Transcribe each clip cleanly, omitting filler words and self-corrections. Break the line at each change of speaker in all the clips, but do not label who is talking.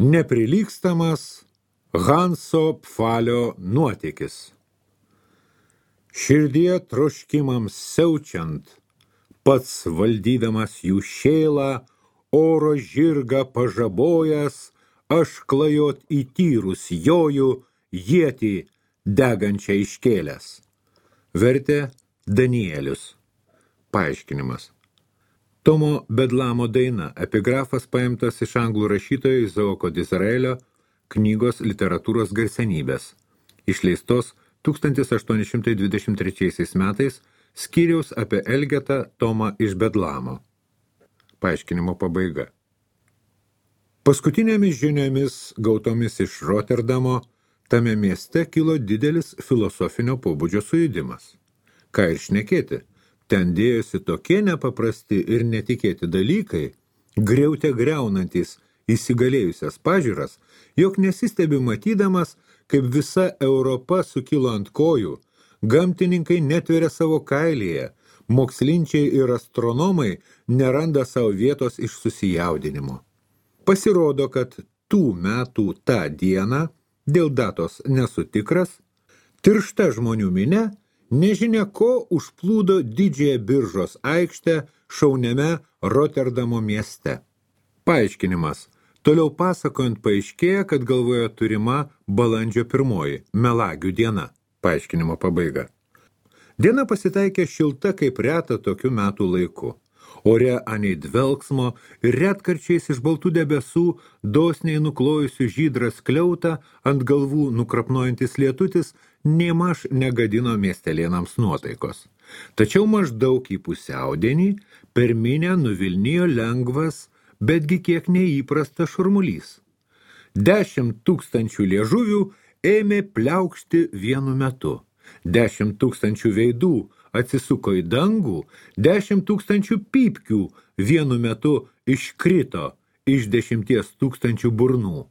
Neprilygstamas Hanso Pfalio nuotykis. Širdie troškimams siaučiant, pats valdydamas jų šėlą, oro žirgą pažabojęs, aš klajot į tyrus joju, ietį degančią iškėlęs. Vertė Danielius. Paaiškinimas. Tomo Bedlamo daina, epigrafas paimtas iš anglų rašytojo Izaoko Dizraelio knygos literatūros garsenybės, išleistos 1823 metais skyriaus apie Elgetą Tomą iš Bedlamo. Paaiškinimo pabaiga. Paskutinėmis žiniomis gautomis iš Roterdamo, tame mieste kilo didelis filosofinio pobūdžio sujudimas. Ką ir šnekėti, ten dėjosi tokie nepaprasti ir netikėti dalykai, griaute griaunantys įsigalėjusias pažiūras, jog nesistebi matydamas, kaip visa Europa sukilo ant kojų, gamtininkai netveria savo kailyje, mokslinčiai ir astronomai neranda savo vietos iš susijaudinimo. Pasirodo, kad tų metų tą dieną, dėl datos nesu tikras, tiršta žmonių minia nežinia ko užplūdo didžiąją biržos aikštę šauniame Roterdamo mieste. Paaiškinimas. Toliau pasakojant paaiškėja, kad galvoje turima balandžio 1, melagių diena. Paaiškinimo pabaiga. Diena pasitaikė šilta kaip reta tokiu metų laiku. Ore anei dvelksmo ir retkarčiais iš baltų debesų, dosniai nuklojusių žydrą skliautą, ant galvų nukrapnojantis lietutis, nėmaž negadino miestelėnams nuotaikos. Tačiau maždaug į pusiaudienį per minią nuvilnijo lengvas, betgi kiek neįprastas šurmulys. 10 000 liežuvių ėmė pliaukšti vienu metu. 10 000 veidų atsisuko į dangų, 10 000 pypkių vienu metu iškrito iš 10 000 burnų.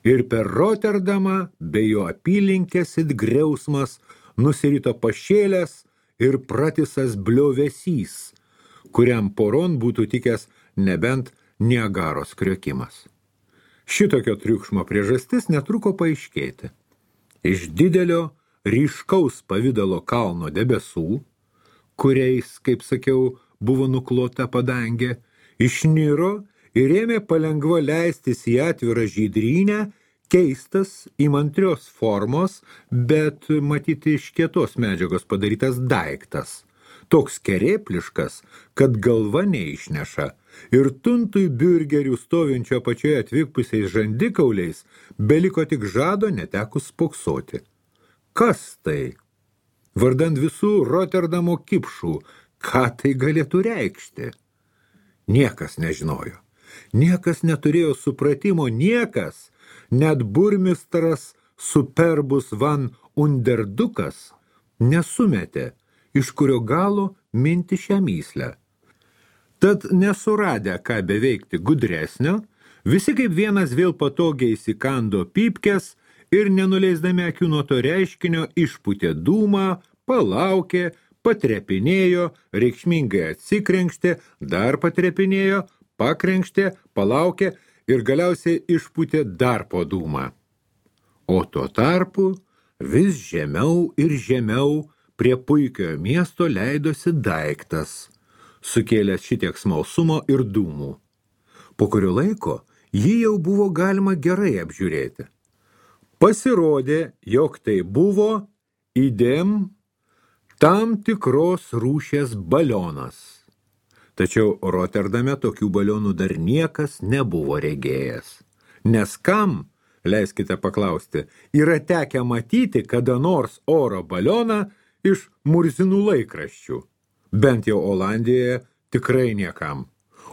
Ir per Rotterdamą bei jo apylinkės it griausmas nusirito pašėlęs ir pratisas bliovesys, kuriam poron būtų tikęs nebent Niagaros kriokimas. Šitokio triukšmo priežastis netruko paaiškėti. Iš didelio, ryškaus pavidalo kalno debesų, kuriais, kaip sakiau, buvo nuklota padangė, išniro ir ėmė palengva leistis į atvirą žydrynę, keistas, įmantrios formos, bet matyti iš kietos medžiagos padarytas daiktas. Toks kerėpliškas, kad galva neišneša, ir tuntui biurgerių stovinčio pačioje atvykpusiais žandikauliais beliko tik žado netekus spoksoti. Kas tai? Vardant visų Rotterdamo kipšų, ką tai galėtų reikšti? Niekas nežinojo. Niekas neturėjo supratimo, niekas, net burmistras Superbus van Underdukas nesumetė, iš kurio galo minti šią myslę. Tad nesuradę, ką beveikti gudresnio, visi kaip vienas vėl patogiai įsikando pypkes ir nenuleisdami akių nuo to reiškinio išpūtė dūmą, palaukė, patrepinėjo, reikšmingai atsikrenkštė, dar patrepinėjo, pakrenkštė, palaukė ir galiausiai išpūtė dar po dūmą. O tuo tarpu vis žemiau ir žemiau prie puikiojo miesto leidosi daiktas, sukėlęs šitiek smalsumo ir dūmų. Po kurio laiko jį jau buvo galima gerai apžiūrėti. Pasirodė, jog tai buvo idem tam tikros rūšies balionas. Tačiau Rotterdame tokių balionų dar niekas nebuvo regėjęs. Nes kam, leiskite paklausti, yra tekę matyti kada nors oro balioną iš murzinų laikraščių. Bent jau Olandijoje tikrai niekam.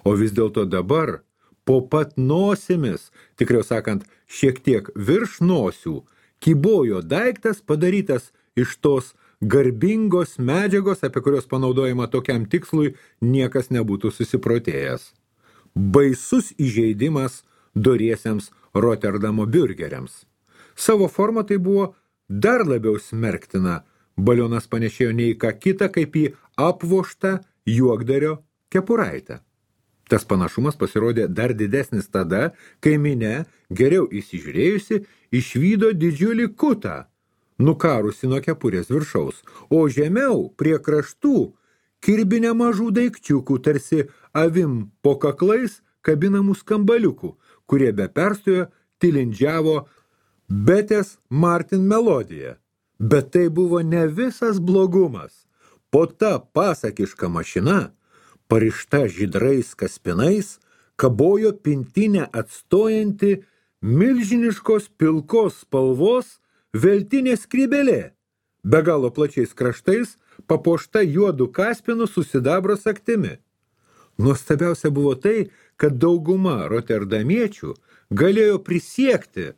O vis dėlto dabar, po pat nosimis, tikriau sakant, šiek tiek virš nosių, kybojo daiktas padarytas iš tos garbingos medžiagos, apie kurios panaudojimą tokiam tikslui niekas nebūtų susiprotėjęs. Baisus įžeidimas doriesiems Rotterdamo biurgeriams. Savo formą tai buvo dar labiau smerktina. Balionas panešėjo ne į ką kitą, kaip į apvoštą juokdario kepuraitę. Tas panašumas pasirodė dar didesnis tada, kai minia, geriau įsižiūrėjusi, išvydo didžiulį kutą, nukarusi nuo kepurės viršaus, o žemiau, prie kraštų, kirbinę mažų daikčiukų, tarsi avim po kaklais kabinamų skambaliukų, kurie be perstojo tilindžiavo Betės Martin melodiją. Bet tai buvo ne visas blogumas. Po ta pasakiška mašina, parišta žydrais kaspinais, kabojo pintinę atstojanti milžiniškos pilkos spalvos veltinė skrybelė, be galo plačiais kraštais, papuošta juodu kaspinu su sidabro sagtimi. Nuostabiausia buvo tai, kad dauguma roterdamiečių galėjo prisiekti.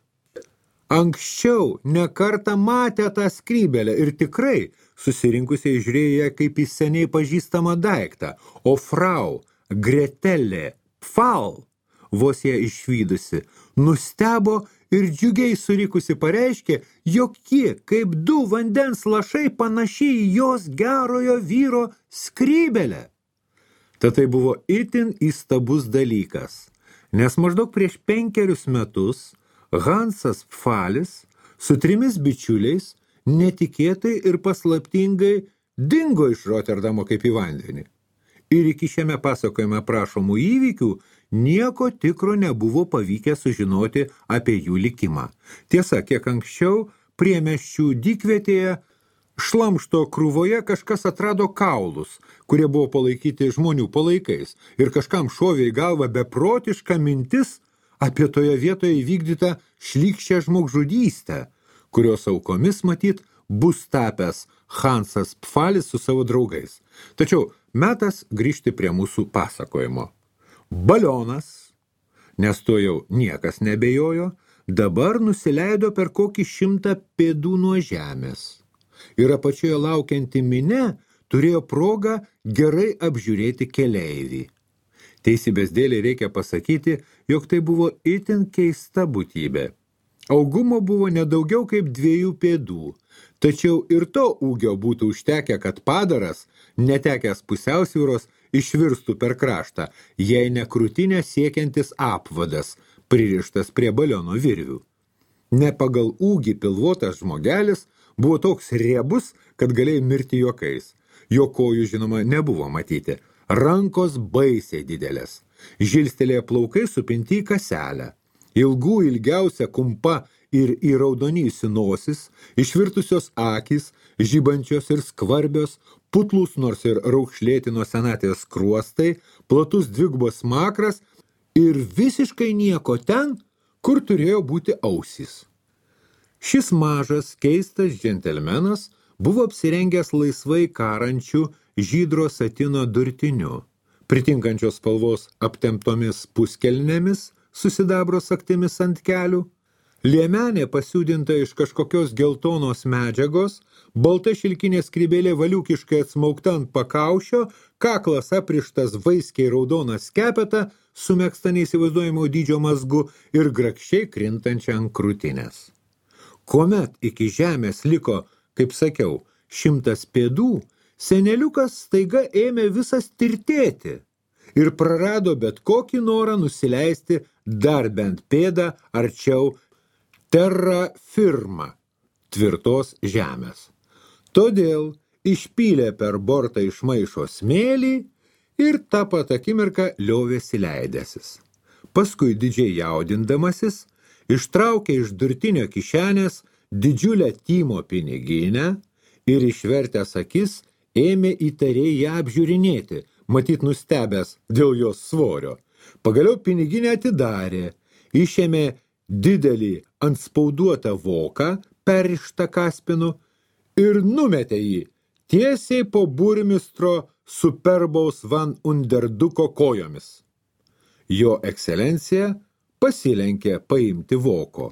Anksčiau nekartą matė tą skrybelę ir tikrai susirinkusiai žiūrėjo kaip į seniai pažįstamą daiktą, o frau Gretelė Pfal, vos ją išvydusi, nustebo ir džiugiai surikusi pareiškė, jog ji, kaip du vandens lašai, panašiai į jos gerojo vyro skrybelę. Tad tai buvo itin įstabus dalykas, nes maždaug prieš 5 metus Hansas Pfalis su 3 bičiuliais netikėtai ir paslaptingai dingo iš Roterdamo kaip į vandenį. Ir iki šiame pasakojime prašomų įvykių nieko tikro nebuvo pavykę sužinoti apie jų likimą. Tiesa, kiek anksčiau priemiesčių dykvietėje šlamšto krūvoje kažkas atrado kaulus, kurie buvo palaikyti žmonių palaikais, ir kažkam šovė į galvą beprotiška mintis apie toje vietoje įvykdytą šlykščią žmogžudystę, kurios aukomis matyt bus tapęs Hansas Pfalis su savo draugais. Tačiau metas grįžti prie mūsų pasakojimo. Balionas, nes to jau niekas nebejojo, dabar nusileido per kokį 100 pėdų nuo žemės. Ir apačioje laukianti minia turėjo progą gerai apžiūrėti keleivį. Teisybės dėlei reikia pasakyti, jog tai buvo itin keista būtybė. Augumo buvo nedaugiau kaip 2 pėdų, tačiau ir to ūgio būtų užtekę, kad padaras, netekęs pusiausvyros, išvirstų per kraštą, jei ne krūtinę siekiantis apvadas, pririštas prie baliono virvių. Ne pagal ūgį pilvotas žmogelis buvo toks riebus, kad galėjo mirti juokais. Jo kojų, žinoma, nebuvo matyti. Rankos baisiai didelės. Žilstelėje plaukai supinti į kaselę. Ilgų ilgiausia kumpa ir įraudonyjusi nosis, išvirtusios akys, žibančios ir skvarbios, putlūs nors ir raukšlėti nuo senatvės skruostai, platus dvigubos smakras ir visiškai nieko ten, kur turėjo būti ausys. Šis mažas, keistas džentelmenas buvo apsirengęs laisvai karančių žydro satino durtiniu, pritinkančios spalvos aptemptomis puskelnėmis, su sidabro sagtimis ant kelių, liemenė pasiūdinta iš kažkokios geltonos medžiagos, balta šilkinė skrybėlė valiukiškai atsmaukta ant pakaušio, kaklas aprištas vaiskiai raudoną skepetą, su megzta neįsivaizduojamo dydžio mazgu ir grakščiai krintančia ant krūtinės. Kuomet iki žemės liko, kaip sakiau, 100 pėdų, seneliukas staiga ėmė visas tirtėti ir prarado bet kokį norą nusileisti dar bent pėdą arčiau terra firma, tvirtos žemės. Todėl išpylė per bortą iš maišo smėlį ir tą pat akimirką liovėsi leidęsis. Paskui didžiai jaudindamasis ištraukė iš durtinio kišenės didžiulę Tymo piniginę ir išvertęs akis ėmė įtariai ją apžiūrinėti, matyt nustebęs dėl jos svorio. Pagaliau piniginę atidarė, išėmė didelį antspauduotą voką, perrištą kaspinu, ir numetė jį tiesiai po burmistro Superbaus van Underduko kojomis. Jo ekscelencija pasilenkė paimti voko.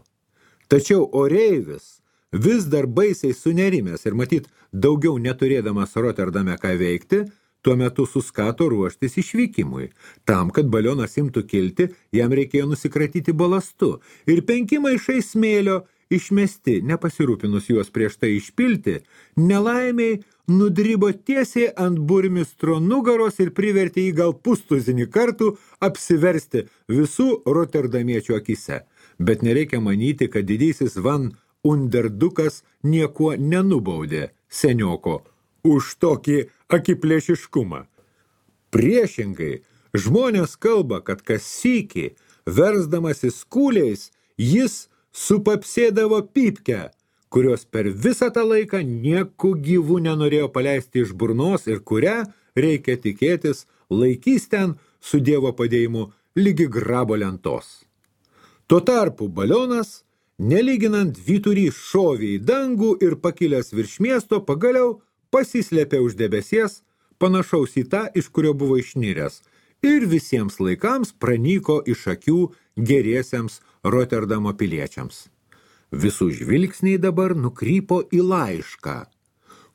Tačiau oreivis, vis dar baisiai sunerimęs ir matyt daugiau neturėdamas Roterdame ką veikti, tuo metu suskato ruoštis išvykimui. Tam, kad balionas imtų kilti, jam reikėjo nusikratyti balastu ir 5 maišai smėlio išmesti, nepasirūpinus juos prieš tai išpilti, nelaimiai nudribo tiesiai ant burmistro nugaros ir privertė jį gal pustuzinį kartų apsiversti visų roterdamiečių akise. Bet nereikia manyti, kad didysis Van Underdukas niekuo nenubaudė senioko už tokį akiplėšiškumą. Priešingai, žmonės kalba, kad kas sykį, versdamasis kūliais, jis supapsėdavo pypkę, kurios per visą tą laiką nieku gyvų nenorėjo paleisti iš burnos ir kurią, reikia tikėtis, laikys ten su Dievo padėjimu lygi grabo lentos. Tuo tarpu balionas, nelyginant vyturį, šovė į dangų ir pakilęs virš miesto pagaliau pasislėpė už debesies, panašaus į tą, iš kurio buvo išniręs, ir visiems laikams pranyko iš akių geriesiems Roterdamo piliečiams. Visų žvilgsniai dabar nukrypo į laišką,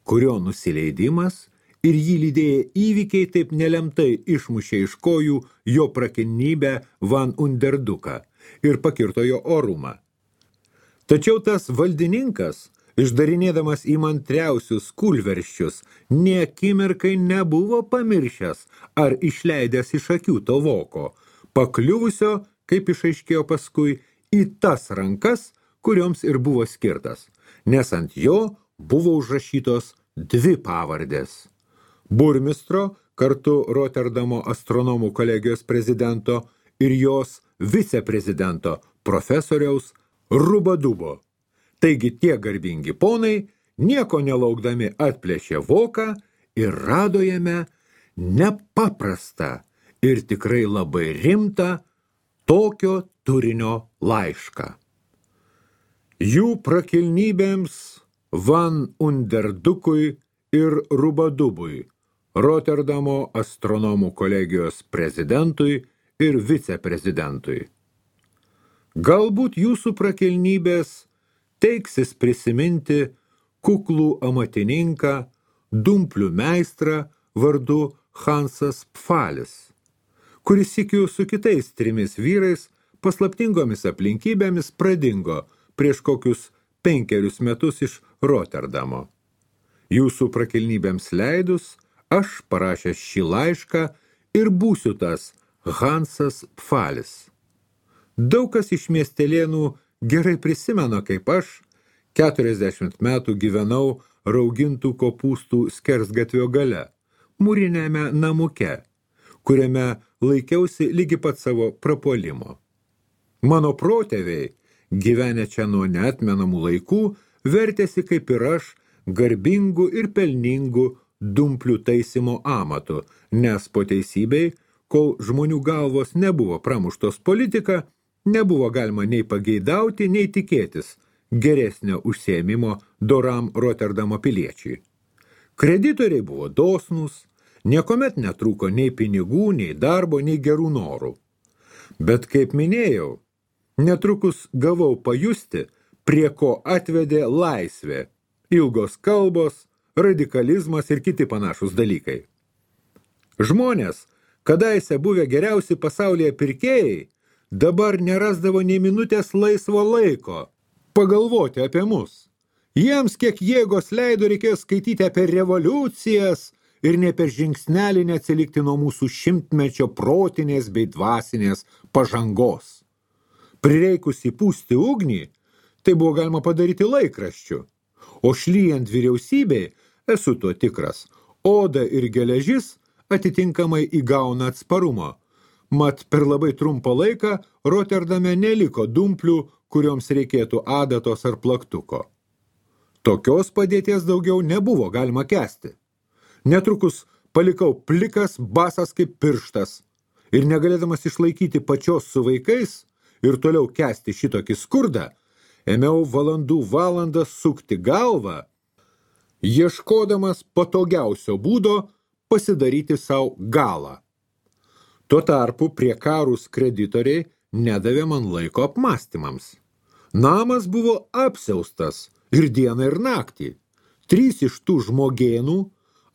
kurio nusileidimas ir jį lydėję įvykiai taip nelemtai išmušė iš kojų jo prakilnybę Van Underduką ir pakirto jo orumą. Tačiau tas valdininkas, išdarinėdamas įmantriausius kūlversčius, nė akimirkai nebuvo pamiršęs ar išleidęs iš akių to voko, pakliuvusio, kaip išaiškėjo paskui, į tas rankas, kurioms ir buvo skirtas, nes ant jo buvo užrašytos dvi pavardės. Burmistro, kartu Roterdamo astronomų kolegijos prezidento ir jos viceprezidento profesoriaus Rubadubo. Taigi tie garbingi ponai, nieko nelaukdami atplėšė voką ir rado jame nepaprastą ir tikrai labai rimtą tokio turinio laišką. Jų prakilnybėms Van Underdukui ir Rubadubui, Roterdamo astronomų kolegijos prezidentui ir viceprezidentui. Galbūt jūsų prakilnybės teiksis prisiminti kuklų amatininką, dumplių meistrą vardu Hansas Pfalis, kuris sykiu su kitais 3 vyrais paslaptingomis aplinkybėmis pradingo prieš kokius 5 metus iš Roterdamo. Jūsų prakilnybėms leidus, aš parašęs šį laišką ir būsiu tas Hansas Pfalis. Daug kas iš miestelėnų gerai prisimena, kaip aš 40 metų gyvenau raugintų kopūstų skersgatvio gale, mūrinėme namuke, kuriame laikiausi lygi pat savo prapuolimo. Mano protėviai, gyvenę čia nuo neatmenamų laikų, vertėsi kaip ir aš garbingų ir pelningų dumplių taisymo amatu, nes po teisybei, kol žmonių galvos nebuvo pramuštos politika, nebuvo galima nei pageidauti, nei tikėtis geresnio užsiėmimo doram Roterdamo piliečiui. Kreditoriai buvo dosnūs, niekuomet netrūko nei pinigų, nei darbo, nei gerų norų. Bet, kaip minėjau, netrukus gavau pajusti, prie ko atvedė laisvė, ilgos kalbos, radikalizmas ir kiti panašus dalykai. Žmonės, kadaise buvę geriausi pasaulyje pirkėjai, dabar nerasdavo nei minutės laisvo laiko pagalvoti apie mus. Jiems kiek jėgos leido reikėjo skaityti apie revoliucijas ir ne per žingsnelį neatsilikti nuo mūsų 100-mečio protinės bei dvasinės pažangos. Prireikus įpūsti ugnį, tai buvo galima padaryti laikraščiu, o šlyjant vyriausybei, esu tuo tikras, oda ir geležis atitinkamai įgauna atsparumo, mat per labai trumpą laiką Roterdame neliko dumplių, kurioms reikėtų adatos ar plaktuko. Tokios padėties daugiau nebuvo galima kęsti. Netrukus palikau plikas, basas kaip pirštas ir negalėdamas išlaikyti pačios su vaikais ir toliau kęsti šitokį skurdą, ėmiau valandų valandas sukti galvą, ieškodamas patogiausio būdo pasidaryti savo galą. Tuo tarpu prie karus kreditoriai nedavė man laiko apmąstymams. Namas buvo apsiaustas ir dieną ir naktį. 3 iš tų žmogėnų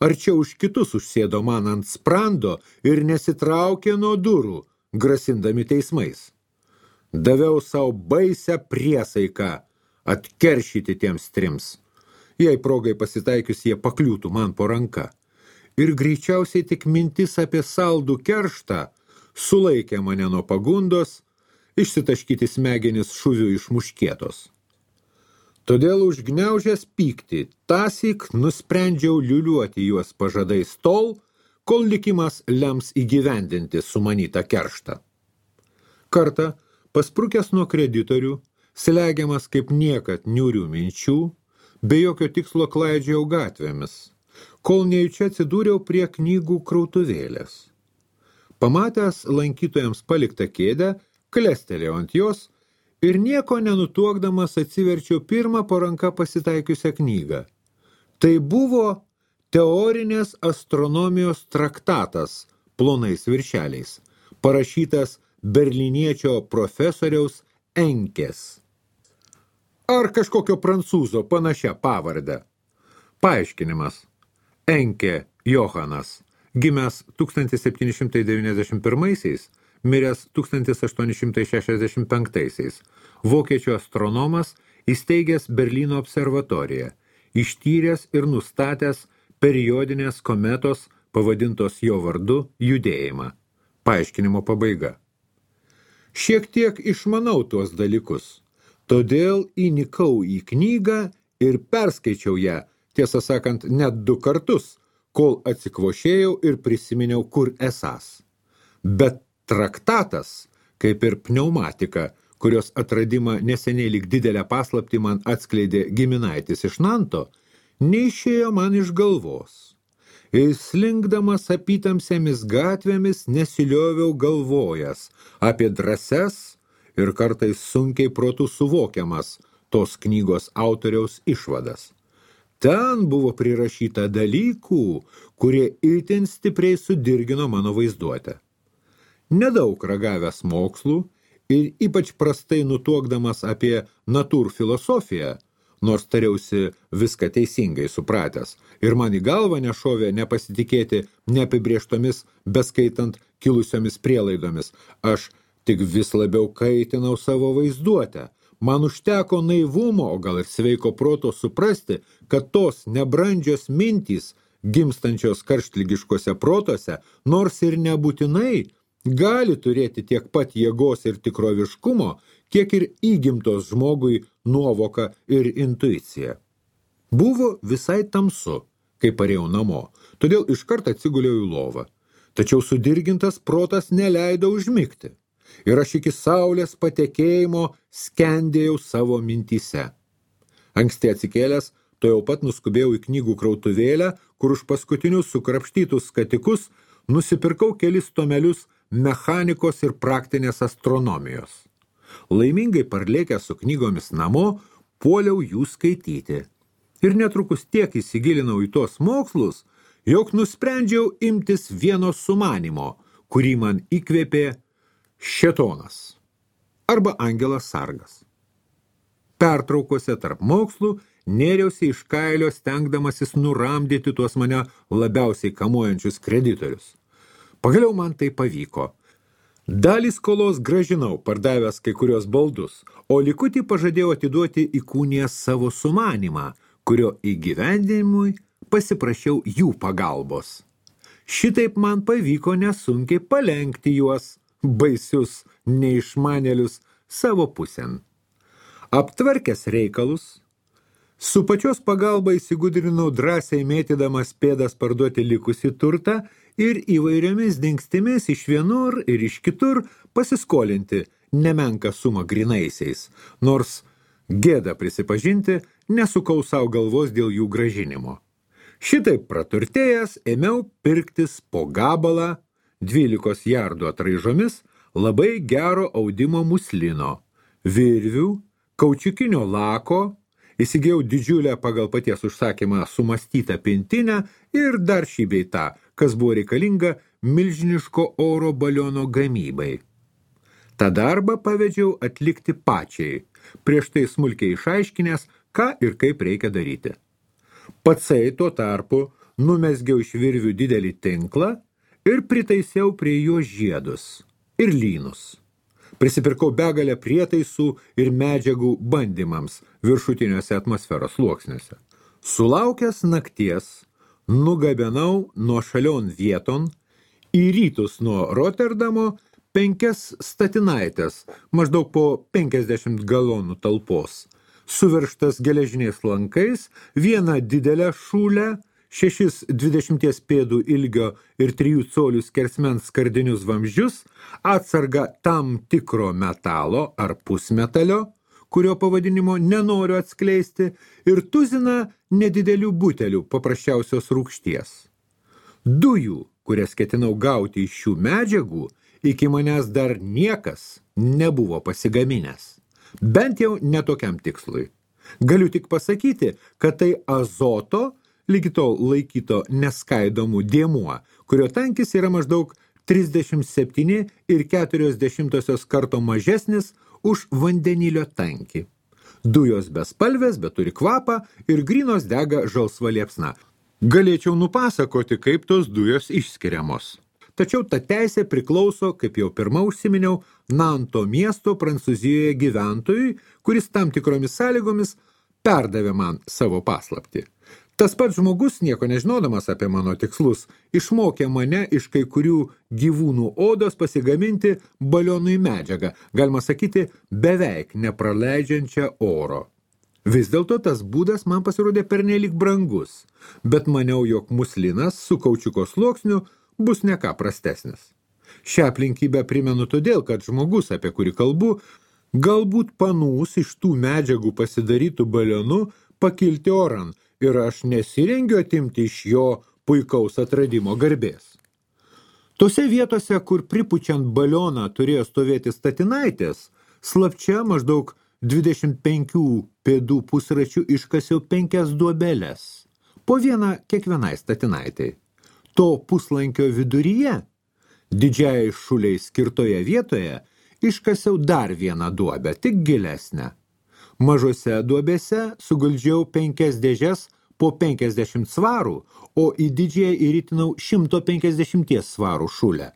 arčiau už kitus užsėdo man ant sprando ir nesitraukė nuo durų, grasindami teismais. Daviau savo baisią priesaiką atkeršyti tiems 3. jei progai pasitaikius jie pakliūtų man po ranka. Ir greičiausiai tik mintis apie saldų kerštą sulaikė mane nuo pagundos išsitaškyti smegenis šuvių iš muškietos. Todėl užgniaužęs pyktį, tąsyk nusprendžiau liuliuoti juos pažadais tol, kol likimas lems įgyvendinti sumanytą kerštą. Kartą, pasprukęs nuo kreditorių, slegiamas kaip niekad niūrių minčių, be jokio tikslo klaidžiau gatvėmis, kol nejučia atsidūriau prie knygų krautuvėlės. Pamatęs lankytojams paliktą kėdę, klestelėjau ant jos ir nieko nenutuokdamas atsiverčiau pirmą po ranka pasitaikiusią knygą. Tai buvo teorinės astronomijos traktatas plonais viršeliais, parašytas berlyniečio profesoriaus Enkės. Ar kažkokio prancūzo panašia pavarde. Paaiškinimas. Enkė Johanas, gimęs 1791-aisiais, miręs 1865-aisiais, vokiečių astronomas, įsteigęs Berlyno observatoriją, ištyręs ir nustatęs periodinės kometos, pavadintos jo vardu, judėjimą. Paaiškinimo pabaiga. Šiek tiek išmanau tuos dalykus, todėl įnikau į knygą ir perskaičiau ją, tiesą sakant, net 2 kartus, kol atsikvošėjau ir prisiminiau, kur esąs. Bet traktatas, kaip ir pneumatika, kurios atradimą neseniai lyg didelę paslaptį man atskleidė giminaitis iš Nanto, neišėjo man iš galvos. Ir slinkdamas apytamsėmis gatvėmis nesilioviau galvojęs apie drąses ir kartais sunkiai protų suvokiamas tos knygos autoriaus išvadas. Ten buvo prirašyta dalykų, kurie itin stipriai sudirgino mano vaizduotę. Nedaug ragavęs mokslų ir ypač prastai nutuokdamas apie natūrfilosofiją, nors tariausi viską teisingai supratęs, ir man į galvą nešovė nepasitikėti neapibrėžtomis, beskaitant kilusiomis prielaidomis. Aš tik vis labiau kaitinau savo vaizduotę. Man užteko naivumo, o gal ir sveiko proto suprasti, kad tos nebrandžios mintys, gimstančios karštligiškose protuose, nors ir nebūtinai, gali turėti tiek pat jėgos ir tikroviškumo, kiek ir įgimtos žmogui nuovoka ir intuicija. Buvo visai tamsu, kai parėjau namo, todėl iškart atsiguliau į lovą. Tačiau sudirgintas protas neleido užmigti. Ir aš iki saulės patekėjimo skendėjau savo mintyse. Anksti atsikėlęs, to jau pat nuskubėjau į knygų krautuvėlę, kur už paskutinius sukrapštytus skatikus nusipirkau kelis tomelius mechanikos ir praktinės astronomijos. Laimingai parlėkęs su knygomis namo, puoliau jų skaityti. Ir netrukus tiek įsigilinau į tos mokslus, jog nusprendžiau imtis vieno sumanymo, kurį man įkvėpė šėtonas arba angelas sargas. Pertraukose tarp mokslų nėriausi iš kailio stengdamasis nuramdyti tuos mane labiausiai kamuojančius kreditorius. Pagaliau man tai pavyko. Dalį skolos grąžinau, pardavęs kai kurios baldus, o likutį pažadėjau atiduoti įkūnijęs savo sumanymą, kurio įgyvendinimui pasiprašiau jų pagalbos. Šitaip man pavyko nesunkiai palenkti juos, baisius neišmanėlius, savo pusėn. Aptvarkęs reikalus, su pačios pagalba įsigudrinau drąsiai mėtydamas pėdas parduoti likusį turtą ir įvairiomis dingstimis iš vienur ir iš kitur pasiskolinti nemenką sumą grinaisiais, nors gėda prisipažinti, nesukau savo galvos dėl jų grąžinimo. Šitaip praturtėjęs ėmiau pirktis po gabalą 12 jardų atraižomis labai gero audimo muslino, virvių, kaučiukinio lako, įsigijau didžiulę pagal paties užsakymą sumastytą pintinę ir dar šį bei tą, kas buvo reikalinga milžiniško oro baliono gamybai. tą darbą pavedžiau atlikti pačiai, prieš tai smulkiai išaiškinęs, ką ir kaip reikia daryti. Patsai tuo tarpu numesgiau iš virvių didelį tinklą ir pritaisiau prie jo žiedus ir lynus. Prisipirkau begalę prietaisų ir medžiagų bandymams viršutiniuose atmosferos sluoksniuose. Sulaukęs nakties, nugabenau nuo šalion vieton į rytus nuo Roterdamo 5 statinaites, maždaug po 50 galonų talpos, suveržtas geležiniais lankais, vieną didelę šūlę, 6 20 pėdų ilgio ir 3 colių skersmens skardinius vamzdžius, atsargą tam tikro metalo ar pusmetalio, kurio pavadinimo nenoriu atskleisti, ir tuziną nedidelių butelių paprasčiausios rūgšties. Dujų, kurias ketinau gauti iš šių medžiagų, iki manęs dar niekas nebuvo pasigaminęs. Bent jau netokiam tikslui. Galiu tik pasakyti, kad tai azoto, lygi tol laikyto neskaidomų dėmuo, kurio tankis yra maždaug 37,4 karto mažesnis už vandenilio tankį. Dujos bespalvės, bet turi kvapą ir grynos dega žalsva liepsna. Galėčiau nupasakoti, kaip tos dujos išskiriamos. Tačiau ta teisė priklauso, kaip jau pirma užsiminiau, Nanto miesto Prancūzijoje gyventojui, kuris tam tikromis sąlygomis perdavė man savo paslaptį. Tas pats žmogus, nieko nežinodamas apie mano tikslus, išmokė mane iš kai kurių gyvūnų odos pasigaminti balionui medžiagą, galima sakyti, beveik nepraleidžiančią oro. Vis dėlto tas būdas man pasirodė pernelyg brangus, bet maniau, jog muslinas su kaučiuko sluoksniu bus ne ką prastesnis. Šią aplinkybę primenu todėl, kad žmogus, apie kurį kalbu, galbūt panūs iš tų medžiagų pasidarytų balionu pakilti oran, ir aš nesirengiu atimti iš jo puikaus atradimo garbės. Tose vietose, kur pripučiant balioną turėjo stovėti statinaitės, slapčia maždaug 25 pėdų pusračių iškasiau 5 duobeles, po vieną kiekvienai statinaitai. To puslankio viduryje, didžiai šuliai skirtoje vietoje, iškasiau dar vieną duobę, tik gilesnę. Mažose duobėse suguldžiau 5 dėžes po 50 svarų, o į didžiąją įritinau 150 svarų šulę.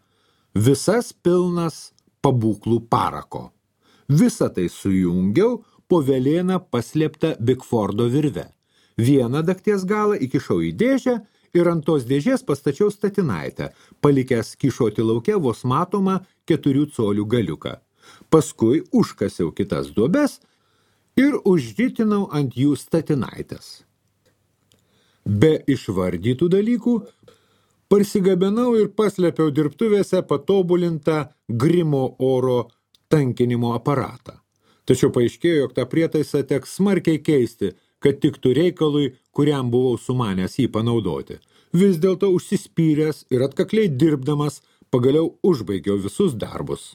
Visas pilnas pabūklų parako. Visą tai sujungiau po velėną paslėptą Bigfordo virve. Vieną dakties galą įkišau į dėžę ir ant tos dėžės pastačiau statinaitę, palikęs kyšoti lauke vos matomą 4 colių galiuką. Paskui užkasiau kitas duobes ir užritinau ant jų statinaitės. Be išvardytų dalykų, parsigabenau ir paslėpiau dirbtuvėse patobulintą Grimo oro tankinimo aparatą. Tačiau paaiškėjo, jog tą prietaisą teks smarkiai keisti, kad tiktų reikalui, kuriam buvau sumanęs jį panaudoti. Vis dėlto užsispyręs ir atkakliai dirbdamas, pagaliau užbaigiau visus darbus.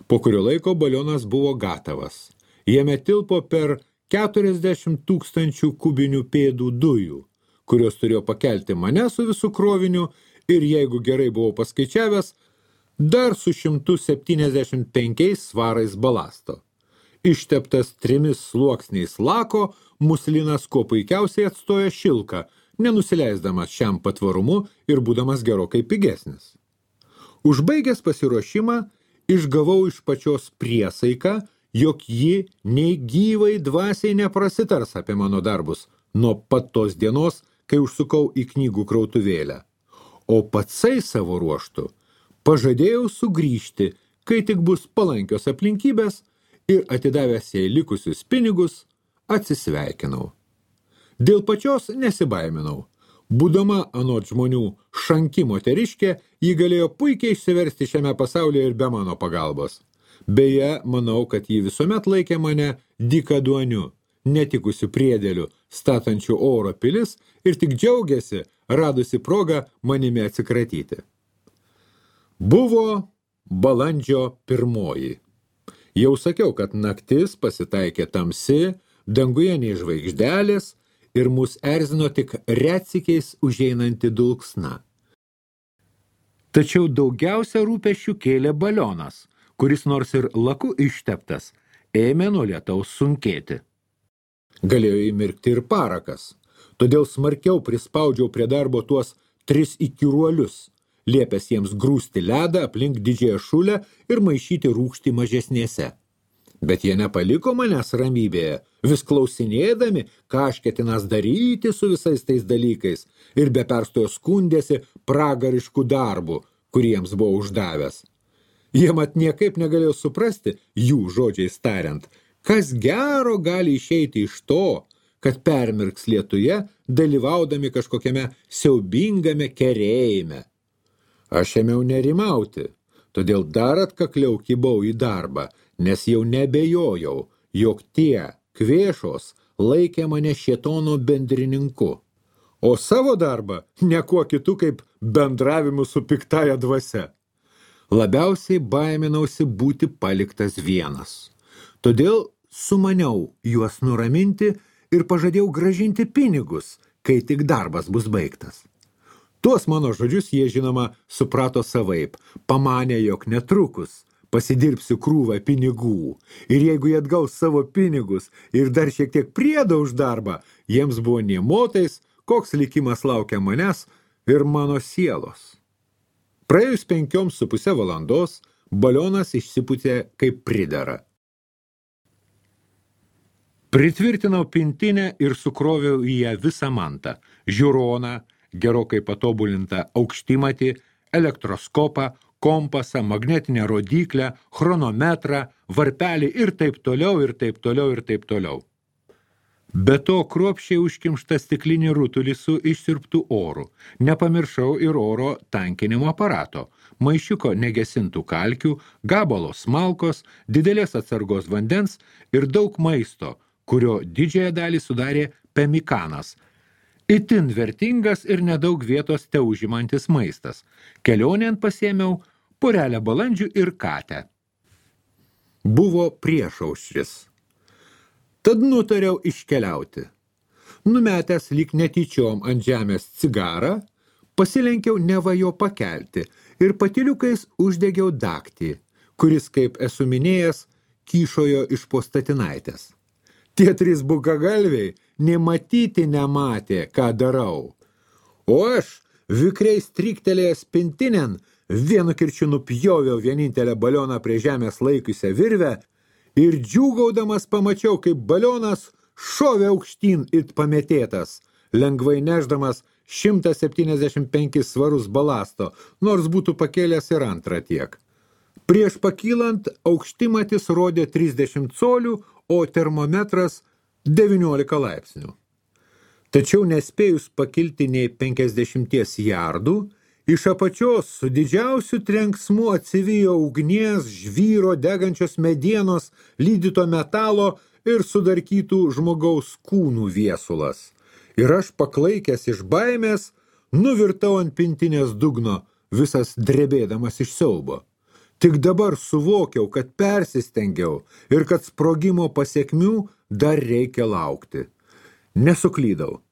Po kurio laiko balionas buvo gatavas. Jame tilpo per 40 000 kubinių pėdų dujų, kurios turėjo pakelti mane su visų kroviniu ir, jeigu gerai buvau paskaičiavęs, dar su 175 svarais balasto. Išteptas 3 sluoksniais lako, muslinas kuo puikiausiai atstoja šilką, nenusileisdamas šiam patvarumu ir būdamas gerokai pigesnis. Užbaigęs pasiruošimą, išgavau iš pačios priesaiką, jog ji nei gyvai dvasiai neprasitars apie mano darbus nuo pat tos dienos, kai užsukau į knygų krautuvėlę. O patsai savo ruoštų pažadėjau sugrįžti, kai tik bus palankios aplinkybės, ir atidavęs jai likusius pinigus, atsisveikinau. Dėl pačios nesibaiminau. Būdama anot žmonių šanki moteriškė, ji galėjo puikiai išsiversti šiame pasaulyje ir be mano pagalbos. Beje, manau, kad ji visuomet laikė mane dykaduoniu, netikusiu priedėliu, statančiu oro pilis ir tik džiaugiasi, radusi progą manimi atsikratyti. Buvo balandžio 1. Jau sakiau, kad naktis pasitaikė tamsi, danguje nei žvaigždelės ir mus erzino tik retsykiais užeinanti dulksna. Tačiau daugiausia rūpesčių kėlė balionas, kuris nors ir laku išteptas, ėmė nuo lietaus sunkėti. Galėjo įmirkti ir parakas, todėl smarkiau prispaudžiau prie darbo tuos 3 įkyruolius, liepęs jiems grūsti ledą aplink didžiąją šulę ir maišyti rūgštį mažesnėse. Bet jie nepaliko manęs ramybėje, vis klausinėdami, ką aš ketinas daryti su visais tais dalykais, ir be perstojo skundėsi pragariškų darbų, kuriems buvo uždavęs. Jie mat niekaip negalėjo suprasti, jų žodžiais tariant, kas gero gali išeiti iš to, kad permirks lietuje, dalyvaudami kažkokiame siaubingame kerėjime. Aš ėmiau nerimauti, todėl dar atkakliau kibau į darbą, nes jau nebejojau, jog tie kvėšos laikė mane šėtono bendrininku, o savo darbą niekuo kitu kaip bendravimu su piktaja dvasia. Labiausiai baiminausi būti paliktas vienas. Todėl sumaniau juos nuraminti ir pažadėjau grąžinti pinigus, kai tik darbas bus baigtas. Tuos mano žodžius jie, žinoma, suprato savaip, pamanė, jog netrukus pasidirbsiu krūvą pinigų, ir jeigu jie atgaus savo pinigus ir dar šiek tiek priedo už darbą, jiems buvo nė motais, koks likimas laukia manęs ir mano sielos. Praėjus 5,5 valandos, balionas išsipūtė kaip pridera. Pritvirtinau pintinę ir sukroviau į ją visą mantą, žiūroną, gerokai patobulintą aukštimatį, elektroskopą, kompasą, magnetinę rodyklę, chronometrą, varpelį ir taip toliau, ir taip toliau, ir taip toliau. Be to kruopščiai užkimštą stiklinį rutulį su išsirptų oru. Nepamiršau ir oro tankinimo aparato, maišiuko negesintų kalkių, gabalo smalkos, didelės atsargos vandens ir daug maisto, kurio didžiąją dalį sudarė pemikanas, itin vertingas ir nedaug vietos teužimantis maistas. Kelionėn pasiėmiau porelę balandžių ir katę. Buvo priešaušris. Tad nutariau iškeliauti. Numetęs lyg netyčiom ant žemės cigarą, pasilenkiau neva jo pakelti ir patyliukais uždegiau daktį, kuris, kaip esu minėjęs, kyšojo iš po statinaitės. Tie 3 bukagalviai nematyti nematė, ką darau. O aš, vikriai striktelėjęs pintinen, vienu kirčiu nupjoviau vienintelę balioną prie žemės laikiusią virvę ir džiūgaudamas pamačiau, kaip balionas šovė aukštyn it pametėtas, lengvai nešdamas 175 svarus balasto, nors būtų pakėlęs ir antrą tiek. Prieš pakylant aukštimatis rodė 30 colių, o termometras 19 laipsnių. Tačiau nespėjus pakilti nei 50 jardų, iš apačios su didžiausiu trenksmu atsivijo ugnies, žvyro, degančios medienos, lydyto metalo ir sudarkytų žmogaus kūnų viesulas. Ir aš, paklaikęs iš baimės, nuvirtau ant pintinės dugno, visas drebėdamas iš siaubo. Tik dabar suvokiau, kad persistengiau ir kad sprogimo pasekmių dar reikia laukti. Nesuklydau.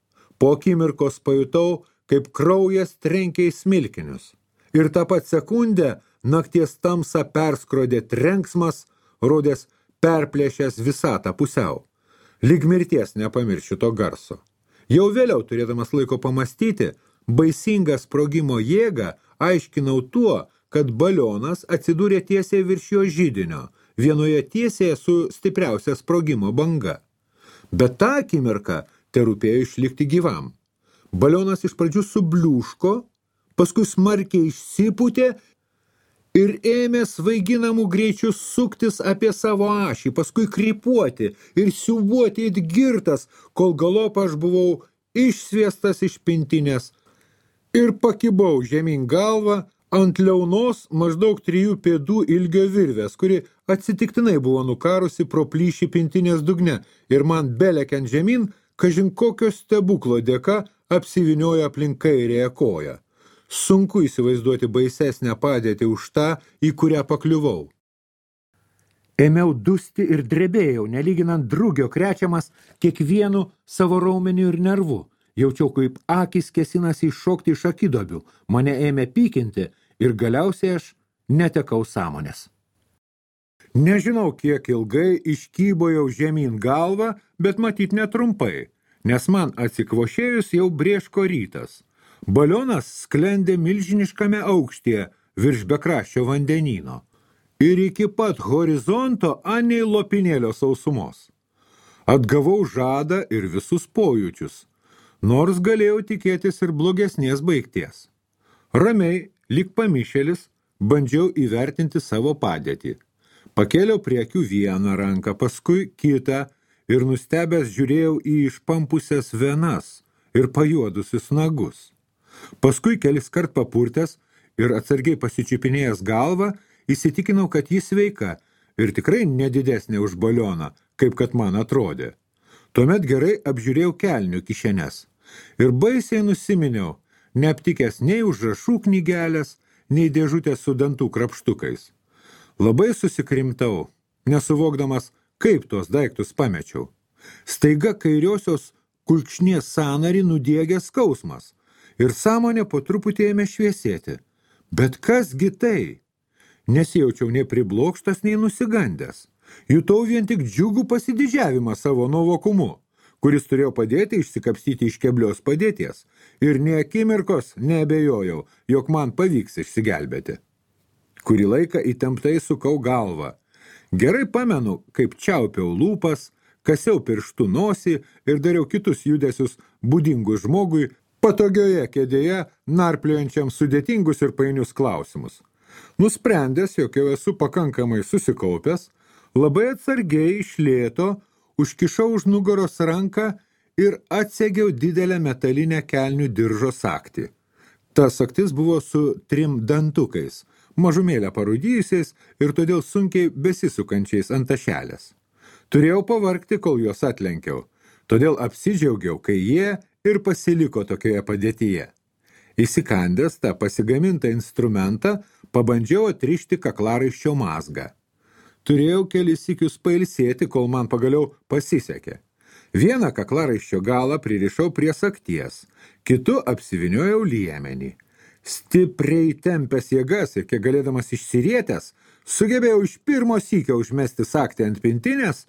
Po akimirkos pajutau, kaip kraujas trenkė į smilkinius. Ir tą pat sekundę nakties tamsą perskrodė trenksmas, rodės perplėšęs visatą pusiau. Lyg mirties nepamiršiu to garso. Jau vėliau, turėdamas laiko pamastyti, baisingą sprogimo jėgą aiškinau tuo, kad balionas atsidūrė tiesiai virš jo židinio, vienoje tiesiai su stipriausia sprogimo banga. Bet tą akimirką terūpėjo išlikti gyvam. Balionas iš pradžių subliūško, paskui smarkiai išsipūtė ir ėmė svaiginamų greičių suktis apie savo ašį, paskui krypuoti ir siūbuoti it girtas, kol galop aš buvau išsviestas iš pintinės ir pakibau žemyn galvą ant liaunos maždaug 3 pėdų ilgio virvės, kuri atsitiktinai buvo nukarusi pro plyšį pintinės dugne ir man belekiant žemyn, kažin kokio stebuklo dėka apsiviniojo aplink kairėje koją. Sunku įsivaizduoti baisesnę padėtį už tą, į kurią pakliuvau. Ėmiau dusti ir drebėjau, nelyginant drugio krečiamas kiekvienu savo raumeniu ir nervu. Jaučiau, kaip akys kėsinasi iššokti iš akidobių, mane ėmė pykinti ir galiausiai aš netekau sąmonės. Nežinau, kiek ilgai iškybojau žemyn galvą, bet matyt netrumpai, nes man atsikvošėjus jau brėško rytas. Balionas sklendė milžiniškame aukštyje virš bekraščio vandenyno. ir iki pat horizonto anei lopinėlio sausumos. Atgavau žadą ir visus pojūčius, nors galėjau tikėtis ir blogesnės baigties. Ramiai, lyg pamišėlis, bandžiau įvertinti savo padėtį. Pakėliau prie akių vieną ranką, paskui kitą ir nustebęs žiūrėjau į išpampusias venas ir pajuodusius nagus. Paskui keliskart papurtęs ir atsargiai pasičiupinėjęs galvą, įsitikinau, kad jis sveika ir tikrai nedidesnė už balioną, kaip kad man atrodė. Tuomet gerai apžiūrėjau kelnių kišenes ir baisiai nusiminiau, neaptikęs nei užrašų knygelės, nei dėžutės su dantų krapštukais. Labai susikrimtau, nesuvokdamas, kaip tuos daiktus pamečiau. Staiga kairiosios kulkšnies sąnarį nudiegė skausmas ir sąmonė po truputį ėmė šviesėti. Bet kasgi tai? Nesijaučiau nei priblokštas, nei nusigandęs. Jutau vien tik džiugų pasididžiavimą savo nuovokumu, kuris turėjo padėti išsikapstyti iš keblios padėties, ir nė akimirkos neabejojau, jog man pavyks išsigelbėti. Kurį laiką įtemptai sukau galvą. Gerai pamenu, kaip čiaupiau lūpas, kasiau pirštų nosį ir dariau kitus judesius būdingus žmogui patogioje kėdėje, narpliojančiam sudėtingus ir painius klausimus. Nusprendęs, jog jau esu pakankamai susikaupęs, labai atsargiai iš lėto užkišau už nugaros ranką ir atsegiau didelę metalinę kelnių diržo sagtį. Ta sagtis buvo su 3 dantukais, mažumėlę parūdijusiais ir todėl sunkiai besisukančiais ant tašelės. Turėjau pavargti, kol juos atlenkiau, todėl apsidžiaugiau, kai jie ir pasiliko tokioje padėtyje. Įsikandęs tą pasigamintą instrumentą, pabandžiau atrišti kaklaraiščio mazgą. Turėjau kelis sykius pailsėti, kol man pagaliau pasisekė. Vieną kaklaraiščio galą pririšau prie sagties, kitu apsiviniojau liemenį. Stipriai tempęs jėgas ir kiek galėdamas išsirietęs, sugebėjau iš pirmo sykio užmesti sagtį ant pintinės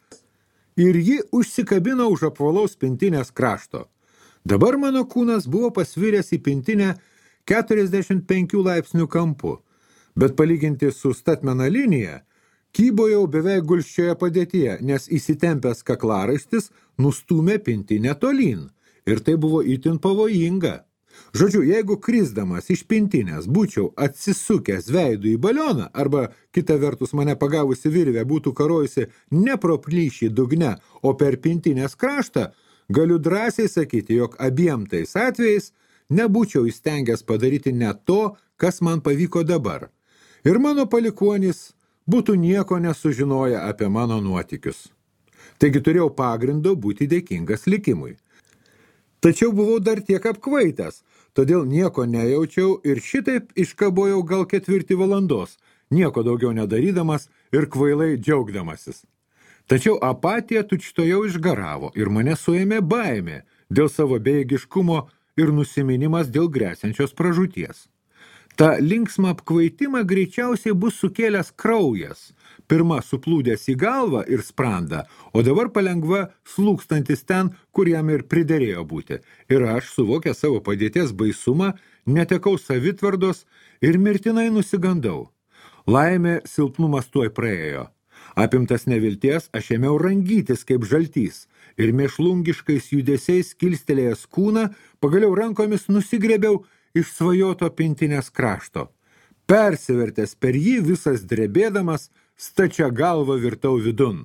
ir ji užsikabino už apvalaus pintinės krašto. Dabar mano kūnas buvo pasviręs į pintinę 45 laipsnių kampu, bet palyginti su statmena linija, kybojau beveik gulsčioje padėtyje, nes įsitempęs kaklaraištis nustūmė pintinę tolyn ir tai buvo itin pavojinga. Žodžiu, jeigu krisdamas iš pintinės būčiau atsisukęs veidu į balioną arba kita vertus mane pagavusi virvė būtų karojusi ne pro plyšį dugne, o per pintinės kraštą, galiu drąsiai sakyti, jog abiem tais atvejais nebūčiau įstengęs padaryti net to, kas man pavyko dabar. Ir mano palikuonys būtų nieko nesužinoję apie mano nuotykius. Taigi turėjau pagrindo būti dėkingas likimui. Tačiau buvau dar tiek apkvaitęs, todėl nieko nejaučiau ir šitaip iškabojau gal 4 valandos, nieko daugiau nedarydamas ir kvailai džiaugdamasis. Tačiau apatija tučtojau išgaravo ir mane suėmė baimė dėl savo bejėgiškumo ir nusiminimas dėl gresiančios pražūties. Ta linksmą apkvaitimą greičiausiai bus sukėlęs kraujas, pirma suplūdęs į galvą ir sprandą, o dabar palengva slūkstantis ten, kur jam ir priderėjo būti. Ir aš, suvokę savo padėties baisumą, netekau savitvardos ir mirtinai nusigandau. Laimė silpnumas tuoj praėjo. Apimtas nevilties, aš ėmiau rangytis kaip žaltys ir mėšlungiškais judesiais kilstelėjęs kūną, pagaliau rankomis nusigrėbiau iš svajoto pintinės krašto. Persivertęs per jį visas drebėdamas, stačia galva virtau vidun.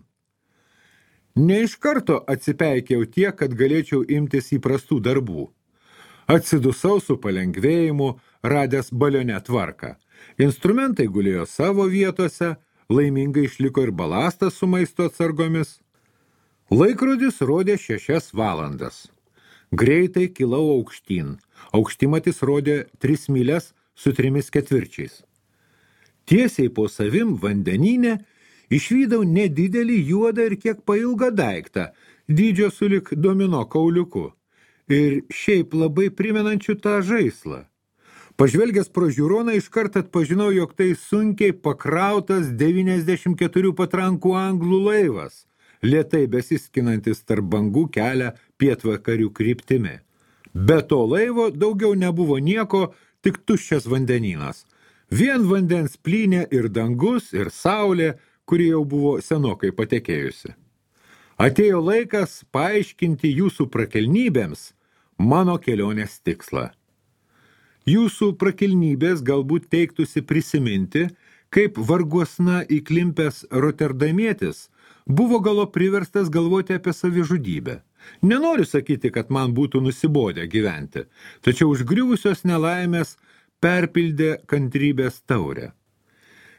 Ne iš karto atsipeikiau tiek, kad galėčiau imtis įprastų darbų. Atsidusau su palengvėjimu, radęs balione tvarką. Instrumentai gulėjo savo vietose, laimingai išliko ir balastas su maisto atsargomis. Laikrodis rodė 6 valandas. Greitai kilau aukštyn. Aukštimatis rodė 3 mylias su 3/4. Tiesiai po savim vandenyne išvydau nedidelį juodą ir kiek pailgą daiktą, dydžio sulig domino kauliuku, ir šiaip labai primenančių tą žaislą. Pažvelgęs pro žiūroną iškart atpažinau, jog tai sunkiai pakrautas 94 patrankų anglų laivas, lėtai besiskinantis tarp bangų kelią pietvakarių kryptimi. Be to laivo daugiau nebuvo nieko, tik tuščias vandenynas. Vien vandens plynė ir dangus, ir saulė, kuri jau buvo senokai patekėjusi. Atėjo laikas paaiškinti jūsų prakelnybėms mano kelionės tikslą. Jūsų prakilnybės galbūt teiktųsi prisiminti, kaip varguosna įklimpęs Rotterdamietis buvo galo priverstas galvoti apie savižudybę. Nenoriu sakyti, kad man būtų nusibodę gyventi, tačiau užgriuvusios nelaimės perpildė kantrybės taurę.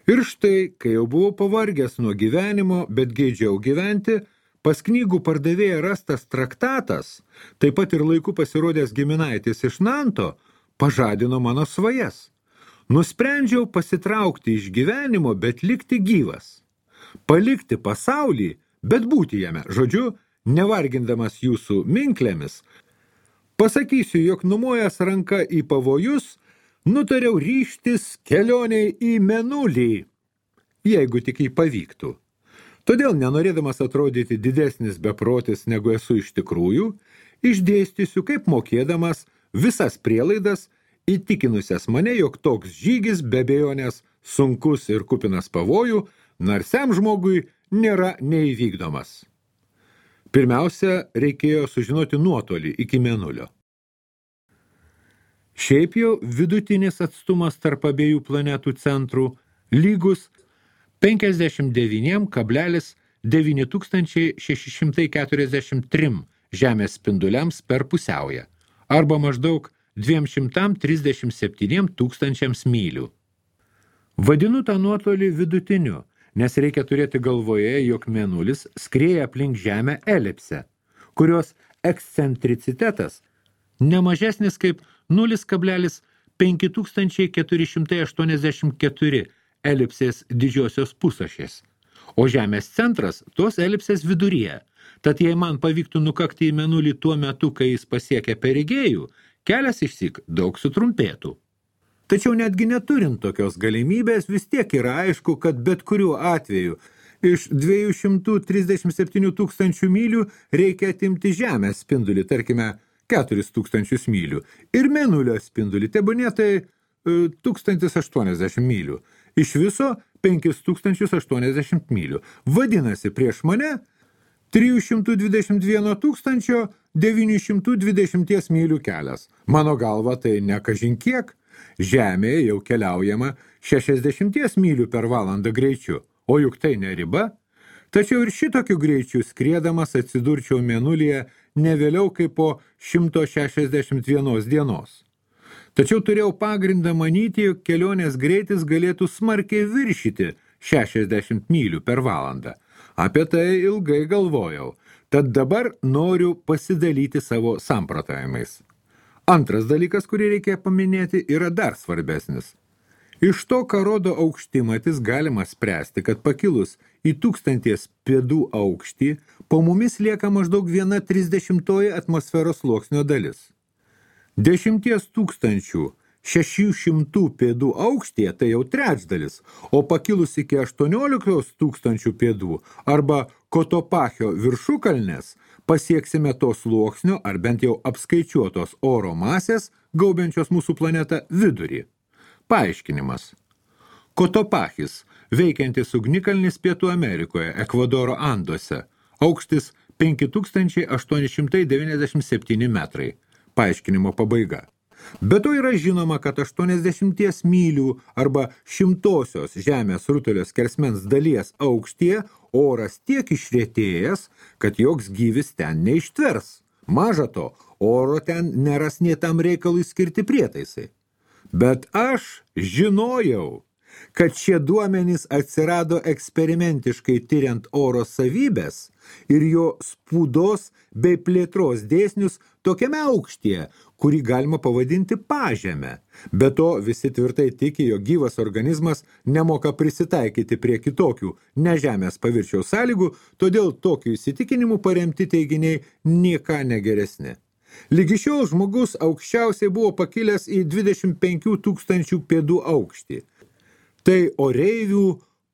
Ir štai, kai jau buvau pavargęs nuo gyvenimo, bet geidžiau gyventi, pas knygų pardavėją rastas traktatas, taip pat ir laiku pasirodęs giminaitis iš Nanto, pažadino mano svajas. Nusprendžiau pasitraukti iš gyvenimo, bet likti gyvas. Palikti pasaulį, bet būti jame. Žodžiu, nevargindamas jūsų minklėmis, pasakysiu, jog numojęs ranka į pavojus, nutariau ryžtis kelioniai į Mėnulį, jeigu tik jį pavyktų. Todėl, nenorėdamas atrodyti didesnis beprotis, negu esu iš tikrųjų, išdėstysiu, kaip mokėdamas visas prielaidas, įtikinusias mane, jog toks žygis be abejonės sunkus ir kupinas pavojų, narsiam žmogui nėra neįvykdomas. Pirmiausia, reikėjo sužinoti nuotolį iki Mėnulio. Šiaip jau vidutinis atstumas tarp abiejų planetų centrų lygus 59,9643 Žemės spinduliams per pusiaują, arba maždaug 237 tūkstančiams mylių. Vadinu tą nuotolį vidutiniu, nes reikia turėti galvoje, jog Mėnulis skrieja aplink Žemę elipsę, kurios ekscentricitetas nemažesnis kaip 0,5484 elipsės didžiosios pusašės, o Žemės centras tos elipsės viduryje. Tad jei man pavyktų nukakti į Mėnulį tuo metu, kai jis pasiekia Perigėjų, kelias išsyk daug sutrumpėtų. Tačiau netgi neturint tokios galimybės, vis tiek yra aišku, kad bet kuriuo atveju iš 237 tūkstančių mylių reikia atimti Žemės spindulį, tarkime, 4000 mylių, ir Mėnulio spindulį, tebūnie tai 1080 mylių. Iš viso 5080 mylių. Vadinasi, prieš mane 321 920 mylių kelias. Mano galva tai ne kažin kiek. Žemėje jau keliaujama 60 mylių per valandą greičiu, o juk tai ne riba. Tačiau ir šitokiu greičiu skriedamas atsidurčiau Mėnulyje ne vėliau kaip po 161 dienos. Tačiau turėjau pagrindą manyti, jog kelionės greitis galėtų smarkiai viršyti 60 mylių per valandą. Apie tai ilgai galvojau, tad dabar noriu pasidalyti savo samprotavimais. Antras dalykas, kurį reikia paminėti, yra dar svarbesnis. Iš to, ką rodo aukštimatis, galima spręsti, kad pakilus į 1000 pėdų aukštį, po mumis lieka maždaug 1/30 atmosferos sluoksnio dalis. 10 600 pėdų aukštyje tai jau trečdalis, o pakilus iki 18 000 pėdų arba Kotopachio viršukalnės pasieksime to sluoksnio ar bent jau apskaičiuotos oro masės, gaubiančios mūsų planetą vidurį. Paaiškinimas. Kotopachis, veikiantis ugnikalnis Pietų Amerikoje, Ekvadoro Anduose, aukštis 5897 metrai. Paaiškinimo pabaiga. Be to yra žinoma, kad 80 mylių arba 100 Žemės rutulio skersmens dalies aukštyje oras tiek išretėjęs, kad joks gyvis ten neištvers. Maža to, oro ten neras nė tam reikalui skirti prietaisai. Bet aš žinojau, kad šie duomenys atsirado eksperimentiškai tyriant oro savybės ir jo spūdos bei plėtros dėsnius tokiame aukštyje, kurį galima pavadinti pažeme. Be to, visi tvirtai tiki, jog gyvas organizmas nemoka prisitaikyti prie kitokių ne Žemės paviršiaus sąlygų, todėl tokių įsitikinimų paremti teiginiai nieka negeresni. Lygi šiol žmogus aukščiausiai buvo pakilęs į 25 000 pėdų aukštį. Tai oreivių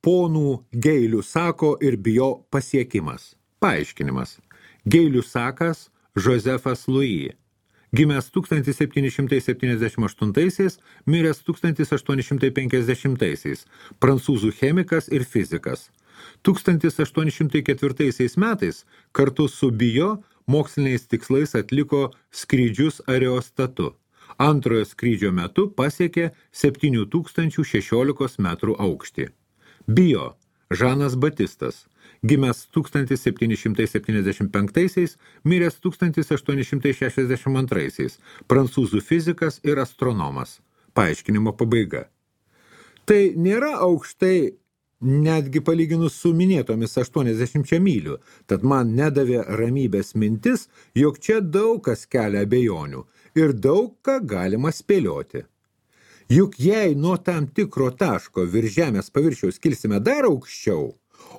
ponų Geilių Sako ir Bijo pasiekimas. Paaiškinimas. Geilių Sakas Josefas Louis. gimęs 1778, miręs 1850, prancūzų chemikas ir fizikas. 1804 metais kartu su Bijo moksliniais tikslais atliko skrydžius aerostatu. Antrojo skrydžio metu pasiekė 7016 metrų aukštį. Bijo Žanas Batistas, gimęs 1775, miręs 1862, prancūzų fizikas ir astronomas. Paaiškinimo pabaiga. Tai nėra aukštai netgi palyginus su minėtomis 80 mylių, tad man nedavė ramybės mintis, jog čia daug kas kelia abejonių ir daug ką galima spėlioti. Juk jei nuo tam tikro taško virš žemės paviršiaus kilsime dar aukščiau,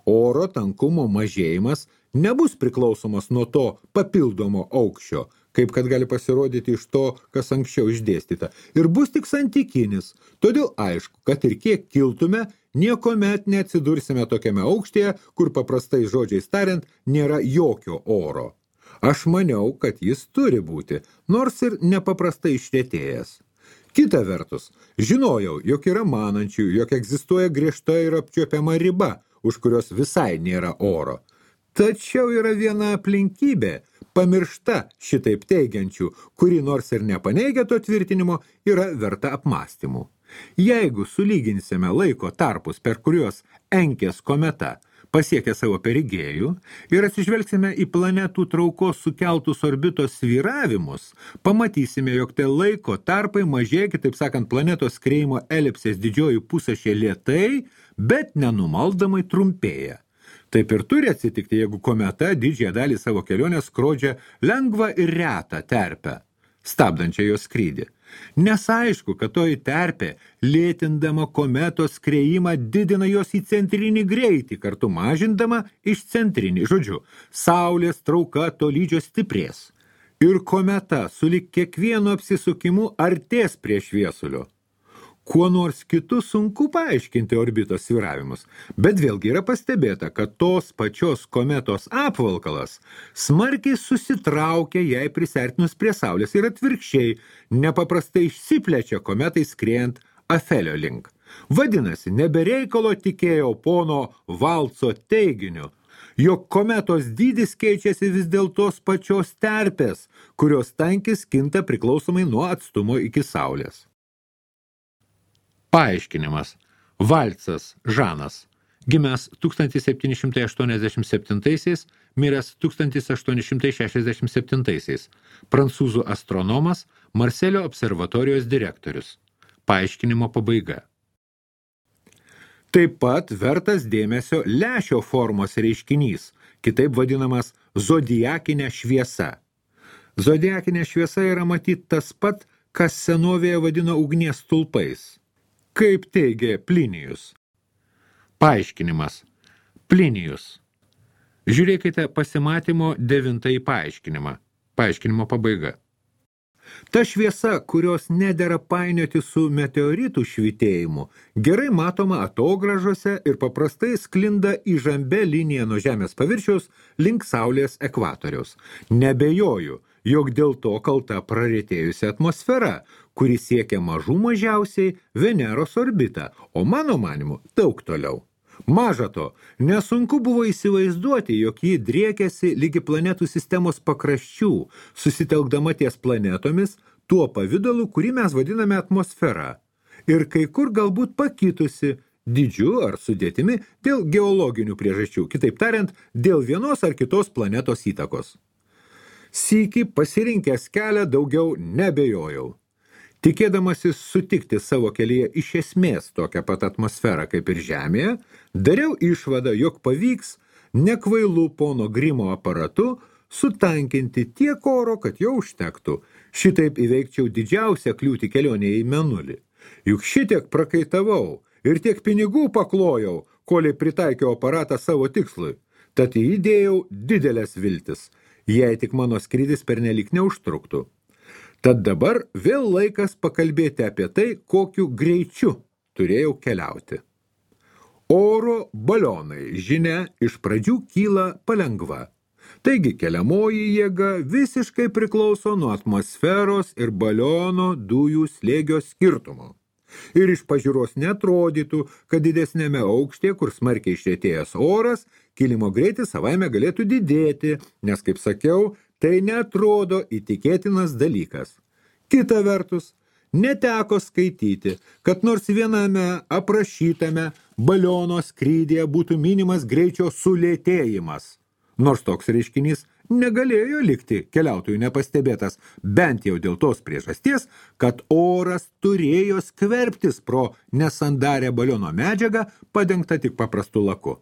oro tankumo mažėjimas nebus priklausomas nuo to papildomo aukščio, kaip kad gali pasirodyti iš to, kas anksčiau išdėstyta, ir bus tik santykinis. Todėl aišku, kad ir kiek kiltume, niekomet neatsidursime tokiame aukštyje, kur paprastai žodžiais tariant nėra jokio oro. Aš maniau, kad jis turi būti, nors ir nepaprastai išretėjęs. Kita vertus, žinojau, jog yra manančių, jog egzistuoja griežta ir apčiuopiama riba, už kurios visai nėra oro. Tačiau yra viena aplinkybė, pamiršta šitaip teigiančių, kuri nors ir nepaneigia to tvirtinimo, yra verta apmąstymų. Jeigu sulyginsime laiko tarpus, per kuriuos Enkės kometa pasiekia savo perigėjų ir atsižvelgsime į planetų traukos sukeltus orbitos svyravimus, pamatysime, jog tai laiko tarpai mažėja, kitaip sakant, planetos skriejimo elipsės didžioji pusašė lėtai, bet nenumaldamai trumpėja. Taip ir turi atsitikti, jeigu kometa didžiąją dalį savo kelionės skrodžia lengvą ir retą terpę, stabdančią jos skrydį. Nes aišku, kad toji terpė, lėtindama kometos skriejimą, didina jos į centrinį greitį, kartu mažindama išcentrinį. Žodžiu, Saulės trauka tolydžio stiprės. Ir kometa sulig kiekvienu apsisukimu artės prie šviesulio. Kuo nors kitu sunku paaiškinti orbitos svyravimus, bet vėlgi yra pastebėta, kad tos pačios kometos apvalkalas smarkiai susitraukia jai prisertinus prie Saulės ir atvirkščiai nepaprastai išsiplečia kometai skriejant Afelio link. Vadinasi, nebereikalo tikėjau pono Valco teiginiu, jog kometos dydis keičiasi vis dėl tos pačios terpės, kurios tankis kinta priklausomai nuo atstumo iki Saulės. Paaiškinimas. Valcas Žanas, gimęs 1787, miręs 1867, prancūzų astronomas, Marselio observatorijos direktorius. Paaiškinimo pabaiga. Taip pat vertas dėmesio lęšio formos reiškinys, kitaip vadinamas zodiakinė šviesa. Zodiakinė šviesa yra matyt tas pat, kas senovėje vadino ugnies stulpais. Kaip teigė Plinijus. Paaiškinimas. Plinijus. Žiūrėkite pasimatymo 9 paaiškinimą. Paaiškinimo pabaiga. Ta šviesa, kurios nedera painioti su meteoritų švytėjimu, gerai matoma atogražose ir paprastai sklinda įžambia linija nuo Žemės paviršiaus link Saulės ekvatoriaus. Nebejoju, jog dėl to kalta praretėjusi atmosfera, kuri siekia mažų mažiausiai Veneros orbitą, o mano manimu daug toliau. Maža to, nesunku buvo įsivaizduoti, jog ji driekiasi lygi planetų sistemos pakraščių, susitelkdama ties planetomis tuo pavidalu, kurį mes vadiname atmosfera, ir kai kur galbūt pakitusi dydžiu ar sudėtimi dėl geologinių priežasčių, kitaip tariant, dėl vienos ar kitos planetos įtakos. Sykį pasirinkęs kelią daugiau nebejojau. Tikėdamasis sutikti savo kelyje iš esmės tokią pat atmosferą kaip ir Žemėje, dariau išvadą, jog pavyks nekvailų pono Grimo aparatu sutankinti tiek oro, kad jo užtektų. Šitaip įveikčiau didžiausią kliūtį kelionėje į Mėnulį. Juk šitiek prakaitavau ir tiek pinigų paklojau, kolei pritaikiau aparatą savo tikslui. Tad įdėjau didelės viltis, jei tik mano skrydis pernelyg neužtruktų. Tad dabar vėl laikas pakalbėti apie tai, kokiu greičiu turėjau keliauti. Oro balionai, žinia, iš pradžių kyla palengva. Taigi keliamoji jėga visiškai priklauso nuo atmosferos ir baliono dujų slėgio skirtumo. Ir iš pažiūros netrodytų, kad didesnėme aukštyje, kur smarkiai išretėjęs oras, kilimo greitis savaime galėtų didėti, nes, kaip sakiau, tai netrodo įtikėtinas dalykas. Kita vertus, neteko skaityti, kad nors viename aprašytame baliono skrydyje būtų minimas greičio sulėtėjimas. Nors toks reiškinys negalėjo likti keliautojų nepastebėtas, bent jau dėl tos priežasties, kad oras turėjo skverbtis pro nesandarę baliono medžiagą, padengtą tik paprastu laku.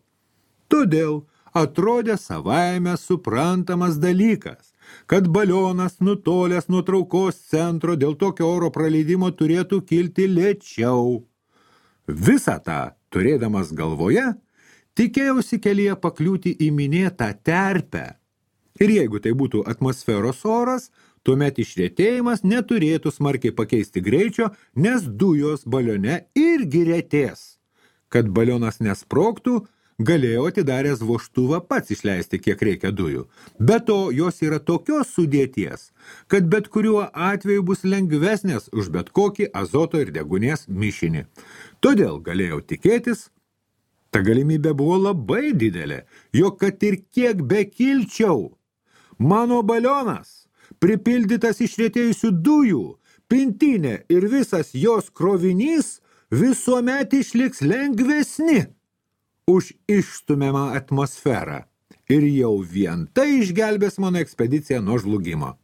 Todėl atrodė savaime suprantamas dalykas, kad balionas nutolęs nuo traukos centro dėl tokio oro praleidimo turėtų kilti lėčiau. Visą tą, turėdamas galvoje, tikėjausi kelyje pakliūti į minėtą terpę. Ir jeigu tai būtų atmosferos oras, tuomet išretėjimas neturėtų smarkiai pakeisti greičio, nes dujos balione irgi retės. Kad balionas nesprogtų, galėjo atidaręs vožtuvą pats išleisti, kiek reikia dujų. Be to, jos yra tokios sudėties, kad bet kuriuo atveju bus lengvesnės už bet kokį azoto ir degunės mišinį. Todėl galėjau tikėtis, ta galimybė buvo labai didelė, jog kad ir kiek bekilčiau, mano balionas, pripildytas išretėjusių dujų, pintinė ir visas jos krovinys visuomet išliks lengvesni už išstumiamą atmosferą. Ir jau vien tai išgelbės mano ekspediciją nuo žlugimo.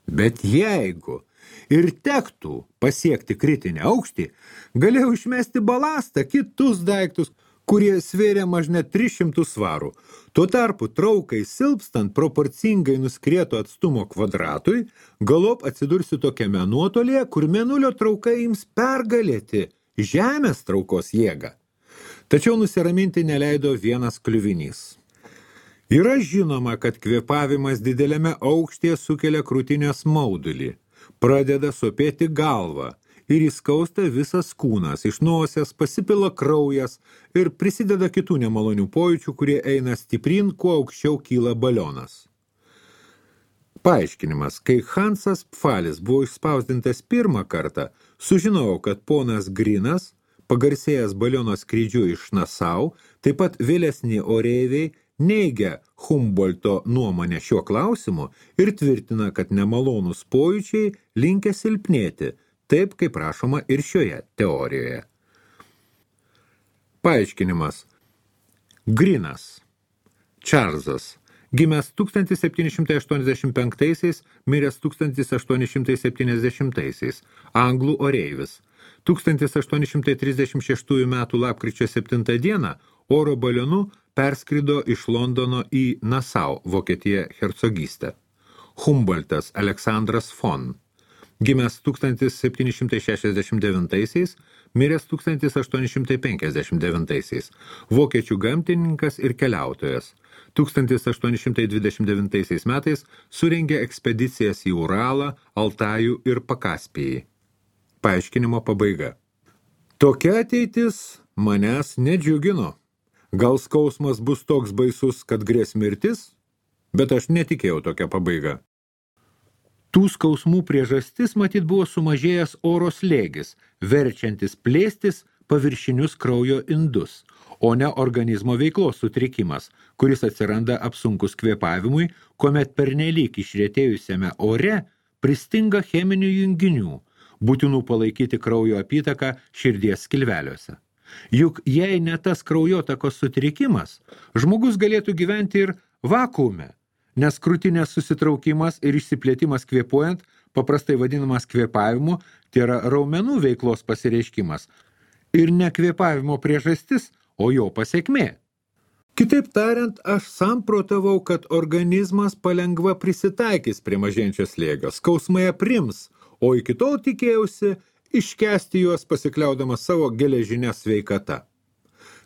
Bet jeigu ir tektų pasiekti kritinį aukštį, galėjau išmesti balastą, kitus daiktus, kurie svėrė mažne 300 svarų. Tuo tarpu traukai silpstant proporcingai nuskrieto atstumo kvadratui, galop atsidursiu tokiame nuotolyje, kur mėnulio trauka ims pergalėti Žemės traukos jėgą. Tačiau nusiraminti neleido vienas kliuvinys. Yra žinoma, kad kvėpavimas dideliame aukštyje sukelia krūtinės maudulį, pradeda sopėti galvą, ir įskausta visas kūnas, iš nosies pasipila kraujas ir prisideda kitų nemalonių pojūčių, kurie eina stiprin, kuo aukščiau kyla balionas. Paaiškinimas. Kai Hansas Pfalis buvo išspausdintas pirmą kartą, sužinojau, kad ponas Grinas, pagarsėjęs baliono skrydžiu iš Nasau, taip pat vėlesni oreiviai, neigia Humboldto nuomonę šiuo klausimu ir tvirtina, kad nemalonūs pojūčiai linkę silpnėti, taip kaip rašoma ir šioje teorijoje. Paaiškinimas. Grinas. Čarlzas. Gimęs 1785, miręs 1870, anglų oreivis. 1836 metų lapkričio 7 dieną oro balionu perskrido iš Londono į Nasau, Vokietija hercogystę. Humboldtas Aleksandras von. Gimęs 1769, miręs 1859, vokiečių gamtininkas ir keliautojas. 1829 metais surengė ekspedicijas į Uralą, Altajų ir Pakaspijį. Paaiškinimo pabaiga. Tokia ateitis manęs nedžiugino. Gal skausmas bus toks baisus, kad grės mirtis? Bet aš netikėjau tokią pabaigą. Tų skausmų priežastis matyt buvo sumažėjęs oro slėgis, verčiantis plėstis paviršinius kraujo indus, o ne organizmo veiklos sutrikimas, kuris atsiranda apsunkus kvėpavimui, kuomet pernelyg išretėjusiame ore pristinga cheminių junginių, būtinų palaikyti kraujo apytaką širdies skilveliuose. Juk jei ne tas kraujotakos sutrikimas, žmogus galėtų gyventi ir vakuume, nes krūtinės susitraukimas ir išsiplėtimas kvėpuojant, paprastai vadinamas kvėpavimu, tai yra raumenų veiklos pasireiškimas ir ne kvėpavimo priežastis, o jo pasekmė. Kitaip tariant, aš samprotavau, kad organizmas palengva prisitaikys prie mažėjančio slėgio, skausmai aprims, o iki tol tikėjausi iškęsti juos pasikliaudamas savo geležinę sveikatą.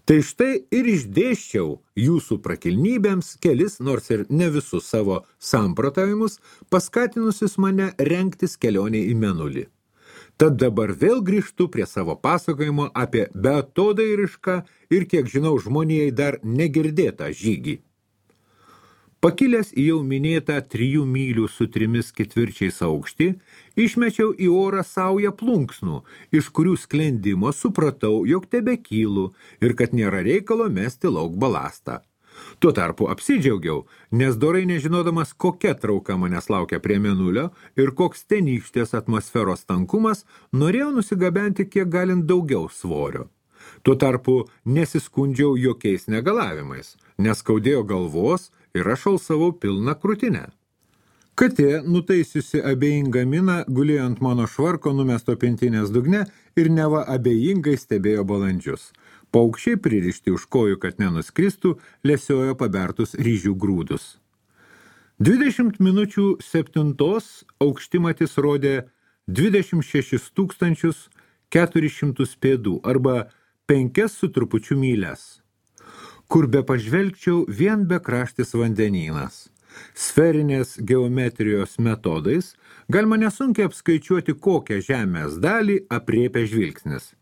Tai štai ir išdėsčiau jūsų prakilnybėms kelis, nors ir ne visus savo samprotavimus, paskatinusius mane rengtis kelionei į Mėnulį. Tad dabar vėl grįžtu prie savo pasakojimo apie beatodairišką ir, kiek žinau, žmonijai dar negirdėtą žygį. Pakilęs į jau minėtą 3 mylių su 3/4 aukštį, išmečiau į orą saują plunksnų, iš kurių sklendimo supratau, jog tebekylu ir kad nėra reikalo mesti lauk balastą. Tuo tarpu apsidžiaugiau, nes dorai nežinodamas, kokia trauka manęs laukia prie mėnulio ir koks tenykštės atmosferos tankumas, norėjau nusigabenti kiek galint daugiau svorio. Tuo tarpu nesiskundžiau jokiais negalavimais, neskaudėjo galvos ir aš alsavau pilną krūtinę. Katė, nutaisiusi abejingą miną, gulėjo ant mano švarko numesto pintinės dugne ir neva abejingai stebėjo balandžius. Paukščiai pririšti už kojų, kad nenuskristų, lesiojo pabertus ryžių grūdus. 20 minučių 7 aukštimatis rodė 26 400 pėdų arba 5 su trupučiu myles. Kur be pažvelgčiau, vien bekraštis vandenynas. Sferinės geometrijos metodais galima nesunkiai apskaičiuoti, kokią žemės dalį apriepia žvilgsnis.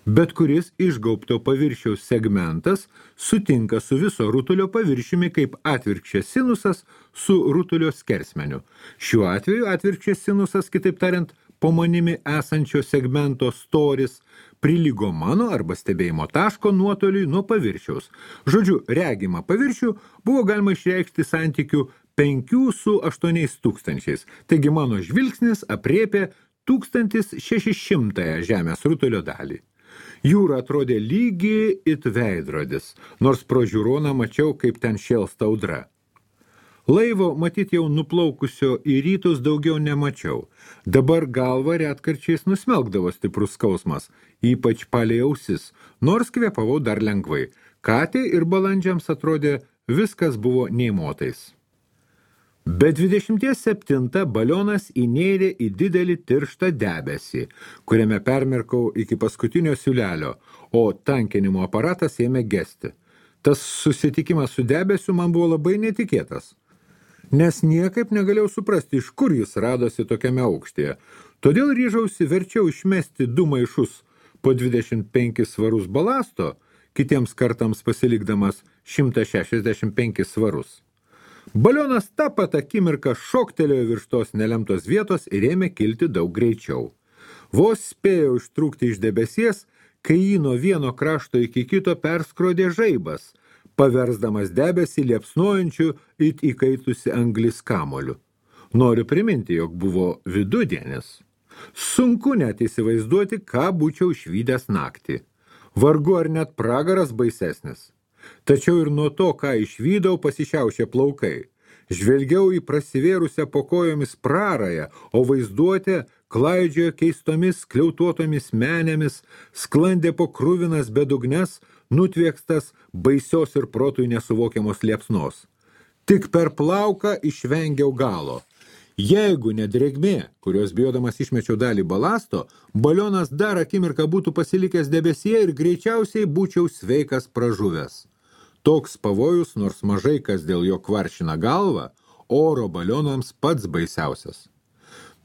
Bet kuris išgaubto paviršiaus segmentas sutinka su viso rutulio paviršiumi kaip atvirkščias sinusas su rutulio skersmeniu. Šiuo atveju atvirkščias sinusas, kitaip tariant, po manimi esančio segmento storis, prilygo mano arba stebėjimo taško nuotoliui nuo paviršiaus. Žodžiu, regimą paviršių buvo galima išreikšti santykiu 5 su 8 tūkstančiais. Taigi mano žvilgsnis apriepė 1600 žemės rutulio dalį. Jūra atrodė lygi it veidrodis, nors pro žiūroną mačiau, kaip ten šėlsta audra. Laivo, matyt jau nuplaukusio į rytus, daugiau nemačiau. Dabar galva retkarčiais nusmelkdavo stiprus skausmas, ypač palei ausis, nors kvėpavau dar lengvai. Katė ir balandžiams atrodė, viskas buvo neįmotais. Be 27 balionas įnėrė į didelį tirštą debesį, kuriame permirkau iki paskutinio siūlelio, o tankinimo aparatas ėmė gesti. Tas susitikimas su debesiu man buvo labai netikėtas, nes niekaip negalėjau suprasti, iš kur jis radosi tokiame aukštyje. Todėl ryžausi verčiau išmesti 2 maišus po 25 svarus balasto, kitiems kartams pasilikdamas 165 svarus. Balionas tą pat akimirką šoktelėjo virš tos nelemtos vietos ir ėmė kilti daug greičiau. Vos spėjau ištrūkti iš debesies, kai jį nuo vieno krašto iki kito perskrodė žaibas, paversdamas debesį liepsnojančių it įkaitusi anglis kamoliu. Noriu priminti, jog buvo vidudienis. Sunku net įsivaizduoti, ką būčiau išvydęs naktį. Vargu ar net pragaras baisesnis. Tačiau ir nuo to, ką išvydau, pasišiaušė plaukai. Žvelgiau į prasivėrusią po kojomis prarają, o vaizduotė klaidžiojo keistomis kliautuotomis menėmis, sklandė po kruvinas bedugnes, nutviekstas baisios ir protui nesuvokiamos liepsnos. Tik per plauką išvengiau galo. Jeigu ne drėgmė, kurios bijodamas išmečiau dalį balasto, balionas dar akimirką būtų pasilikęs debesyje ir greičiausiai būčiau sveikas pražuvęs. Toks pavojus, nors mažai kas dėl jo kvaršina galvą, oro balionams pats baisiausias.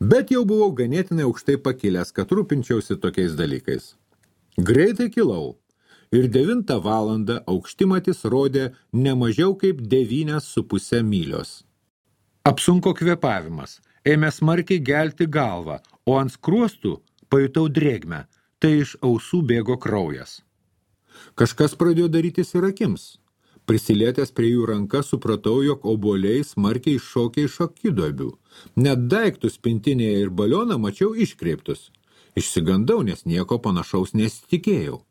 Bet jau buvau ganėtinai aukštai pakilęs, kad rūpinčiausi tokiais dalykais. Greitai kilau ir 9 valandą aukštimatis rodė ne mažiau kaip 9,5 mylios. Apsunko kvėpavimas, ėmė smarkiai gelti galvą, o ant skruostų pajutau drėgmę, tai iš ausų bėgo kraujas. Kažkas pradėjo darytis ir akims. Prisilietęs prie jų ranką supratau, jog obuoliai smarkiai iššokė iš akiduobių. Net daiktus pintinėje ir balioną mačiau iškreiptus. Išsigandau, nes nieko panašaus nesitikėjau.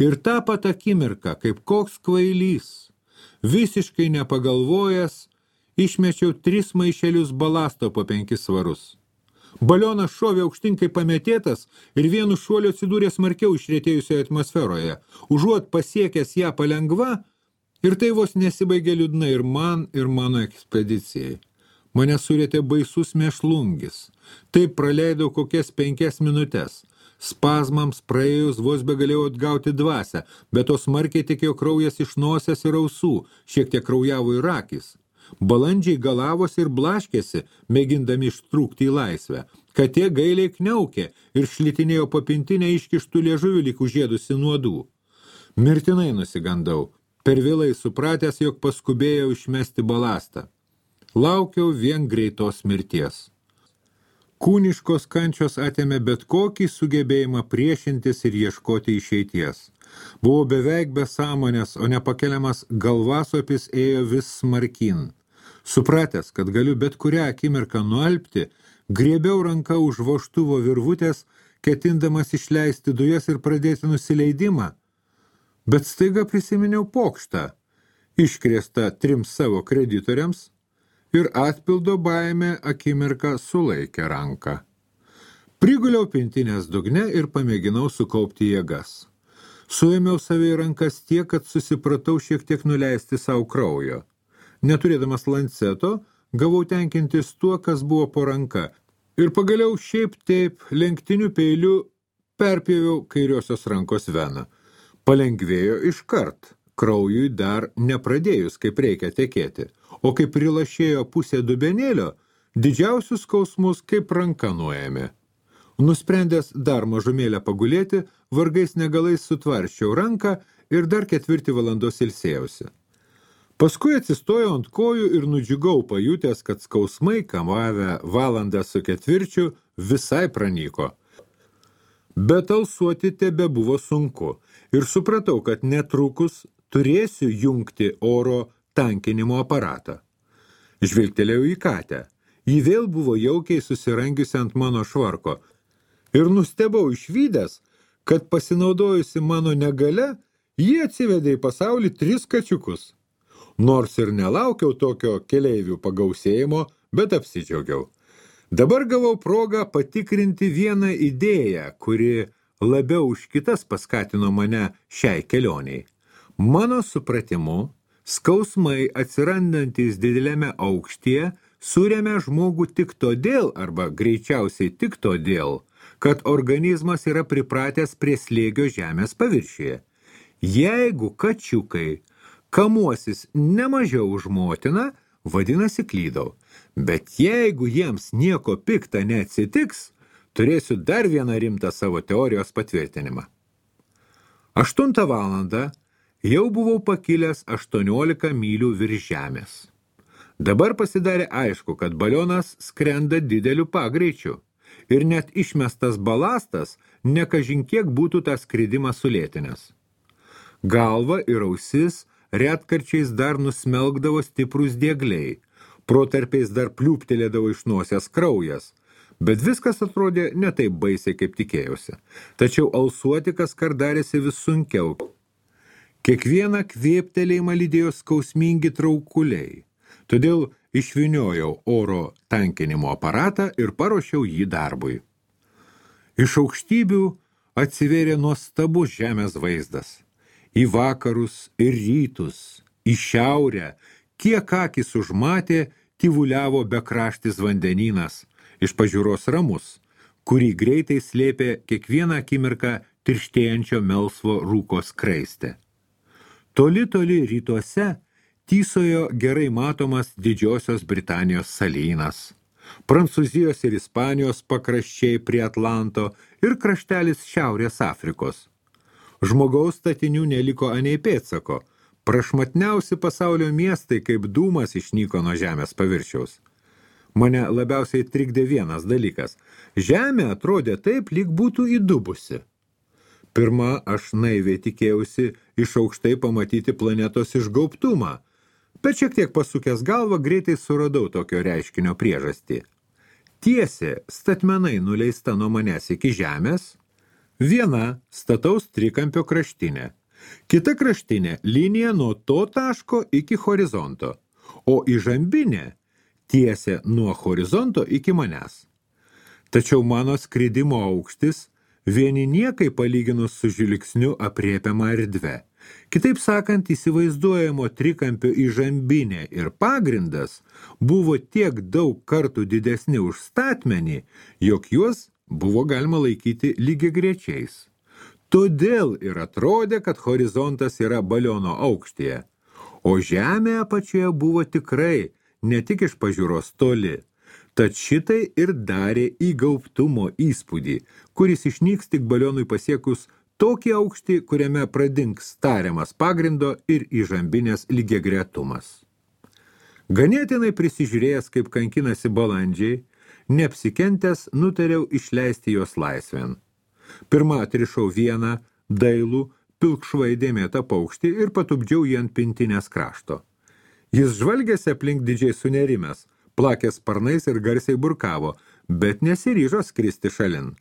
Ir tą pat akimirką, kaip koks kvailys, visiškai nepagalvojęs, išmečiau 3 maišelius balasto po 5 svarus. Balionas šovė aukštyn kaip pametėtas ir vienu šuoliu atsidūrė smarkiau išretėjusioje atmosferoje. Užuot pasiekęs ją palengva, ir tai vos nesibaigė liūdnai ir man, ir mano ekspedicijai. Mane surėtė baisus mėšlungis. Taip praleidau kokias 5 minutes. Spazmams praėjus vos begalėjau atgauti dvasią, bet to smarkiai tekėjo kraujas iš nosies ir ausų, šiek tiek kraujavo ir akys. Balandžiai galavosi ir blaškėsi, mėgindami ištrūkti į laisvę. Katė gailiai kniaukė ir šlitinėjo po pintinę iškištų liežuvių lyg užėdusi nuodų. Mirtinai nusigandau, per vėlai supratęs, jog paskubėjau išmesti balastą. laukiau vien greitos mirties. Kūniškos kančios atėmė bet kokį sugebėjimą priešintis ir ieškoti išeities. Buvau beveik be sąmonės, o nepakeliamas galvasopis ėjo vis smarkin. Supratęs, kad galiu bet kurią akimirką nualpti, griebiau ranką už vožtuvo virvutės, ketindamas išleisti dujas ir pradėti nusileidimą. Bet staiga prisiminiau pokštą, iškrėstą 3 savo kreditoriams, ir atpildo baimė akimirką sulaikė ranką. Priguliau pintinės dugne ir pamėginau sukaupti jėgas. Suėmiau save į rankas tiek, kad susipratau šiek tiek nuleisti savo kraujo. Neturėdamas lanceto, gavau tenkintis tuo, kas buvo po ranka, ir pagaliau šiaip taip lenktiniu peiliu perpjoviau kairiosios rankos veną. Palengvėjo iškart, kraujui dar nepradėjus kaip reikia tekėti, o kai prilašėjo pusė dubenėlio, didžiausius skausmus kaip ranka nuėmė. Nusprendęs dar mažumėlę pagulėti, vargais negalais sutvarščiau ranką ir dar 4 valandos ilsėjausi. Paskui atsistojau ant kojų ir nudžiugau pajutęs, kad skausmai, kamavę valandą su 4, visai pranyko. Bet alsuoti tebe buvo sunku ir supratau, kad netrukus turėsiu jungti oro tankinimo aparatą. Žvilgtelėjau į katę. Ji vėl buvo jaukiai susirangiusi ant mano švarko ir nustebau išvydęs, kad pasinaudojusi mano negale, ji atsivedė į pasaulį 3 kačiukus. Nors ir nelaukiau tokio keleivių pagausėjimo, bet apsidžiaugiau. Dabar gavau progą patikrinti vieną idėją, kuri labiau už kitas paskatino mane šiai kelioniai. Mano supratimu, skausmai atsirandantis dideliame aukštyje suremia žmogų tik todėl, arba greičiausiai tik todėl, kad organizmas yra pripratęs prie slėgio žemės paviršiuje. Jeigu kačiukai kamuosis nemažiau už motiną, vadinasi klydau. Bet jeigu jiems nieko pikta neatsitiks, turėsiu dar vieną rimtą savo teorijos patvirtinimą. 8 valandą jau buvau pakilęs 18 mylių virš žemės. Dabar pasidarė aišku, kad balionas skrenda dideliu pagreičiu ir net išmestas balastas nekažin kiek būtų tą skridimą sulėtinęs. Galva ir ausis retkarčiais dar nusmelkdavo stiprus diegliai, protarpiais dar pliūptelėdavo iš nosies kraujas, bet viskas atrodė ne taip baisiai, kaip tikėjausi. Tačiau alsuoti kaskart darėsi vis sunkiau. Kiekvieną kvėptelėjimą lydėjo skausmingi traukuliai, todėl išvyniojau oro tankinimo aparatą ir paruošiau jį darbui. Iš aukštybių atsivėrė nuostabus žemės vaizdas. Į vakarus ir rytus, į šiaurę, kiek akis užmatė, tyvuliavo bekraštis vandenynas, iš pažiūros ramus, kurį greitai slėpė kiekvieną akimirką tirštėjančio melsvo rūko skraistė. Toli rytuose tysojo gerai matomas Didžiosios Britanijos salynas, Prancūzijos ir Ispanijos pakraščiai prie Atlanto ir kraštelis Šiaurės Afrikos. Žmogaus statinių neliko anei pėdsako, prašmatniausi pasaulio miestai kaip dūmas išnyko nuo žemės paviršiaus. Mane labiausiai trikdė vienas dalykas. Žemė atrodė taip, lyg būtų įdubusi. Pirma, aš naiviai tikėjausi iš aukštai pamatyti planetos išgaubtumą, bet šiek tiek pasukęs galvą greitai suradau tokio reiškinio priežastį. Tiesė statmenai nuleista nuo manęs iki žemės, viena stataus trikampio kraštinė, kita kraštinė linija nuo to taško iki horizonto, o įžambinė tiesė nuo horizonto iki manęs. Tačiau mano skridimo aukštis vieni niekai palyginus su žvilgsniu aprėpiama erdve. Kitaip sakant, įsivaizduojamo trikampio įžambinė ir pagrindas buvo tiek daug kartų didesni už statmenį, jog juos buvo galima laikyti lygiagrečiais. Todėl ir atrodė, kad horizontas yra baliono aukštyje, o žemė apačioje buvo tikrai ne tik iš pažiūros toli, tad šitai ir darė įgaubtumo įspūdį, kuris išnyks tik balionui pasiekus tokį aukštį, kuriame pradings tariamas pagrindo ir įžambinės lygiagretumas. Ganėtinai prisižiūrėjęs, kaip kankinasi balandžiai, neapsikentęs nutariau išleisti jos laisvėn. Pirma atrišau vieną dailų, pilkšvai dėmėtą paukštį ir patupdžiau jį ant pintinės krašto. Jis žvalgėsi aplink didžiai sunerimęs, plakė sparnais ir garsiai burkavo, bet nesiryžo skristi šalin.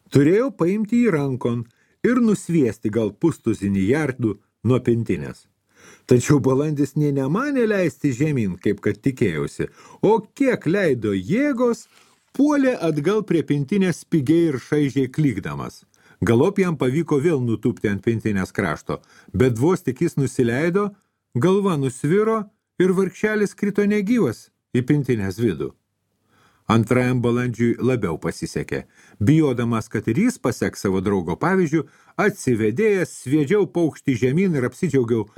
Turėjau paimti jį rankon ir nusviesti gal pustuzinį jardų nuo pintinės. Tačiau balandis nė nemanė leisti žemyn, kaip kad tikėjausi, o kiek leido jėgos, puolė atgal prie pintinės spigiai ir šaižiai klykdamas. Galop jam pavyko vėl nutūpti ant pintinės krašto, bet vos tik jis nusileido, galva nusviro ir vargšelis krito negyvas į pintinės vidų. Antrajam balandžiui labiau pasisekė. Bijodamas, kad ir jis paseks savo draugo pavyzdžių, atsivedėjęs sviedžiau paukštį žemyn ir apsidžiaugiau,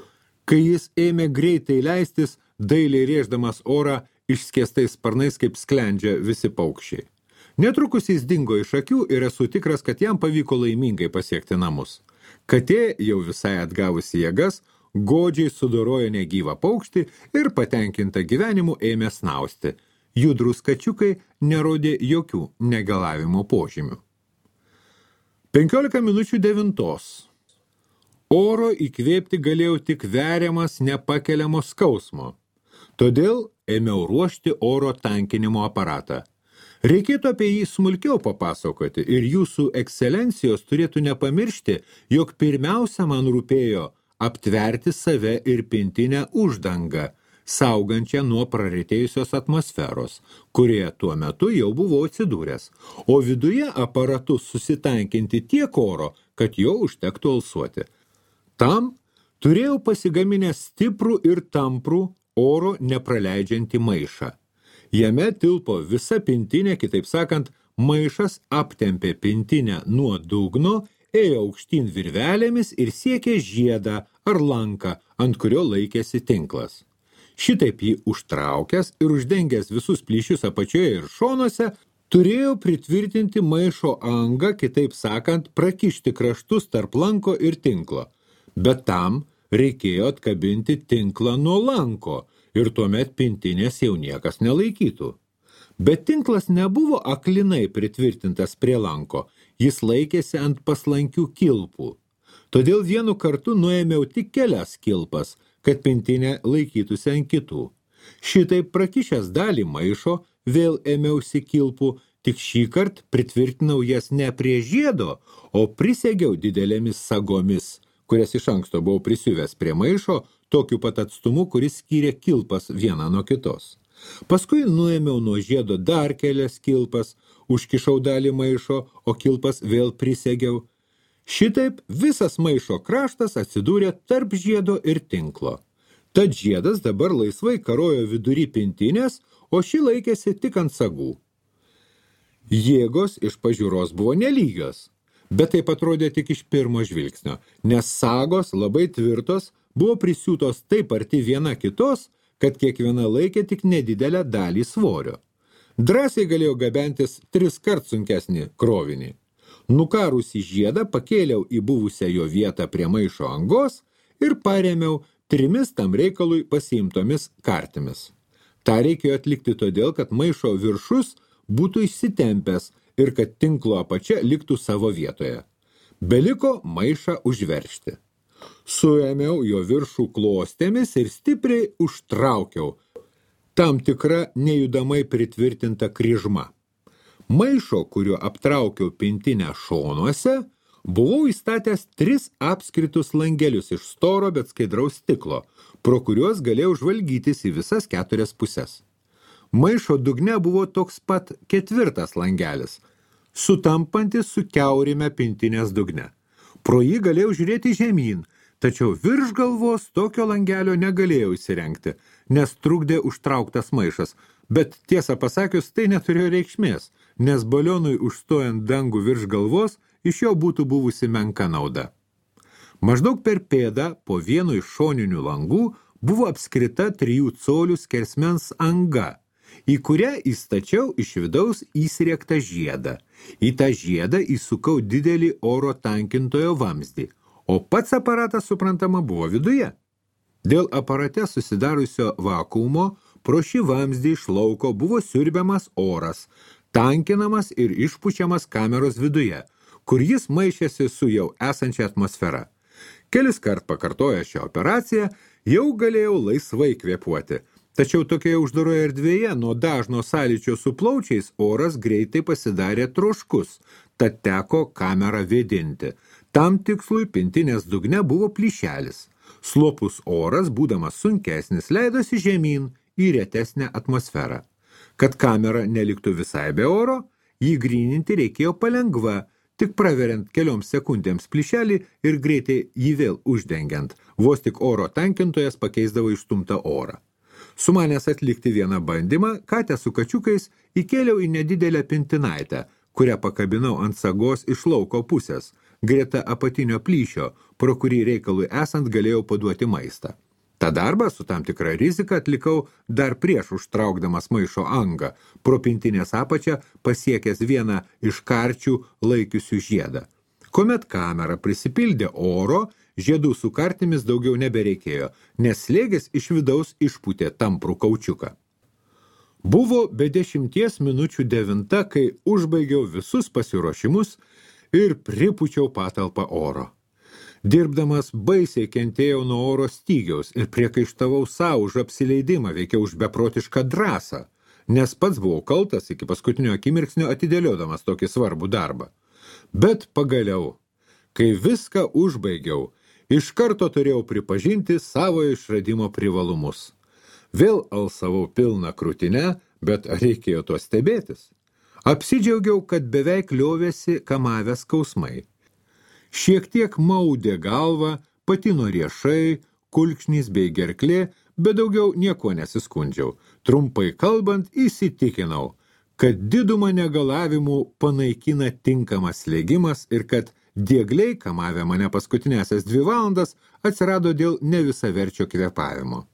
kai jis ėmė greitai leistis, dailiai rėždamas orą išskėstais sparnais, kaip sklendžia visi paukščiai. Netrukus jis dingo iš akių ir esu tikras, kad jam pavyko laimingai pasiekti namus. Katė, jau visai atgavusi jėgas, godžiai sudorojo negyvą paukštį ir patenkinta gyvenimu ėmė snausti. Judrūs kačiukai nerodė jokių negalavimo požymių. 8:45. Oro įkvėpti galėjau tik veriamas nepakeliamo skausmo. Todėl ėmiau ruošti oro tankinimo aparatą. Reikėtų apie jį smulkiau papasakoti ir jūsų ekscelencijos turėtų nepamiršti, jog pirmiausia man rūpėjo aptverti save ir pintinę uždangą, saugančią nuo praretėjusios atmosferos, kurie tuo metu jau buvau atsidūręs, o viduje aparatu susitankinti tiek oro, kad jo užtektų alsuoti. Tam turėjau pasigaminęs stiprų ir tamprų oro nepraleidžiantį maišą. Jame tilpo visa pintinė, kitaip sakant, maišas aptempė pintinę nuo dugno, ėjo aukštyn virvelėmis ir siekė žiedą ar lanką, ant kurio laikėsi tinklas. Šitaip jį užtraukęs ir uždengęs visus plyšius apačioje ir šonuose, turėjo pritvirtinti maišo angą, kitaip sakant, prakišti kraštus tarp lanko ir tinklo. Bet tam reikėjo atkabinti tinklą nuo lanko ir tuomet pintinės jau niekas nelaikytų. Bet tinklas nebuvo aklinai pritvirtintas prie lanko, jis laikėsi ant paslankių kilpų. Todėl vienu kartu nuėmiau tik kelias kilpas, kad pintinė laikytųsi ant kitų. Šitaip prakišęs dalį maišo, vėl ėmiausi kilpų, tik šįkart pritvirtinau jas ne prie žiedo, o prisegiau didelėmis sagomis, kurias iš anksto buvau prisiuvęs prie maišo, tokiu pat atstumu, kuris skyrė kilpas vieną nuo kitos. Paskui nuėmiau nuo žiedo dar kelias kilpas, užkišau dalį maišo, o kilpas vėl prisegiau. Šitaip visas maišo kraštas atsidūrė tarp žiedo ir tinklo. Tad žiedas dabar laisvai karojo vidury pintinės, o ši laikėsi tik ant sagų. Jėgos iš pažiūros buvo nelygios, bet taip atrodė tik iš pirmo žvilgsnio, nes sagos labai tvirtos buvo prisiūtos taip arti viena kitos, kad kiekviena laikė tik nedidelę dalį svorio. Drąsiai galėjo gabentis 3 kart sunkesnį krovinį. Nukarusį žiedą pakėliau į buvusią jo vietą prie maišo angos ir parėmiau 3 tam reikalui pasiimtomis kartimis. Ta reikėjo atlikti todėl, kad maišo viršus būtų išsitempęs ir kad tinklo apačia liktų savo vietoje. Beliko maišą užveržti. Suėmiau jo viršų klostėmis ir stipriai užtraukiau, tam tikra nejudamai pritvirtinta kryžma. Maišo, kuriuo aptraukiau pintinę šonuose, buvau įstatęs 3 apskritus langelius iš storo, bet skaidraus stiklo, pro kuriuos galėjau žvalgytis į visas 4 puses. Maišo dugne buvo toks pat 4 langelis, sutampantis su kiaurime pintinės dugne. Pro jį galėjau žiūrėti žemyn, tačiau virš galvos tokio langelio negalėjau įsirengti, nes trukdė užtrauktas maišas, bet tiesą pasakius, tai neturėjo reikšmės, nes balionui užstojant dangų virš galvos, iš jo būtų buvusi menka nauda. Maždaug per pėdą po vienu iš šoninių langų buvo apskrita 3 colių skersmens anga, į kurią įstačiau iš vidaus įsriektą žiedą. Į tą žiedą įsukau didelį oro tankintojo vamzdį, o pats aparatas, suprantama, buvo viduje. Dėl aparate susidarusio vakuumo pro šį vamzdį iš lauko buvo siurbiamas oras, tankinamas ir išpučiamas kameros viduje, kur jis maišėsi su jau esančia atmosfera. Kelis kart pakartoję šią operaciją, jau galėjau laisvai kvėpuoti. Tačiau tokioje uždaroje erdvėje nuo dažno sąlyčio su plaučiais oras greitai pasidarė troškus, tad teko kamerą vėdinti. Tam tikslui pintinės dugne buvo plyšelis. Slopus oras, būdamas sunkesnis, leidosi žemyn į retesnę atmosferą. Kad kamera neliktų visai be oro, jį gryninti reikėjo palengva, tik praveriant kelioms sekundėms plyšelį ir greitai jį vėl uždengiant. Vos tik oro tankintojas pakeisdavo išstumtą orą. Sumanęs atlikti vieną bandymą, katę su kačiukais įkėliau į nedidelę pintinaitę, kurią pakabinau ant sagos iš lauko pusės, greta apatinio plyšio, pro kurį reikalui esant galėjau paduoti maistą. Ta darbą su tam tikra rizika atlikau dar prieš užtraukdamas maišo angą, pro pintinės apačią pasiekęs vieną iš karčių laikiusių žiedą. Kuomet kamera prisipildė oro, žiedų su kartimis daugiau nebereikėjo, nes slėgis iš vidaus išpūtė tamprų kaučiuką. Buvo be 10 minučių 9, kai užbaigiau visus pasiruošimus ir pripučiau patalpą oro. Dirbdamas baisiai kentėjau nuo oro stygiaus ir priekaištavau savo už apsileidimą, veikiau už beprotišką drąsą, nes pats buvau kaltas iki paskutinio akimirksnio atidėliodamas tokį svarbų darbą. Bet pagaliau, kai viską užbaigiau, iš karto turėjau pripažinti savo išradimo privalumus. Vėl alsavau pilną krūtinę, bet reikėjo to stebėtis. Apsidžiaugiau, kad beveik liovėsi kamavę skausmai. Šiek tiek maudė galvą, patino riešai, kulkšnys bei gerklė, bet daugiau nieko nesiskundžiau. Trumpai kalbant, įsitikinau, kad didumą negalavimų panaikina tinkamas slėgimas ir kad diegliai, kamavę mane paskutinėsias 2 valandas, atsirado dėl nevisaverčio kvėpavimo.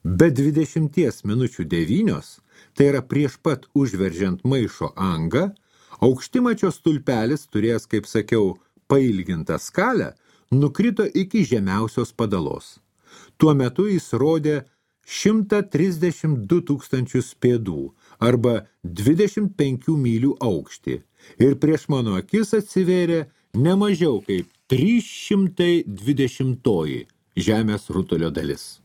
Be 20 minučių 9, tai yra prieš pat užveržiant maišo angą, aukštimačio stulpelis, turėjęs, kaip sakiau, pailgintą skalę, nukrito iki žemiausios padalos. Tuo metu jis rodė 132 000 pėdų arba 25 mylių aukštį ir prieš mano akis atsivėrė nemažiau kaip 320 žemės rutulio dalis.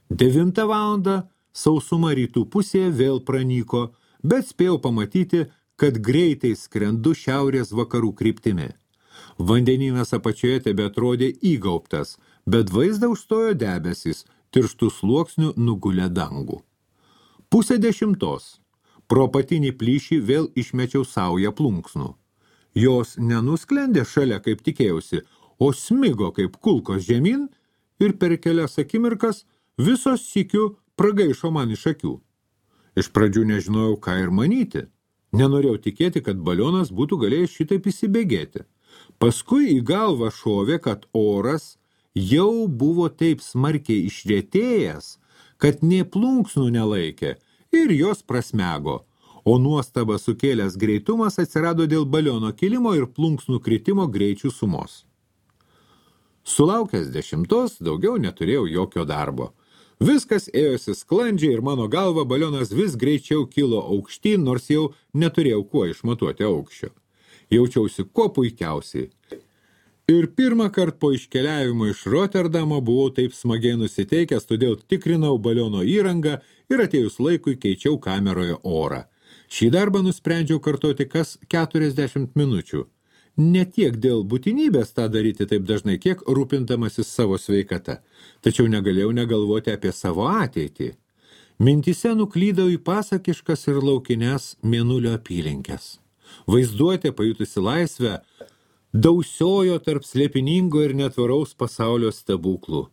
9 valandą sausuma rytų pusėje vėl pranyko, bet spėjau pamatyti, kad greitai skrendu šiaurės vakarų kryptimi. Vandenynas apačioje tebe atrodė įgaubtas, bet vaizdą užstojo debesys, tirštų sluoksnių nugulę dangų. 9:30. Pro apatinį plyšį vėl išmečiau saują plunksnų. Jos nenusklendė šalia, kaip tikėjausi, o smigo kaip kulkos žemyn ir per kelias akimirkas visos sykiu pragaišo man iš akių. Iš pradžių nežinojau, ką ir manyti. Nenorėjau tikėti, kad balionas būtų galėjęs šitaip įsibėgėti. Paskui į galvą šovė, kad oras jau buvo taip smarkiai išretėjęs, kad nė plunksnų nelaikė ir jos prasmego, o nuostabą sukėlęs greitumas atsirado dėl baliono kilimo ir plunksnų kritimo greičių sumos. Sulaukęs 10, daugiau neturėjau jokio darbo. Viskas ėjosi sklandžiai ir mano galva balionas vis greičiau kilo aukštyn, nors jau neturėjau kuo išmatuoti aukščio. Jaučiausi kuo puikiausiai. Ir pirmą kartą po iškeliavimo iš Roterdamo buvau taip smagiai nusiteikęs, todėl tikrinau baliono įrangą ir atėjus laikui keičiau kameroje orą. Šį darbą nusprendžiau kartoti kas 40 minučių. Ne tiek dėl būtinybės tą daryti taip dažnai, kiek rūpindamasis savo sveikata. Tačiau negalėjau negalvoti apie savo ateitį. Mintise nuklydau į pasakiškas ir laukines Mėnulio apylinkes. Vaizduotė, pajutusi laisvę, dausiojo tarp slėpiningo ir netvaraus pasaulio stebuklų.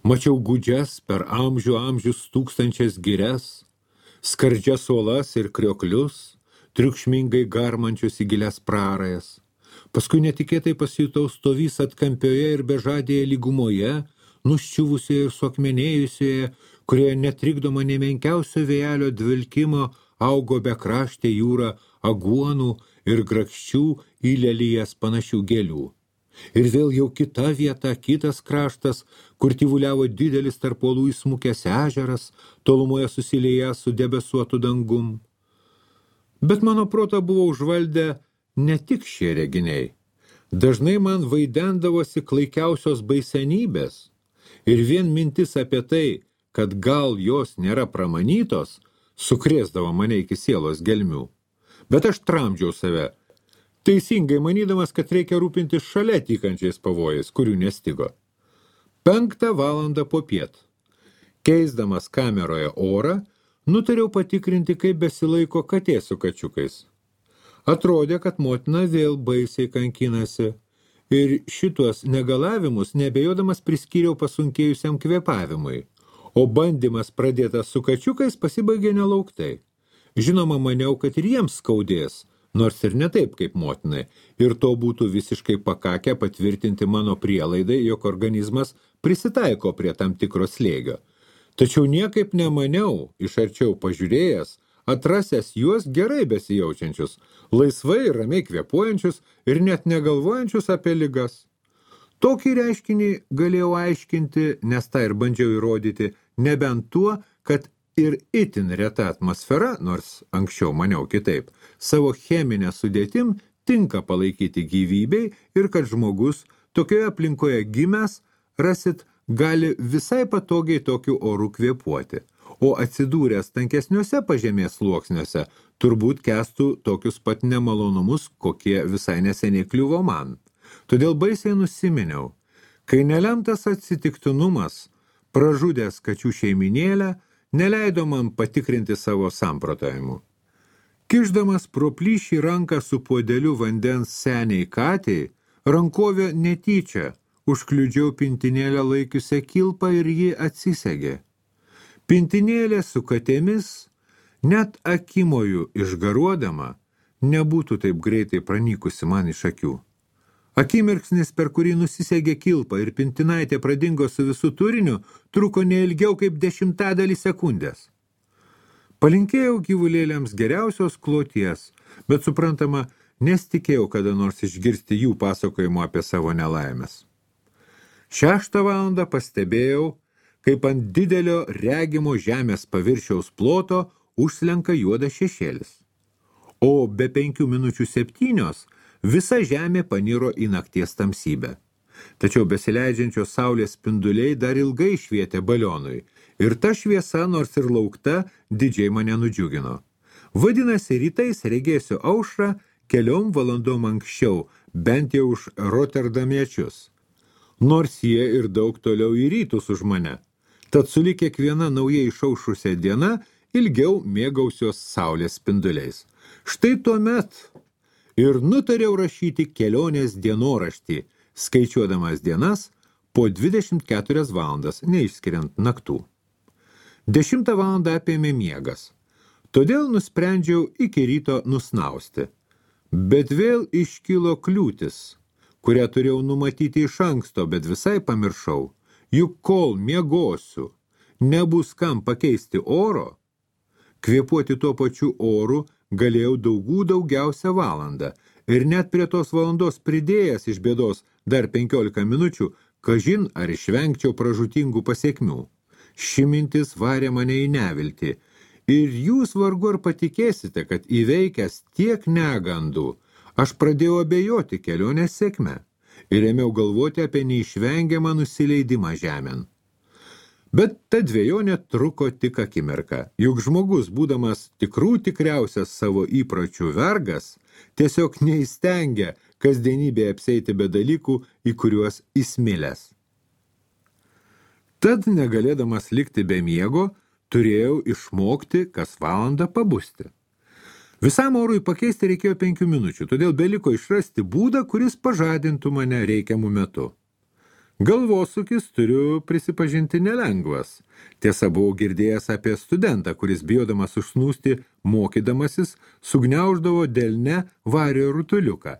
Mačiau gūdžias per amžius tūkstančias girias, skardžias uolas ir krioklius, triukšmingai garmančius į gilias prarajas. Paskui netikėtai pasijutau stovys atkampioje ir bežadėje lygumoje, nuščiuvusioje ir suakmenėjusioje, kurioje netrikdoma nemenkiausio vėjelio dvilkimo augo bekraštė jūra aguonų ir grakščių į lelijas panašių gėlių. Ir vėl jau kita vieta, kitas kraštas, kur tyvuliavo didelis tarp uolų įsmukęs ežeras, tolumoje susilieję su debesuotu dangum. Bet mano protą buvo užvaldę ne tik šie reginiai. Dažnai man vaidendavosi klaikiausios baisenybės. Ir vien mintis apie tai, kad gal jos nėra pramanytos, sukrėsdavo mane iki sielos gelmių. Bet aš tramdžiau save, teisingai manydamas, kad reikia rūpintis šalia tykančiais pavojais, kurių nestigo. 5 valandą popiet. Keisdamas kameroje orą, nutariau patikrinti, kaip besilaiko katė su kačiukais. Atrodė, kad motina vėl baisiai kankinasi. Ir šituos negalavimus nebejodamas priskyriau pasunkėjusiam kvėpavimui. O bandymas pradėtas su kačiukais pasibaigė nelauktai. Žinoma, maniau, kad ir jiems skaudės, nors ir ne taip kaip motinai, ir to būtų visiškai pakakę patvirtinti mano prielaidai, jog organizmas prisitaiko prie tam tikro slėgio. Tačiau niekaip nemaniau, iš arčiau pažiūrėjęs, atrasęs juos gerai besijaučiančius, laisvai ir ramiai kvėpuojančius ir net negalvojančius apie ligas. Tokį reiškinį galėjau aiškinti, nes tą ir bandžiau įrodyti, nebent tuo, kad ir itin reta atmosfera, nors anksčiau maniau kitaip, savo cheminę sudėtim tinka palaikyti gyvybei ir kad žmogus tokioje aplinkoje gimęs, rasit, gali visai patogiai tokiu oru kvėpuoti, o atsidūręs tankesniuose pažemės sluoksniuose turbūt kestų tokius pat nemalonumus, kokie visai neseniai kliuvo man. Todėl baisiai nusiminiau, kai nelemtas atsitiktinumas, pražudęs kačių šeiminėlę, neleido man patikrinti savo samprotavimų. Kišdamas pro plyšį ranką su puodeliu vandens seniai katei, rankovė netyčia užkliudžiau pintinėlę laikiusią kilpą ir ji atsisegė. Pintinėlė su katėmis, net akimojų išgaruodama, nebūtų taip greitai pranykusi man iš akių. Akimirksnis, per kurį nusisegė kilpą ir pintinaitė pradingo su visų turiniu, truko neilgiau kaip 10 sekundės. Palinkėjau gyvulėliams geriausios kloties, bet suprantama, nesitikėjau kada nors išgirsti jų pasakojimo apie savo nelaimės. 6 valandą pastebėjau, kaip ant didelio regimo žemės paviršiaus ploto užslenka juodas šešėlis. O be 5 minučių 7 visa žemė paniro į nakties tamsybę. Tačiau besileidžiančios saulės spinduliai dar ilgai švietė balionui, ir ta šviesa, nors ir laukta, didžiai mane nudžiugino. Vadinasi, rytais regėsiu aušrą 4 valandom anksčiau, bent jau už roterdamiečius. Nors jie ir daug toliau į rytus už mane. Tad sulig kiekviena naujai išaušusia diena ilgiau mėgausios saulės spinduliais. Štai tuomet ir nutariau rašyti kelionės dienoraštį, skaičiuodamas dienas po 24 valandas, neišskiriant naktų. 10 valandą apėmė miegas, todėl nusprendžiau iki ryto nusnausti. Bet vėl iškilo kliūtis, kurią turėjau numatyti iš anksto, bet visai pamiršau. Juk kol miegosiu, nebus kam pakeisti oro, kvėpuoti tuo pačiu oru galėjau daugiausia valandą ir net prie tos valandos pridėjęs iš bėdos dar 15 minučių, kažin ar išvengčiau pražūtingų pasiekmių. Ši mintis varė mane į neviltį ir jūs vargu ar patikėsite, kad įveikęs tiek negandų, aš pradėjau abejoti kelionės sėkme ir ėmiau galvoti apie neišvengiamą nusileidimą žemėn. Bet ta dvejonė truko tik akimirką, juk žmogus, būdamas tikriausias savo įpročių vergas, tiesiog neįstengia kasdienybėje apseiti be dalykų, į kuriuos įsmilęs. Tad, negalėdamas likti be miego, turėjau išmokti kas valandą pabusti. Visam orui pakeisti reikėjo 5 minučių, todėl beliko išrasti būdą, kuris pažadintų mane reikiamų metu. Galvosūkis, turiu prisipažinti, nelengvas. Tiesa, buvau girdėjęs apie studentą, kuris bijodamas užsnūsti mokydamasis, sugniauždavo delne vario rutuliuką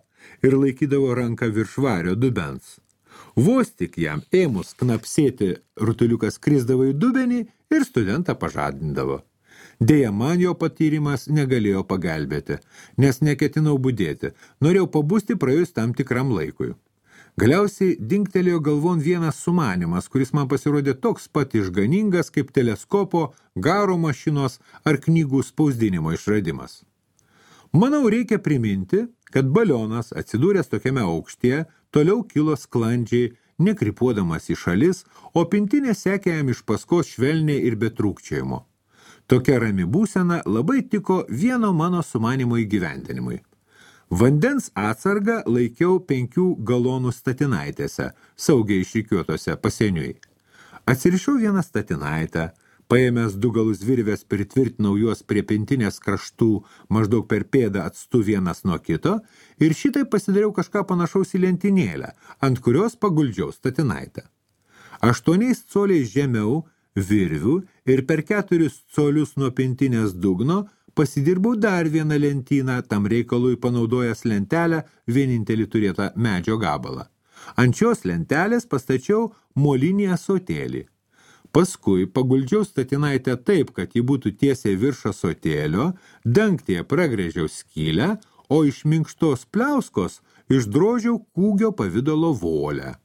ir laikydavo ranką virš vario dubens. Vos tik jam ėmus knapsėti, rutuliukas krisdavo į dubenį ir studentą pažadindavo. Deja, man jo patyrimas negalėjo pagelbėti, nes neketinau budėti. Norėjau pabusti praėjus tam tikram laikui. Galiausiai dingtelėjo galvon vienas sumanymas, kuris man pasirodė toks pat išganingas kaip teleskopo, garo mašinos ar knygų spausdinimo išradimas. Manau, reikia priminti, kad balionas, atsidūręs tokiame aukštyje, toliau kilo sklandžiai, nekrypuodamas į šalis, o pintinė sekė jam iš paskos švelniai ir be trūkčiojimo. Tokia rami būsena labai tiko vieno mano sumanymo įgyvendinimui. Vandens atsargą laikiau 5 galonų statinaitėse, saugiai išrikiuotose pasieniui. Atsirišau vieną statinaitę, paėmęs 2 galus virvės pritvirtinau juos prie pintinės kraštų maždaug per pėdą atstu vienas nuo kito ir šitai pasidariau kažką panašaus į lentynėlę, ant kurios paguldžiau statinaitę. 8 coliais žemiau virvių ir per 4 colius nuo pintinės dugno pasidirbau dar vieną lentyną, tam reikalui panaudojęs lentelę, vienintelį turėtą medžio gabalą. Ant šios lentelės pastačiau molinį ąsotėlį. Paskui paguldžiau statinaitę taip, kad ji būtų tiesiai virš ąsotėlio, dangtyje pragrėžiau skylę, o iš minkštos pliauskos išdrožiau kūgio pavidalo volę.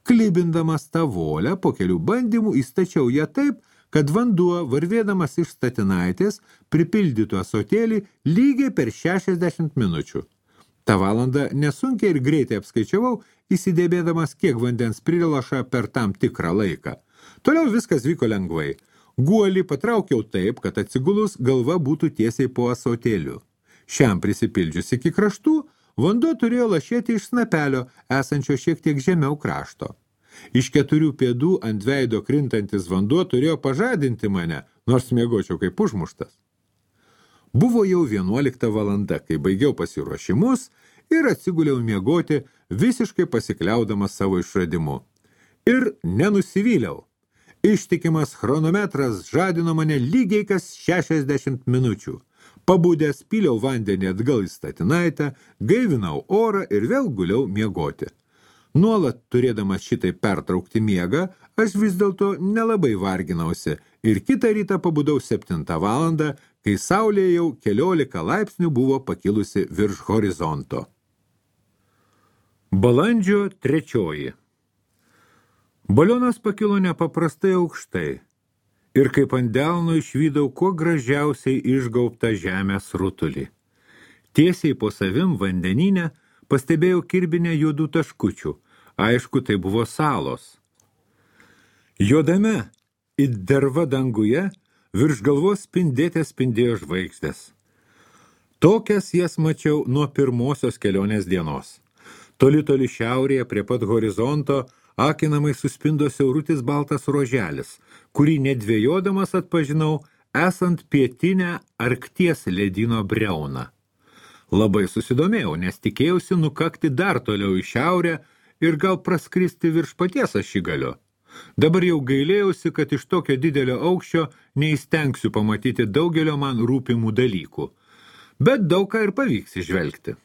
Klibindamas tą volę, po kelių bandymų įstačiau ją taip, kad vanduo, varvėdamas iš statinaitės, pripildytų ąsotėlį lygiai per 60 minučių. Ta valandą nesunkiai ir greitai apskaičiavau, įsidėbėdamas, kiek vandens prilaša per tam tikrą laiką. Toliau viskas vyko lengvai. Guolį patraukiau taip, kad atsigulus galva būtų tiesiai po ąsotėliu. Šiam prisipildžius iki kraštų, vanduo turėjo lašėti iš snapelio, esančio šiek tiek žemiau krašto. Iš 4 pėdų ant veido krintantis vanduo turėjo pažadinti mane, nors miegočiau kaip užmuštas. Buvo jau 11 valanda, kai baigiau pasiruošimus ir atsiguliau miegoti, visiškai pasikliaudamas savo išradimu. Ir nenusivyliau. Ištikimas chronometras žadino mane lygiai kas 60 minučių. Pabudęs pyliau vandenį atgal į statinaitę, gaivinau orą ir vėl guliau miegoti. Nuolat turėdamas šitai pertraukti miegą, aš vis dėlto nelabai varginausi ir kitą rytą pabudau 7 valandą, kai saulė jau 14 laipsnių buvo pakilusi virš horizonto. Balandžio 3. Balionas pakilo nepaprastai aukštai ir kaip ant delno išvydau kuo gražiausiai išgaubtą žemės rutulį. Tiesiai po savim vandenyne pastebėjau kirbinę juodų taškučių. Aišku, tai buvo salos. Juodame it derva danguje virš galvos spindėjo žvaigždės. Tokias jas mačiau nuo pirmosios kelionės dienos. Toli šiaurėje prie pat horizonto akinamai suspindo siaurutis baltas ruoželis, kurį nedvėjodamas atpažinau esant pietinę Arkties ledyno briauną. Labai susidomėjau, nes tikėjausi nukakti dar toliau į šiaurę ir gal praskristi virš paties ašigalio. Dabar jau gailėjausi, kad iš tokio didelio aukščio neįstengsiu pamatyti daugelio man rūpimų dalykų. Bet daug ką ir pavyks išvelgti.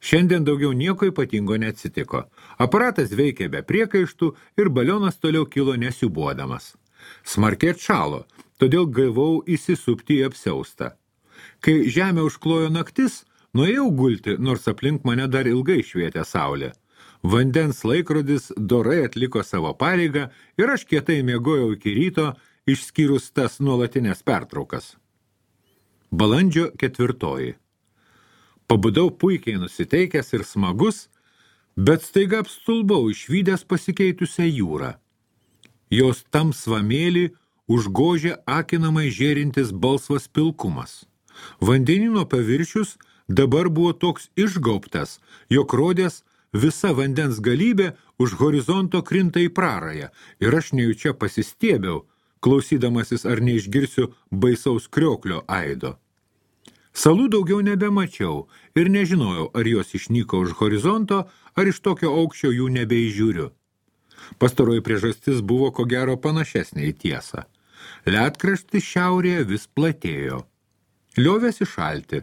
Šiandien daugiau nieko ypatingo neatsitiko. Aparatas veikė be priekaištų ir balionas toliau kilo nesiubuodamas. Smarkiai atšalo, todėl gavau įsisupti į apsiaustą. Kai žemę užklojo naktis, nuėjau gulti, nors aplink mane dar ilgai švietė saulė. Vandens laikrodis dorai atliko savo pareigą ir aš kietai miegojau iki ryto, išskyrus tas nuolatinės pertraukas. Balandžio 4. Pabudau puikiai nusiteikęs ir smagus, bet staiga apstulbau išvydęs pasikeitusią jūrą. Jos tamsvamėlį užgožė akinamai žėrintis balsvas pilkumas. Vandenino paviršius dabar buvo toks išgaubtas, jog rodės visa vandens galybė už horizonto krinta į prarają ir aš nejučia pasistiebiau, klausydamasis ar neišgirsiu baisaus krioklio aido. Salų daugiau nebemačiau ir nežinojau, ar jos išnyko už horizonto, ar iš tokio aukščio jų nebeižiūriu. Pastaroji priežastis buvo ko gero panašesnė į tiesą. Ledkraštis šiaurėje vis platėjo. Liovėsi šalti.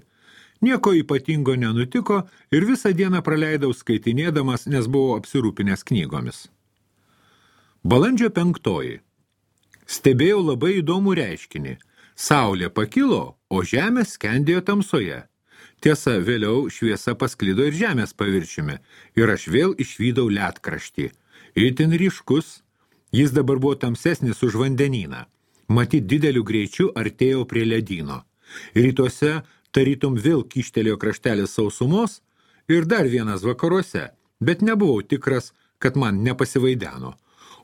Nieko ypatingo nenutiko ir visą dieną praleidau skaitinėdamas, nes buvau apsirūpinęs knygomis. Balandžio 5. Stebėjau labai įdomų reiškinį. Saulė pakilo, o žemė skendėjo tamsoje. Tiesa, vėliau šviesa pasklido ir žemės paviršiumi, ir aš vėl išvydau ledkraštį. Itin ryškus, jis dabar buvo tamsesnis už vandenyną. Matyt, dideliu greičiu artėjau prie ledyno. Rytuose tarytum vėl kyštelėjo kraštelis sausumos ir dar vienas vakaruose, bet nebuvau tikras, kad man nepasivaideno.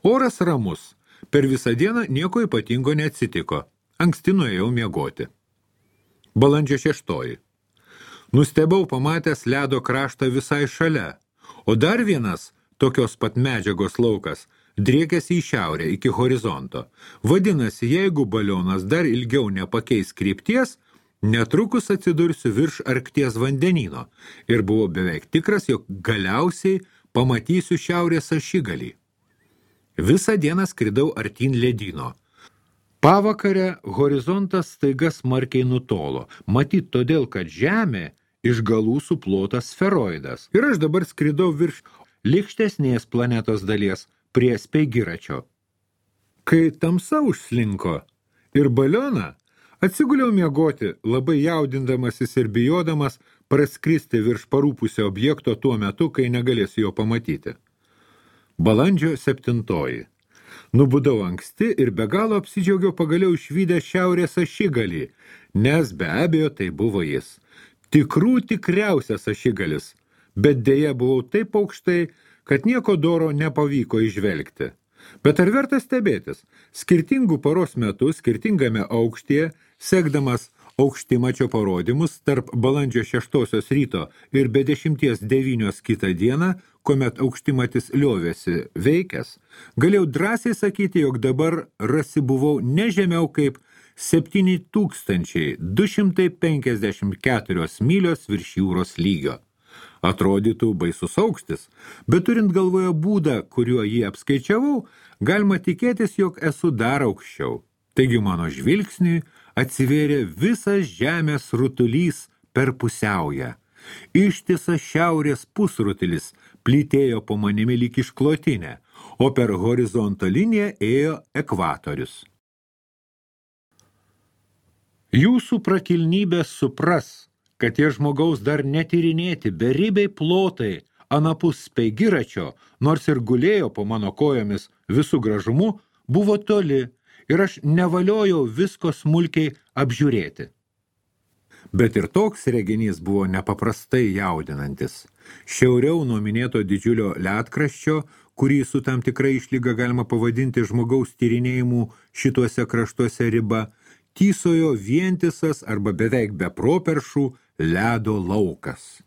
Oras ramus, per visą dieną nieko ypatingo neatsitiko. Anksti nuėjau miegoti. Balandžio 6. Nustebau pamatęs ledo kraštą visai šalia, o dar vienas tokios pat medžiagos laukas driekėsi į šiaurę iki horizonto. Vadinasi, jeigu balionas dar ilgiau nepakeis krypties, netrukus atsidursiu virš Arkties vandenyno ir buvau beveik tikras, jog galiausiai pamatysiu šiaurės ašigalį. Visą dieną skridau artyn ledyno. Pavakare horizontas staiga smarkiai nutolo, matyt todėl, kad Žemė iš galų suplota sferoidas. Ir aš dabar skridau virš lykštesnės planetos dalies prie Speigiračio. Kai tamsa užslinko ir balioną, atsiguliau miegoti, labai jaudindamasis ir bijodamas praskristi virš parūpusio objekto tuo metu, kai negalėsiu jo pamatyti. Balandžio 7. Nubudau anksti ir be galo apsidžiaugiau pagaliau išvydę šiaurės ašigalį, nes be abejo tai buvo jis. Tikriausias ašigalis, bet dėja buvau taip aukštai, kad nieko doro nepavyko įžvelgti. Bet ar verta stebėtis? Skirtingų paros metų, skirtingame aukštyje, sekdamas aukštimačio parodymus tarp balandžio 6 ryto ir be 10:09 kitą dieną, kuomet aukštimatis liovėsi veikęs, galėjau drąsiai sakyti, jog dabar rasibuvau ne žemiau kaip 7254 mylios virš jūros lygio. Atrodytų baisus aukštis, bet turint galvoje būdą, kuriuo jį apskaičiavau, galima tikėtis, jog esu dar aukščiau. Taigi mano žvilgsniui atsivėrė visas žemės rutulys per pusiaują. Ištisas šiaurės pusrutulis plytėjo po manimi lyg išklotinė, o per horizonto liniją ėjo ekvatorius. Jūsų prakilnybė supras, kad tie žmogaus dar netyrinėti beribiai plotai anapus Speigiračio, nors ir gulėjo po mano kojomis visų gražumu, buvo toli ir aš nevaliojau visko smulkiai apžiūrėti. Bet ir toks reginys buvo nepaprastai jaudinantis. Šiauriau nuo minėto didžiulio ledkraščio, kurį su tam tikra išlyga galima pavadinti žmogaus tyrinėjimų šituose kraštuose riba, tysojo vientisas arba beveik be properšų ledo laukas.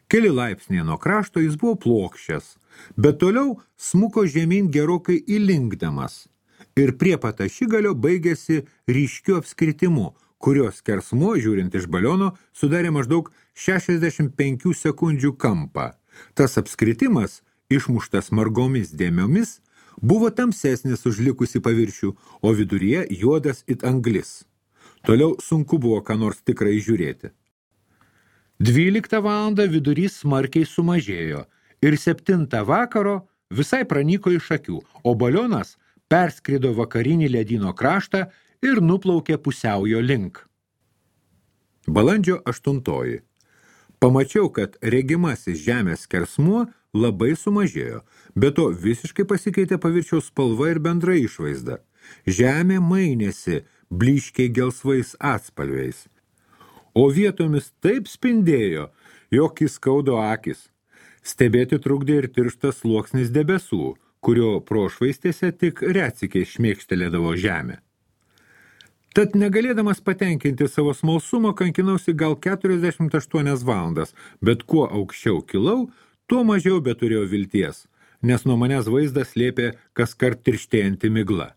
Keli laipsniai nuo krašto jis buvo plokščias, bet toliau smuko žemyn gerokai įlinkdamas ir prie pat ašigalio baigėsi ryškiu apskritimu, kurios skersmuo, žiūrint iš baliono, sudarė maždaug 65 sekundžių kampą. Tas apskritimas, išmuštas margomis dėmiomis, buvo tamsesnis už likusį paviršių, o viduryje juodas it anglis. Toliau sunku buvo ką nors tikrai žiūrėti. 12 valandą vidurys smarkiai sumažėjo ir 7 vakaro visai pranyko iš akių, o balionas perskrido vakarinį ledyno kraštą ir nuplaukė pusiaujo link. Balandžio 8. Pamačiau, kad regimasis žemės skersmuo labai sumažėjo, bet to visiškai pasikeitė paviršiaus spalva ir bendra išvaizda. Žemė mainėsi blyškiai gelsvais atspalviais, o vietomis taip spindėjo, jog įskaudo akis. Stebėti trukdė ir tirštas sluoksnis debesų, kurio prošvaistėse tik retsykiai šmėkštelėdavo žemė. Tad negalėdamas patenkinti savo smalsumo, kankinausi gal 48 valandas, bet kuo aukščiau kilau, tuo mažiau beturėjau vilties, nes nuo manęs vaizdas slėpė kaskart tirštėjanti migla.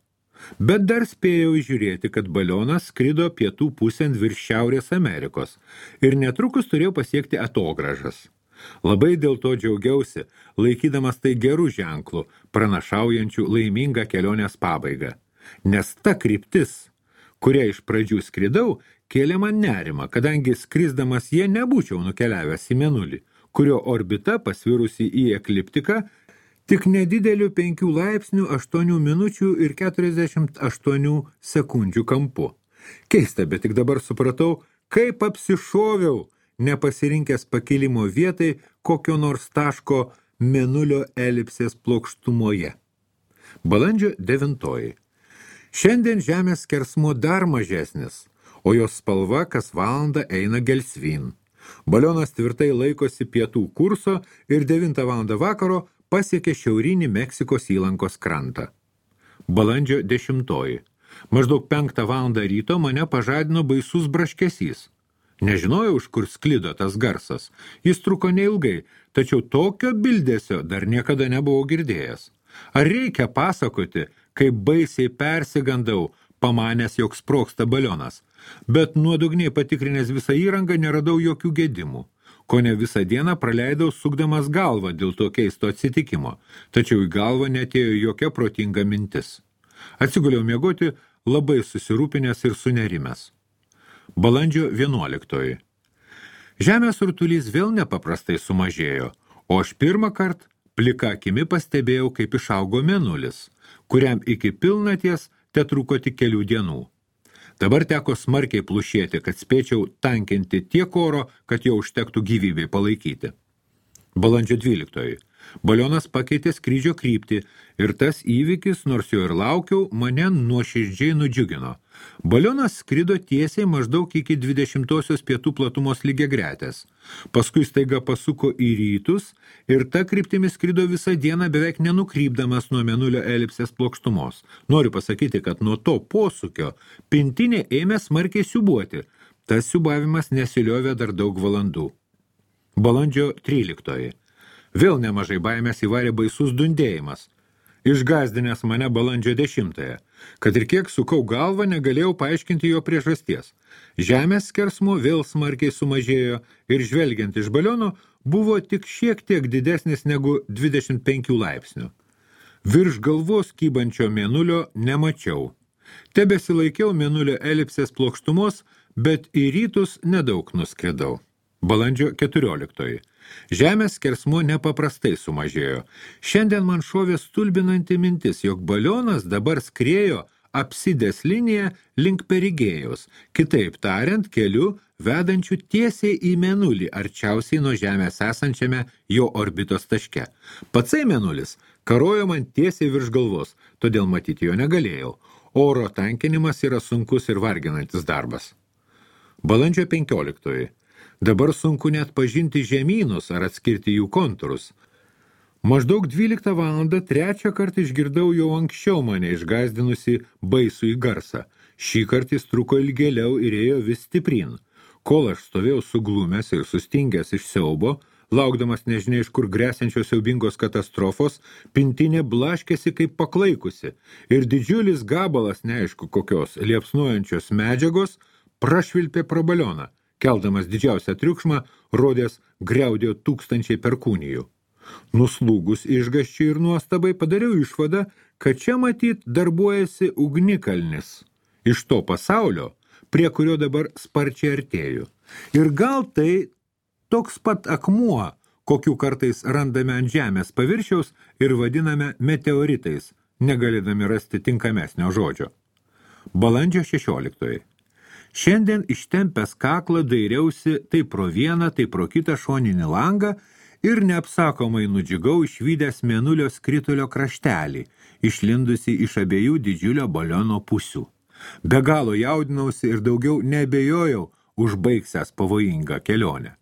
Bet dar spėjau įžiūrėti, kad balionas skrido pietų pusėn virš Šiaurės Amerikos ir netrukus turėjau pasiekti atogražas. Labai dėl to džiaugiausi, laikydamas tai gerų ženklų, pranašaujančių laimingą kelionės pabaigą. Nes ta kryptis, kuria iš pradžių skridau, kėlė man nerimą, kadangi skrisdamas jie nebūčiau nukeliavęs į Mėnulį, kurio orbita pasvirusi į ekliptiką tik nedideliu 5 laipsnių 8 minučių ir 48 sekundžių kampu. Keista, bet tik dabar supratau, kaip apsišoviau, nepasirinkęs pakilimo vietai kokio nors taško mėnulio elipsės plokštumoje. Balandžio 9. Šiandien Žemės skersmuo dar mažesnis, o jos spalva kas valandą eina gelsvyn. Balionas tvirtai laikosi pietų kurso ir 9 valandą vakaro pasiekė šiaurinį Meksikos įlankos krantą. Balandžio 10. Maždaug 5 valandą ryto mane pažadino baisus braškesys. Nežinojau, iš kur sklido tas garsas. Jis truko neilgai, tačiau tokio bildesio dar niekada nebuvau girdėjęs. Ar reikia pasakoti, kaip baisiai persigandau, pamanęs, jog sprogsta balionas, bet nuodugniai patikrinęs visą įrangą neradau jokių gedimų. Kone visą dieną praleidau sukdamas galvą dėl to keisto atsitikimo, tačiau į galvą netėjo jokia protinga mintis. Atsiguliau miegoti labai susirūpinęs ir sunerimęs. Balandžio 11. Žemės rutulys vėl nepaprastai sumažėjo, o aš pirmą kartą plika akimi pastebėjau, kaip išaugo mėnulis, kuriam iki pilnaties tetruko tik kelių dienų. Dabar teko smarkiai plušėti, kad spėčiau tankinti tiek oro, kad jo užtektų gyvybei palaikyti. Balandžio 12. Balionas pakeitė skrydžio kryptį ir tas įvykis, nors jo ir laukiau, mane nuoširdžiai nudžiugino. Balionas skrido tiesiai maždaug iki 20 pietų platumos lygiagretės. Paskui staiga pasuko į rytus ir ta kryptimi skrido visą dieną beveik nenukrypdamas nuo mėnulio elipsės plokštumos. Noriu pasakyti, kad nuo to posūkio pintinė ėmė smarkiai siūbuoti. Tas siūbavimas nesiliovė dar daug valandų. Balandžio 13. Vėl nemažai baimės įvarė baisus dundėjimas. Išgazdinęs mane balandžio 10. Kad ir kiek sukau galvą, negalėjau paaiškinti jo priežasties. Žemės skersmuo vėl smarkiai sumažėjo ir žvelgiant iš baliono buvo tik šiek tiek didesnis negu 25 laipsnių. Virš galvos kybančio mėnulio nemačiau. Tebesilaikiau mėnulio elipsės plokštumos, bet į rytus nedaug nuskridau. Balandžio 14. Žemės skersmuo nepaprastai sumažėjo. Šiandien man šovė stulbinanti mintis, jog balionas dabar skriejo apsidės liniją link Perigėjos, kitaip tariant, keliu vedančių tiesiai į mėnulį, arčiausiai nuo Žemės esančiame jo orbitos taške. Patsai mėnulis karojo man tiesiai virš galvos, todėl matyti jo negalėjau. Oro tankinimas yra sunkus ir varginantis darbas. Balandžio 15. Dabar sunku net pažinti žemynus ar atskirti jų kontūrus. Maždaug 12 valandą trečią kartą išgirdau jau anksčiau mane išgąsdinusi baisų į garsą. Šį kartą jis truko ilgėliau ir ėjo vis stiprin. Kol aš stovėjau suglumęs ir sustingęs iš siaubo, laukdamas nežinia iš kur gresiančios siaubingos katastrofos, pintinė blaškėsi kaip paklaikusi ir didžiulis gabalas neaišku kokios liepsnojančios medžiagos prašvilpė pro balioną. Keldamas didžiausią triukšmą, rodės griaudėjo tūkstančiai perkūnijų. Nuslūgus išgąsčiui ir nuostabai padariau išvadą, kad čia matyt darbuojasi ugnikalnis iš to pasaulio, prie kurio dabar sparčiai artėju. Ir gal tai toks pat akmuo, kokių kartais randame ant žemės paviršiaus ir vadiname meteoritais, negalėdami rasti tinkamesnio žodžio. Balandžio 16. Šiandien ištempęs kaklą dairiausi tai pro vieną, tai pro kitą šoninį langą ir neapsakomai nudžiugau išvydęs mėnulio skritulio kraštelį, išlindusi iš abiejų didžiulio baliono pusių. Be galo jaudinausi ir daugiau neabejojau užbaigsęs pavojingą kelionę.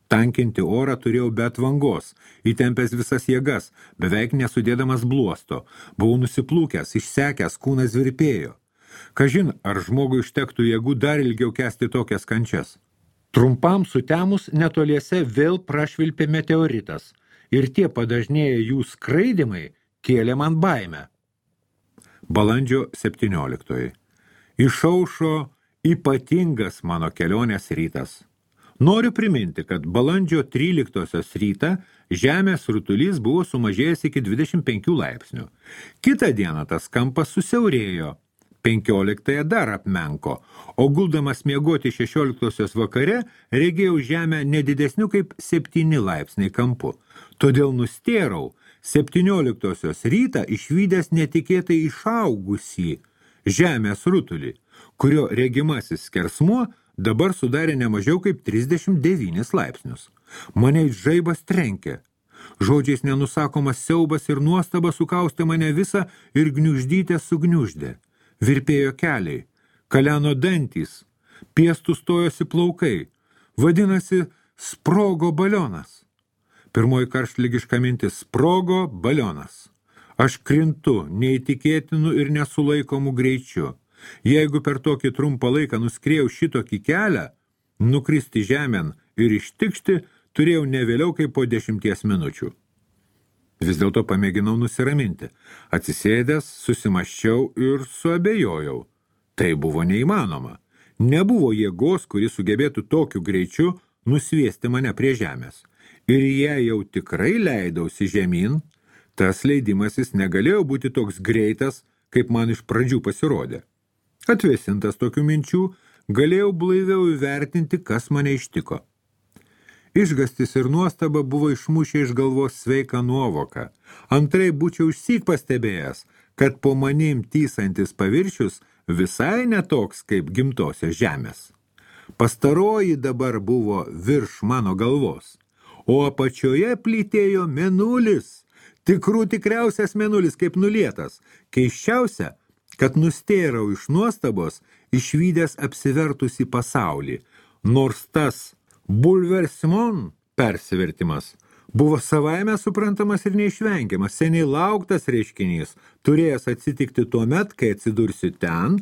Tankinti orą turėjau be atvangos, įtempęs visas jėgas, beveik nesudėdamas bluosto. Buvau nusiplūkęs, išsekęs, kūnas virpėjo. Kažin, ar žmogui užtektų jėgų dar ilgiau kęsti tokias kančias. Trumpam sutemus netoliese vėl prašvilpė meteoritas ir tie padažnėję jų skraidymai kėlė man baimę. Balandžio 17. Išaušo ypatingas mano kelionės rytas. Noriu priminti, kad balandžio 13 rytą Žemės rutulys buvo sumažėjęs iki 25 laipsnių. Kitą dieną tas kampas susiaurėjo. 15 dar apmenko, o guldamas miegoti 16 vakare regėjau Žemę nedidesniu kaip 7 laipsniai kampu. Todėl nustėrau 17 rytą išvydęs netikėtai išaugusį Žemės rutulį, kurio regimasis skersmuo dabar sudarė ne mažiau kaip 39 laipsnius. Mane žaibas trenkė. Žodžiais nenusakomas siaubas ir nuostaba sukaustė mane visą ir gniuždytę sugniuždė. Virpėjo keliai, kaleno dantys, piestų stojosi plaukai. Vadinasi, sprogo balionas. Pirmoji karštligiška mintis – sprogo balionas. Aš krintu neįtikėtinu ir nesulaikomų greičiu. Jeigu per tokį trumpą laiką nuskrėjau šitokį kelią, nukristi žemėn ir ištikšti turėjau ne vėliau kaip po 10 minučių. Vis dėlto pamėginau nusiraminti. Atsisėdęs, susimaščiau ir suabejojau. Tai buvo neįmanoma. Nebuvo jėgos, kuri sugebėtų tokiu greičiu nusviesti mane prie žemės. Ir jei jau tikrai leidausi žemyn, tas leidimasis negalėjo būti toks greitas, kaip man iš pradžių pasirodė. Atvėsintas tokių minčių, galėjau blaiviau įvertinti, kas mane ištiko. Išgastis ir nuostaba buvo išmušę iš galvos sveiką nuovoką. Antrai būčiau išsyk pastebėjęs, kad po manim tysantis paviršius visai netoks kaip gimtosios žemės. Pastaroji dabar buvo virš mano galvos, o apačioje plytėjo mėnulis, tikriausias mėnulis kaip nulietas. Keisčiausia, kad nustėrau iš nuostabos, išvydęs apsivertusį pasaulį, nors tas bulversmon persivertimas buvo savaime suprantamas ir neišvengiamas, seniai lauktas reiškinys, turėjęs atsitikti tuomet, kai atsidursiu ten,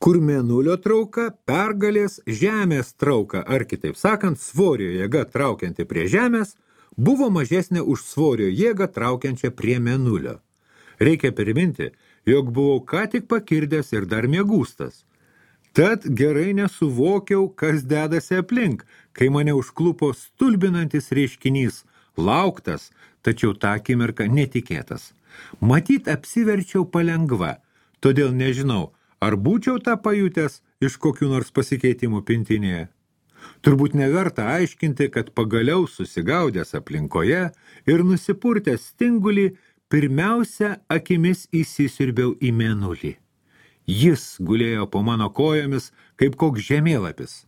kur mėnulio trauka pergalės žemės trauka, ar kitaip sakant, svorio jėga traukianti prie žemės, buvo mažesnė už svorio jėgą traukiančią prie mėnulio. Reikia priminti, jog buvau ką tik pakirdęs ir dar miegūstas. Tad gerai nesuvokiau, kas dedasi aplink, kai mane užklupo stulbinantis reiškinys, lauktas, tačiau tą akimirką netikėtas. Matyt, apsiverčiau palengva, todėl nežinau, ar būčiau tą pajutęs iš kokių nors pasikeitimų pintinėje. Turbūt neverta aiškinti, kad pagaliau susigaudęs aplinkoje ir nusipurtęs stingulį, pirmiausia akimis įsisiurbiau į mėnulį. Jis gulėjo po mano kojomis kaip koks žemėlapis.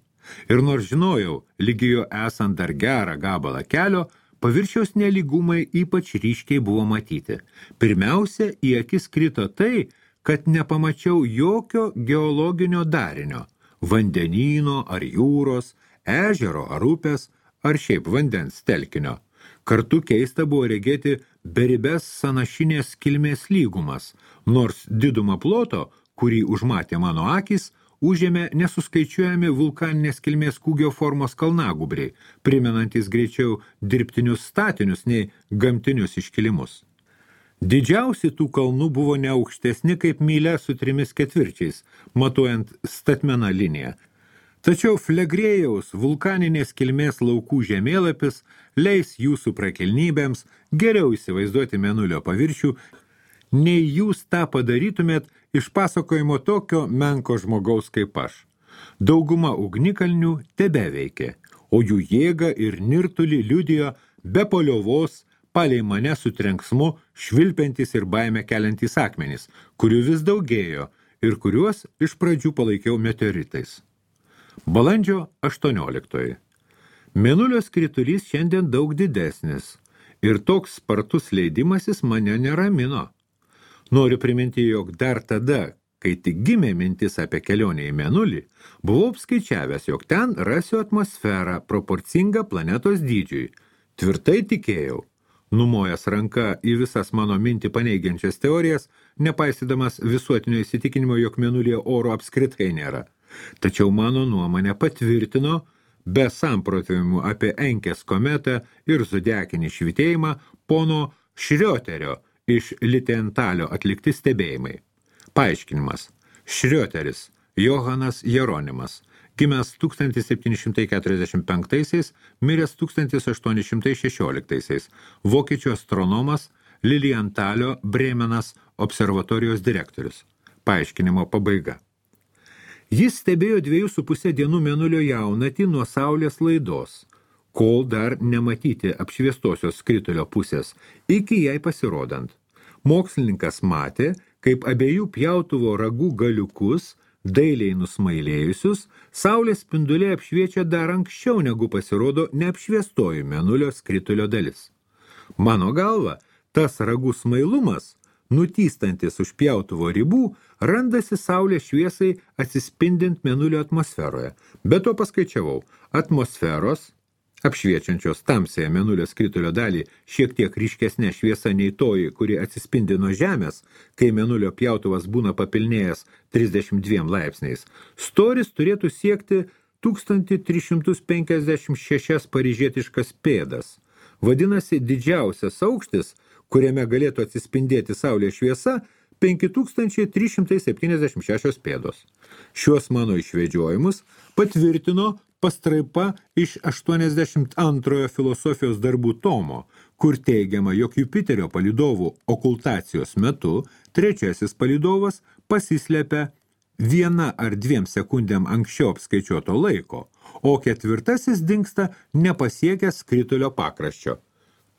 Ir nors žinojau, lygijo esant dar gerą gabalą kelio, paviršiaus nelygumai ypač ryškiai buvo matyti. Pirmiausia, į akis krito tai, kad nepamačiau jokio geologinio darinio – vandenyno ar jūros, ežero ar upės, ar šiaip vandens telkinio. Kartu keista buvo regėti beribės sanašinės kilmės lygumas, nors didumą ploto, kurį užmatė mano akys, užėmė nesuskaičiuojami vulkaninės kilmės kūgio formos kalnagubriai, primenantys greičiau dirbtinius statinius nei gamtinius iškilimus. Didžiausi tų kalnų buvo neaukštesni kaip mylia su 3/4, matuojant statmeną liniją. Tačiau Flegrėjaus vulkaninės kilmės laukų žemėlapis leis jūsų prakilnybėms geriau įsivaizduoti mėnulio paviršių, nei jūs tą padarytumėt iš pasakojimo tokio menko žmogaus kaip aš. Dauguma ugnikalnių tebeveikė, o jų jėgą ir nirtulį liudijo be paliovos palei mane su trenksmu švilpiantys ir baimę keliantys akmenys, kurių vis daugėjo ir kuriuos iš pradžių palaikiau meteoritais. Balandžio 18. Mėnulio skritulys šiandien daug didesnis ir toks spartus leidimasis mane neramino. Noriu priminti, jog dar tada, kai tik gimė mintis apie kelionę į mėnulį, buvau apskaičiavęs, jog ten rasiu atmosferą proporcingą planetos dydžiui. Tvirtai tikėjau, numojęs ranka į visas mano mintį paneigiančias teorijas, nepaisydamas visuotinio įsitikinimo, jog mėnulyje oro apskritai nėra. Tačiau mano nuomonę patvirtino, be samprotavimų apie Enkės kometą ir zodiakinį švytėjimą, pono Šrioterio iš Litentalio atlikti stebėjimai. Paaiškinimas. Šrioteris, Johanas Jeronimas, gimęs 1745, miręs 1816, vokiečių astronomas, Lilientalio Bremenas observatorijos direktorius. Paaiškinimo pabaiga. Jis stebėjo 2,5 dienų mėnulio jaunatį nuo saulės laidos, kol dar nematyti apšviestosios skritulio pusės, iki jai pasirodant. Mokslininkas matė, kaip abiejų pjautuvo ragų galiukus dailiai nusmailėjusius, saulės spinduliai apšviečia dar anksčiau, negu pasirodo neapšviestoji mėnulio skritulio dalis. Mano galva, tas ragų smailumas, nutystantis už pjautuvo ribų, randasi saulės šviesai atsispindint mėnulio atmosferoje. Be to paskaičiavau, atmosferos, apšviečiančios tamsiąją mėnulio skritulio dalį šiek tiek ryškesnė šviesa nei toji, kuri atsispindi nuo Žemės, kai mėnulio pjautuvas būna papilnėjęs 32 laipsniais, storis turėtų siekti 1356 paryžietiškas pėdas. Vadinasi, didžiausias aukštis, kuriame galėtų atsispindėti saulės šviesa, 5376 pėdos. Šiuos mano išvedžiojimus patvirtino pastraipa iš 82 filosofijos darbų tomo, kur teigiama, jog Jupiterio palydovų okultacijos metu trečiasis palydovas pasislepia 1 ar 2 sekundėm anksčiau apskaičiuoto laiko, o ketvirtasis dingsta nepasiekęs skritulio pakraščio.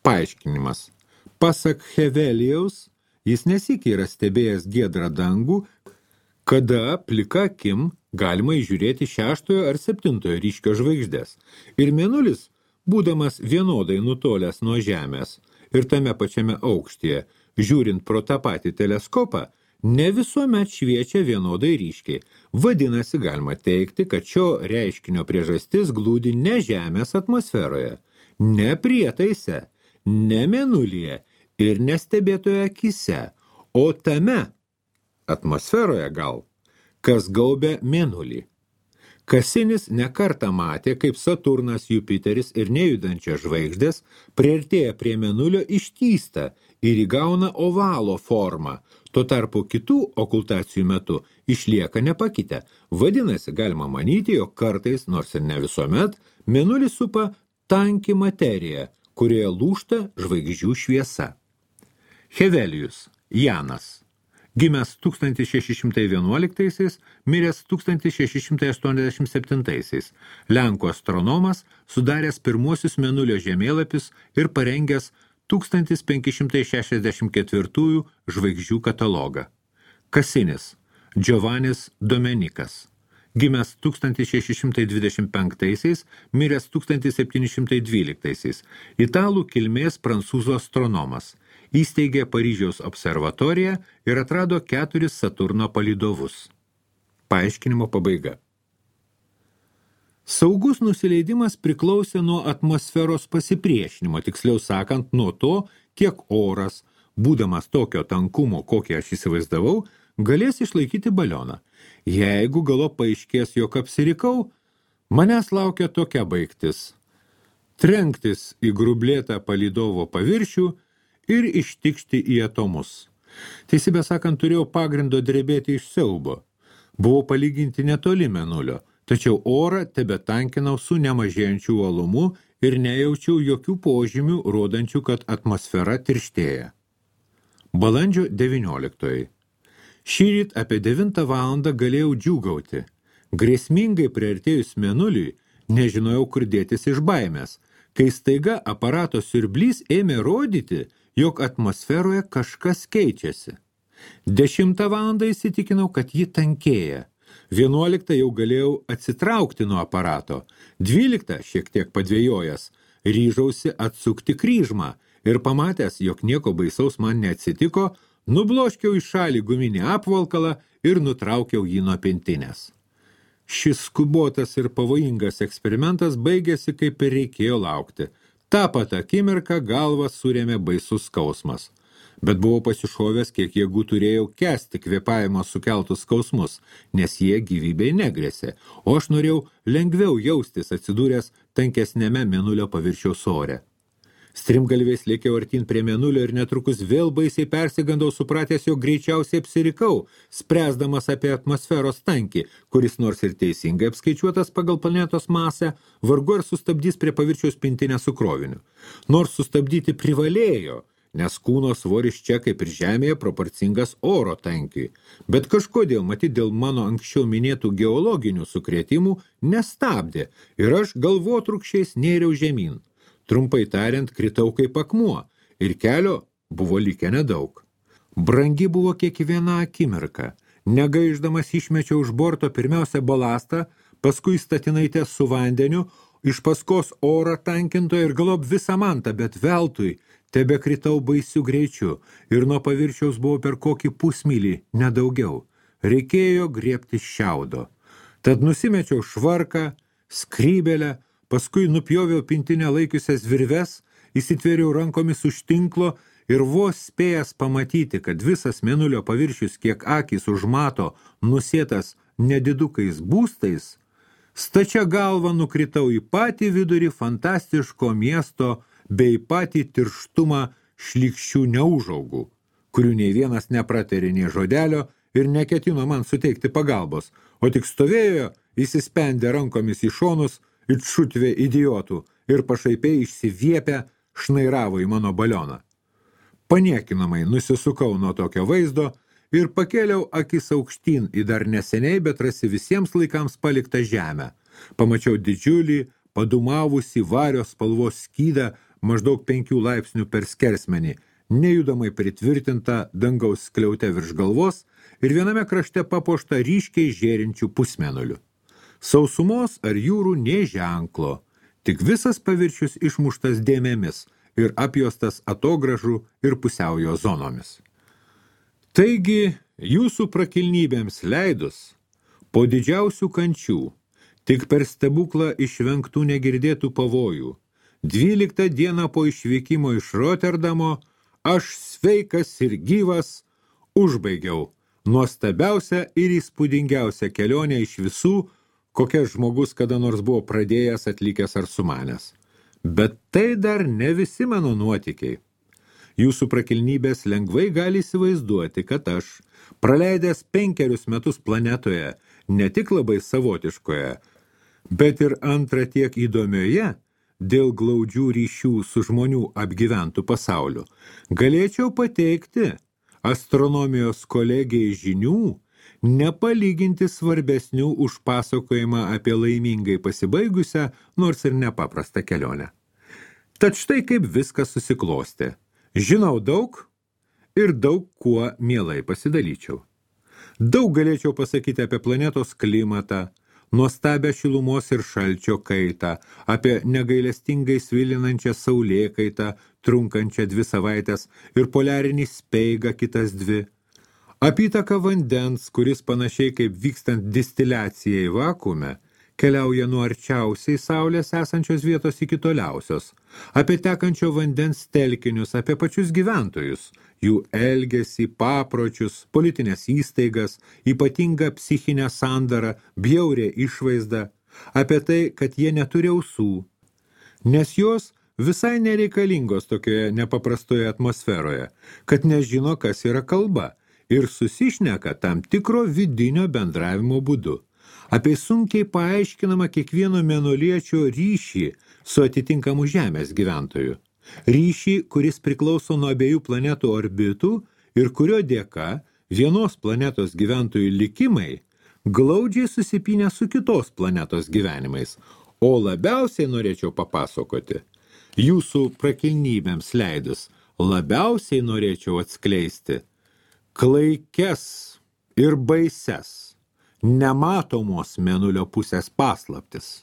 Paaiškinimas. Pasak Hevelijaus, jis nesykį yra stebėjęs giedrą dangų, kada plika akim galima įžiūrėti 6 ar 7 ryškio žvaigždės. Ir mėnulis, būdamas vienodai nutolęs nuo Žemės ir tame pačiame aukštyje, žiūrint pro tą patį teleskopą, ne visuomet šviečia vienodai ryškiai. Vadinasi, galima teigti, kad šio reiškinio priežastis glūdi ne Žemės atmosferoje, ne prietaise, ne mėnulyje ir nestebėtoje akise, o tame atmosferoje gal, kas gaubia mėnulį. Kasinis nekartą matė, kaip Saturnas, Jupiteris ir nejudančios žvaigždės priartėja prie mėnulio ištįsta ir įgauna ovalo formą, tuo tarpu kitų okultacijų metu išlieka nepakitę. Vadinasi, galima manyti, jog kartais, nors ir ne visuomet, mėnulį supa tanki materija, kurioje lūžta žvaigždžių šviesa. Hevelijus Janas, gimęs 1611, miręs 1687, lenkų astronomas, sudaręs pirmuosius mėnulio žemėlapius ir parengęs 1564 žvaigždžių katalogą. Kasinis Giovannis Domenikas, gimęs 1625, miręs 1712, italų kilmės prancūzų astronomas, įsteigė Paryžiaus observatoriją ir atrado 4 Saturno palydovus. Paaiškinimo pabaiga. Saugus nusileidimas priklausė nuo atmosferos pasipriešinimo, tiksliau sakant, nuo to, kiek oras, būdamas tokio tankumo, kokį aš įsivaizdavau, galės išlaikyti balioną. Jeigu galop paaiškės, jog apsirikau, manęs laukia tokia baigtis. Trenktis į grublėtą palydovo paviršių ir ištikšti į atomus. Teisybę sakant, turėjau pagrindo drebėti iš siaubo. Buvau palyginti netoli mėnulio, tačiau orą tebetankinau su nemažėjančiu uolumu ir nejaučiau jokių požymių, rodančių, kad atmosfera tirštėja. Balandžio 19. Šįryt apie 9 valandą galėjau džiūgauti. Grėsmingai priartėjus mėnuliui, nežinojau, kur dėtis iš baimės, kai staiga aparato siurblys ėmė rodyti, jog atmosferoje kažkas keičiasi. 10 valandą įsitikinau, kad ji tankėja. 11 jau galėjau atsitraukti nuo aparato. 12, šiek tiek padvėjojęs, ryžausi atsukti kryžmą ir pamatęs, jog nieko baisaus man neatsitiko, nubloškiau į šalį guminį apvalkalą ir nutraukiau jį nuo pintinės. Šis skubotas ir pavojingas eksperimentas baigėsi, kaip ir reikėjo laukti. Ta pat akimirką galvą surėmė baisus skausmas. Bet buvau pasišovęs, kiek jėgų turėjau kęsti kvėpavimo sukeltus skausmus, nes jie gyvybei negrėsė, o aš norėjau lengviau jaustis atsidūręs tankesnėme mėnulio paviršiaus ore. Strimgalviais lėkiau artin prie mėnulio ir netrukus vėl baisiai persigandau, supratęs, jog greičiausiai apsirikau, spręsdamas apie atmosferos tankį, kuris nors ir teisingai apskaičiuotas pagal planetos masę, vargu ar sustabdys prie paviršiaus pintinę su kroviniu. Nors sustabdyti privalėjo, nes kūno svoris čia kaip ir žemėje proporcingas oro tankiui, bet kažkodėl, matyt, dėl mano anksčiau minėtų geologinių sukrėtimų, nestabdė ir aš galvotrūkščiais nėriau žemyn. Trumpai tariant, kritau kaip akmuo ir kelio buvo likę nedaug. Brangi buvo kiekviena akimirka, Negaiždamas išmečiau už borto pirmiausia balastą, paskui statinaitę su vandeniu, iš paskos orą tankintoją ir galop visą mantą, bet veltui tebekritau baisiu greičiu ir nuo paviršiaus buvau per kokį pusmylį, nedaugiau. Reikėjo griebti šiaudo. Tad nusimečiau švarką, skrybelę, paskui nupjoviau pintinę laikiusias virves, įsitvėriau rankomis už tinklo ir vos spėjęs pamatyti, kad visas mėnulio paviršius, kiek akys užmato, nusėtas nedidukais būstais, stačia galva nukritau į patį vidurį fantastiško miesto bei patį tirštumą šlykščių neužaugų, kurių nei vienas nepratarė nei žodelio ir neketino man suteikti pagalbos, o tik stovėjo, įsispendę rankomis į šonus, it šutvė idiotų ir pašaipiai išsiviepę šnairavo į mano balioną. Paniekinamai nusisukau nuo tokio vaizdo ir pakėliau akis aukštyn į dar neseniai, bet rasi visiems laikams paliktą žemę. Pamačiau didžiulį, padumavusį vario spalvos skydą maždaug 5 laipsnių per skersmenį, nejudamai pritvirtintą dangaus skliaute virš galvos ir viename krašte papuoštą ryškiai žėrinčių pusmėnulių. Sausumos ar jūrų nė ženklo, tik visas paviršius išmuštas dėmėmis ir apjuostas atogražų ir pusiaujo zonomis. Taigi, jūsų prakilnybėms leidus, po didžiausių kančių, tik per stebuklą išvengtų negirdėtų pavojų, 12 dieną po išvykimo iš Roterdamo, aš sveikas ir gyvas užbaigiau nuostabiausią ir įspūdingiausią kelionę iš visų, kokias žmogus kada nors buvo pradėjęs, atlikęs ar sumanęs. Bet tai dar ne visi mano nuotykiai. Jūsų prakilnybės lengvai gali įsivaizduoti, kad aš, praleidęs 5 metus planetoje, ne tik labai savotiškoje, bet ir antrą tiek įdomioje, dėl glaudžių ryšių su žmonių apgyventų pasauliu, galėčiau pateikti astronomijos kolegijai žinių, nepalyginti svarbesnių už pasakojimą apie laimingai pasibaigusią, nors ir nepaprastą kelionę. Tad štai kaip viskas susiklostė. Žinau daug ir daug kuo mielai pasidalyčiau. Daug galėčiau pasakyti apie planetos klimatą, nuostabią šilumos ir šalčio kaitą, apie negailestingai svilinančią saulėkaitą, trunkančią 2 savaites ir poliarinį speigą kitas 2, apytaką vandens, kuris panašiai kaip vykstant distiliacijai vakuume, keliauja nuo arčiausiai saulės esančios vietos iki toliausios, apie tekančio vandens telkinius, apie pačius gyventojus, jų elgesį, papročius, politinės įstaigas, ypatingą psichinę sandarą, bjaurę išvaizdą, apie tai, kad jie neturi ausų, nes jos visai nereikalingos tokioje nepaprastoje atmosferoje, kad nežino, kas yra kalba ir susišneka tam tikro vidinio bendravimo būdu. Apie sunkiai paaiškinamą kiekvieno mėnuliečio ryšį su atitinkamu Žemės gyventoju. Ryšį, kuris priklauso nuo abiejų planetų orbitų ir kurio dėka vienos planetos gyventojų likimai glaudžiai susipynę su kitos planetos gyvenimais. O labiausiai norėčiau papasakoti, jūsų prakilnybėms leidus, labiausiai norėčiau atskleisti klaikes ir baises, nematomos mėnulio pusės paslaptis,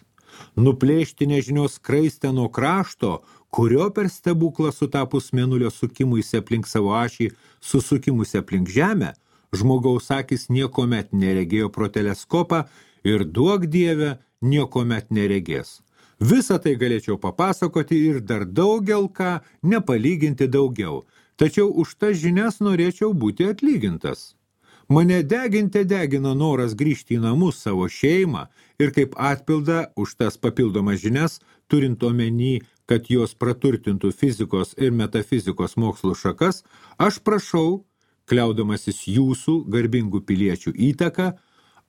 nuplėšti nežinios skraistę nuo krašto, kurio per stebuklą sutapus mėnulio sukimuisi aplink savo ašį, susukimusi aplink Žemę, žmogaus akis niekomet neregėjo pro teleskopą ir duok Dieve niekomet neregės. Visą tai galėčiau papasakoti ir dar daugel ką nepalyginti daugiau, tačiau už tas žinias norėčiau būti atlygintas. Mane degina noras grįžti į namus savo šeimą ir kaip atpildą už tas papildomas žinias, turint omeny, kad jos praturtintų fizikos ir metafizikos mokslų šakas, aš prašau, kliaudamasis jūsų garbingų piliečių įtaką,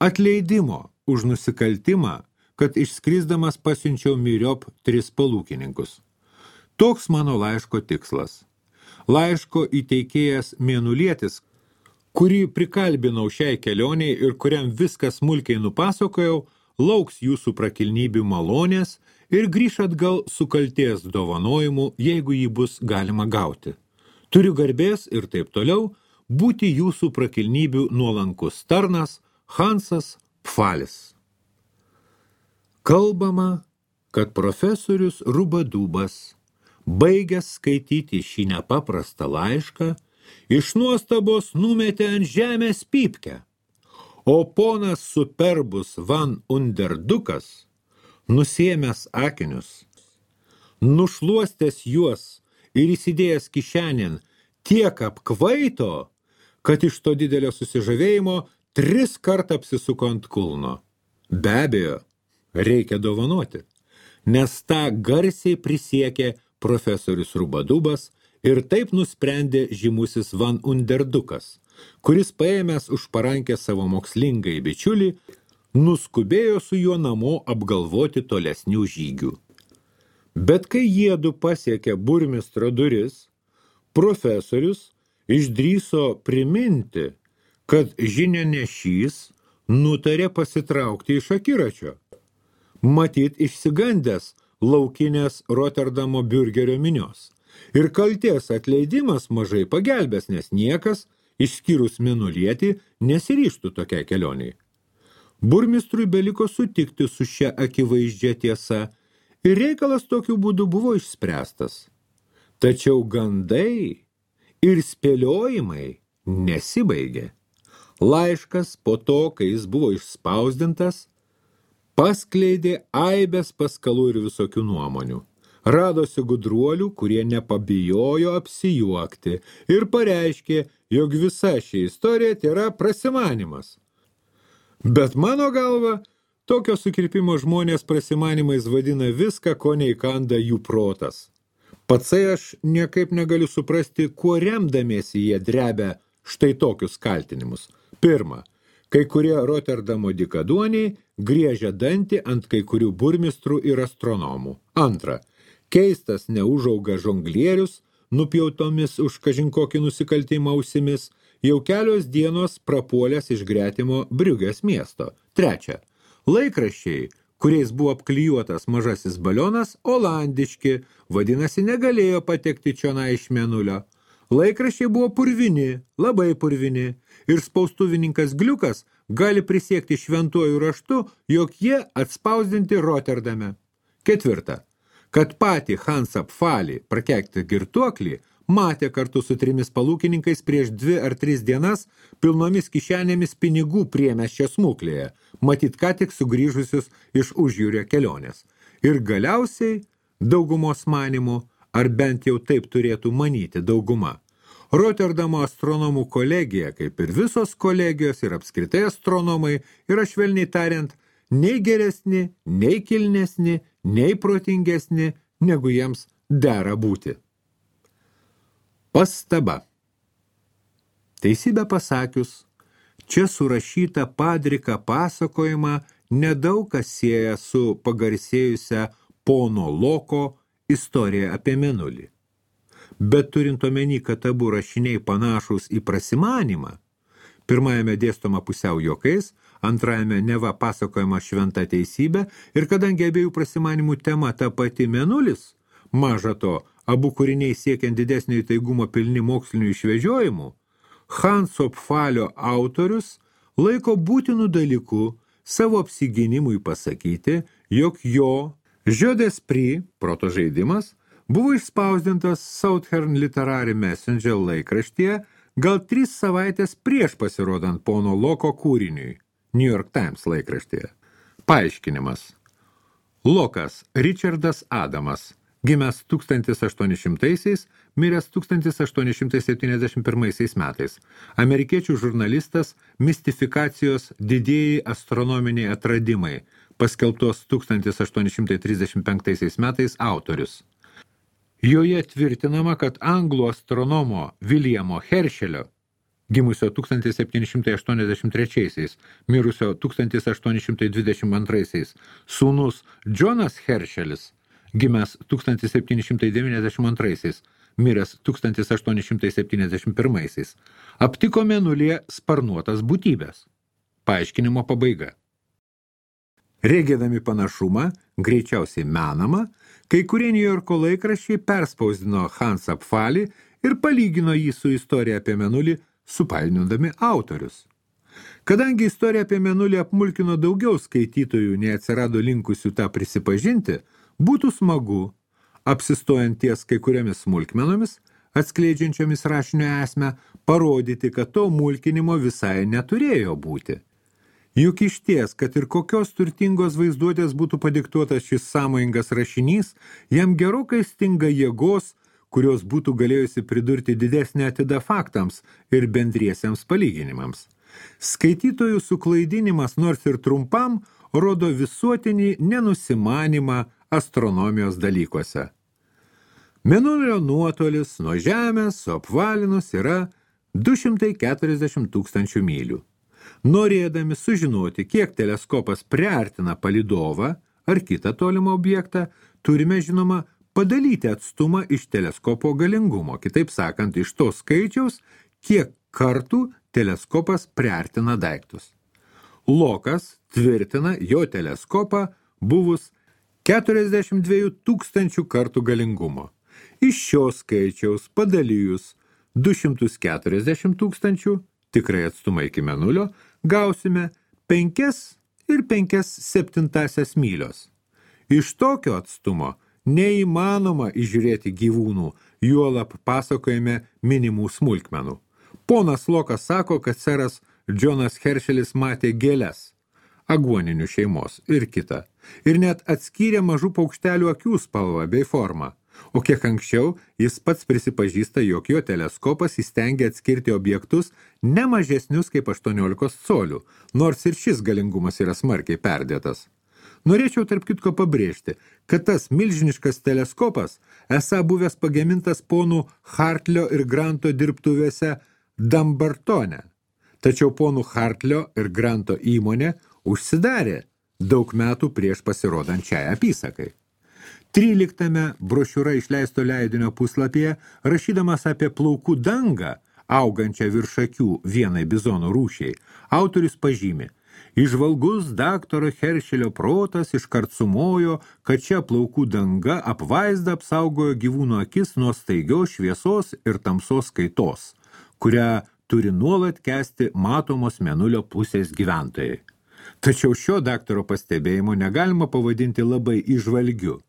atleidimo už nusikaltimą, kad išskrisdamas pasiunčiau myriop 3 palūkininkus. Toks mano laiško tikslas. Laiško įteikėjas mėnulietis, kurį prikalbinau šiai kelioniai ir kuriam viskas smulkiai nupasakojau, lauks jūsų prakilnybių malonės ir grįš atgal su kaltės dovanojimu, jeigu jį bus galima gauti. Turiu garbės ir taip toliau, būti jūsų prakilnybių nuolankus tarnas Hansas Pfalis. Kalbama, kad profesorius Rubadubas, baigęs skaityti šį nepaprastą laišką, iš nuostabos numetė ant žemės pypkę, o ponas Superbus van Underdukas, nusiėmęs akinius, nušluostęs juos ir įsidėjęs kišenėn, tiek apkvaito, kad iš to didelio susižavėjimo 3 kartą apsisuko ant kulno. Be abejo, reikia dovanoti, nes tą garsiai prisiekė profesorius Rubadubas ir taip nusprendė žymusis Van Underdukas, kuris paėmęs už parankę savo mokslingai bičiulį, nuskubėjo su juo namo apgalvoti tolesnių žygių. Bet kai jiedu pasiekė burmistro duris, profesorius išdrįso priminti, kad žinianešys nutarė pasitraukti iš akiračio. Matyt išsigandęs laukinės Roterdamo biurgerio minios. Ir kaltės atleidimas mažai pagelbės, nes niekas, išskyrus Mėnulietį, nesiryžtų tokiai kelioniai. Burmistrui beliko sutikti su šia akivaizdžia tiesa ir reikalas tokiu būdu buvo išspręstas. Tačiau gandai ir spėliojimai nesibaigė. Laiškas po to, kai jis buvo išspausdintas, paskleidė aibės paskalų ir visokių nuomonių. Radosi gudruolių, kurie nepabijojo apsijuokti ir pareiškė, jog visa ši istorija tėra prasimanimas. Bet mano galva, tokio sukirpimo žmonės prasimanimais vadina viską, ko neįkanda jų protas. Patsai aš niekaip negaliu suprasti, kuo remdamiesi jie drebia štai tokius kaltinimus. Pirma, kai kurie Roterdamo dykaduoniai griežia dantį ant kai kurių burmistrų ir astronomų. Antra, keistas neužauga žonglierius, nupjautomis už kažinkokį nusikaltimą ausimis, jau kelios dienos prapuolęs iš gretimo Briugės miesto. Trečia, laikraščiai, kuriais buvo apklijuotas mažasis balionas, olandiški, vadinasi, negalėjo patekti čionai iš Mėnulio. Laikraščiai buvo purvini, labai purvini, ir spaustuvininkas Gliukas gali prisiekti šventuoju raštu, jog jie atspausdinti Roterdame. Ketvirta, kad patį Hansą Pfalį, prakeiktą girtuoklį, matė kartu su 3 palūkininkais prieš 2 ar 3 dienas pilnomis kišenėmis pinigų priemiesčio smuklėje, matyt ką tik sugrįžusius iš užjūrio kelionės. Ir galiausiai, daugumos manimų, ar bent jau taip turėtų manyti dauguma, Roterdamo astronomų kolegija, kaip ir visos kolegijos ir apskritai astronomai, yra švelniai tariant, nei geresni, nei kilnesni, nei protingesni, negu jiems dera būti. Pastaba. Teisybę pasakius, čia surašyta padrika pasakojimą nedaug kas sieja su pagarsėjusia pono Loko istorija apie Mėnulį. Bet turint omeny, kad abu rašiniai panašūs į prasimanimą, pirmajame dėstoma pusiau juokais, antrajame neva pasakojama šventa teisybė ir kadangi abiejų prasimanimų tema ta pati Mėnulis, maža to, abu kūriniai siekiant didesnio įtaigumo pilni mokslinių išvežiojimų, Hanso Pfalio autorius laiko būtinų dalykų savo apsigynimui pasakyti, jog jo Jeu d'esprit, proto žaidimas, buvo išspausdintas Southern Literary Messenger laikraštyje gal 3 savaitės prieš pasirodant pono Loko kūriniui, New York Times laikraštyje. Paaiškinimas. Lokas Richardas Adamas, gimęs 1800-aisiais, miręs 1871 metais. Amerikiečių žurnalistas mistifikacijos didieji astronominiai atradimai, paskelbtos 1835 metais autorius. Joje tvirtinama, kad anglų astronomo Viljamo Heršelio, gimusio 1783, mirusio 1822, sūnus Džonas Heršelis, gimęs 1792, miręs 1871, aptiko Mėnulyje sparnuotas būtybės. Paaiškinimo pabaiga. Regėdami panašumą, greičiausiai menamą, kai kurie New Yorko laikraščiai perspausdino Hansą Pfalį ir palygino jį su istorija apie Mėnulį supainiodami autorius. Kadangi istorija apie Mėnulį apmulkino daugiau skaitytojų, nei atsirado linkusių tą prisipažinti, būtų smagu, apsistojant ties kai kuriamis smulkmenomis, atskleidžiančiomis rašinio esmę, parodyti, kad to mulkinimo visai neturėjo būti. Juk išties, kad ir kokios turtingos vaizduotės būtų padiktuotas šis sąmojingas rašinys, jam gerokai stinga jėgos, kurios būtų galėjusi pridurti didesnę atidą faktams ir bendriesiems palyginimams. Skaitytojų suklaidinimas nors ir trumpam rodo visuotinį nenusimanimą astronomijos dalykuose. Mėnulio nuotolis nuo Žemės suapvalinus yra 240 000 mylių. Norėdami sužinoti, kiek teleskopas priartina palydovą ar kitą tolimą objektą, turime, žinoma, padalyti atstumą iš teleskopo galingumo, kitaip sakant, iš to skaičiaus, kiek kartų teleskopas priartina daiktus. Lokas tvirtina jo teleskopą buvus 42 000 kartų galingumo. Iš šio skaičiaus padalijus 240 000, tikrai atstumą iki Mėnulio, gausime 5,5 mylios. Iš tokio atstumo neįmanoma įžiūrėti gyvūnų, juolab pasakojame minimų smulkmenų. Ponas Lokas sako, kad seras Džonas Heršelis matė gėles, aguoninių šeimos ir kitą, ir net atskyrė mažų paukštelių akių spalvą bei formą. O kiek anksčiau jis pats prisipažįsta, jog jo teleskopas įstengia atskirti objektus ne mažesnius kaip 18 colių, nors ir šis galingumas yra smarkiai perdėtas. Norėčiau tarp kitko pabrėžti, kad tas milžiniškas teleskopas esą buvęs pagamintas ponų Hartlio ir Granto dirbtuvėse Dumbartone. Tačiau ponų Hartlio ir Granto įmonė užsidarė daug metų prieš pasirodant šiai apysakai. 13 brošiūra išleisto leidinio puslapyje, rašydamas apie plaukų dangą, augančią virš akių vienai bizono rūšiai, autorius pažymi: įžvalgus daktaro Heršelio protas iškart sumojo, kad čia plaukų danga apvaizda apsaugojo gyvūno akis nuo staigios šviesos ir tamsos kaitos, kurią turi nuolat kęsti matomos Mėnulio pusės gyventojai. Tačiau šio daktaro pastebėjimo negalima pavadinti labai įžvalgiu.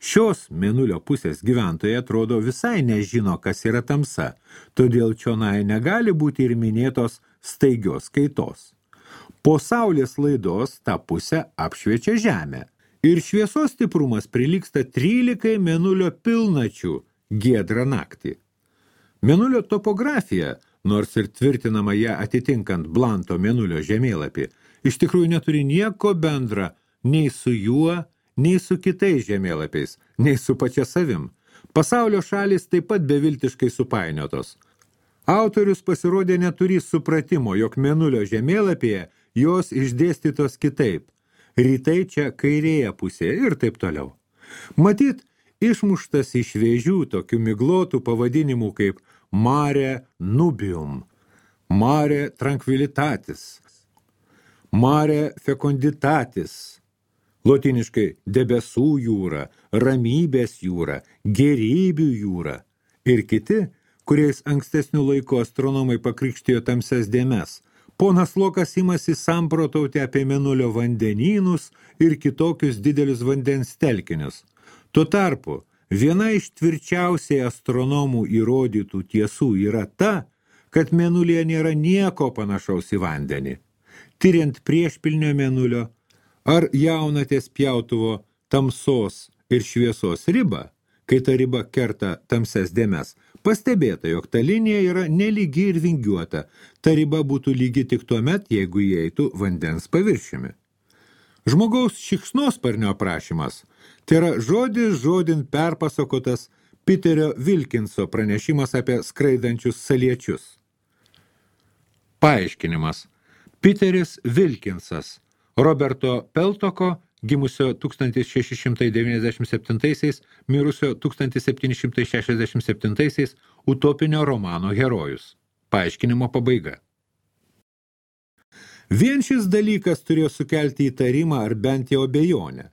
Šios Mėnulio pusės gyventojai atrodo visai nežino, kas yra tamsa, todėl čionai negali būti ir minėtos staigios kaitos. Po Saulės laidos tą pusę apšviečia Žemę ir šviesos stiprumas prilygsta 13 Mėnulio pilnačių giedrą naktį. Mėnulio topografija, nors ir tvirtinama ją atitinkant Blanto Mėnulio žemėlapį, iš tikrųjų neturi nieko bendra nei su juo, nei su kitais žemėlapiais, nei su pačia savim. Pasaulio šalys taip pat beviltiškai supainiotos. Autorius pasirodė neturys supratimo, jog Mėnulio žemėlapyje jos išdėstytos kitaip. Rytai čia kairėje pusėje ir taip toliau. Matyt, išmuštas iš vėžių tokių miglotų pavadinimų kaip Mare Nubium, Mare Tranquilitatis, Mare Fecunditatis, lotiniškai debesų jūra, ramybės jūra, gėrybių jūra ir kiti, kuriais ankstesnių laikų astronomai pakrikštijo tamsias dėmes. Ponas Lokas imasi samprotauti apie Mėnulio vandenynus ir kitokius didelius vandens telkinius. Tuo tarpu, viena iš tvirčiausiai astronomų įrodytų tiesų yra ta, kad Mėnulyje nėra nieko panašaus į vandenį. Tiriant priešpilnio Mėnulio, ar jaunatės pjautuvo tamsos ir šviesos ribą, kai ta riba kerta tamsias dėmes, pastebėta, jog ta linija yra nelygi ir vingiuota. Ta riba būtų lygi tik tuomet, jeigu įeitų vandens paviršiumi. Žmogaus šikšnosparnio aprašymas tai yra žodis žodin perpasakotas Piterio Wilkinso pranešimas apie skraidančius saliečius. Paaiškinimas. Piteris Wilkinsas, Roberto Peltoko, gimusio 1697, mirusio 1767, utopinio romano herojus. Paaiškinimo pabaiga. Vien šis dalykas turėjo sukelti įtarimą ar bent jau abejonę.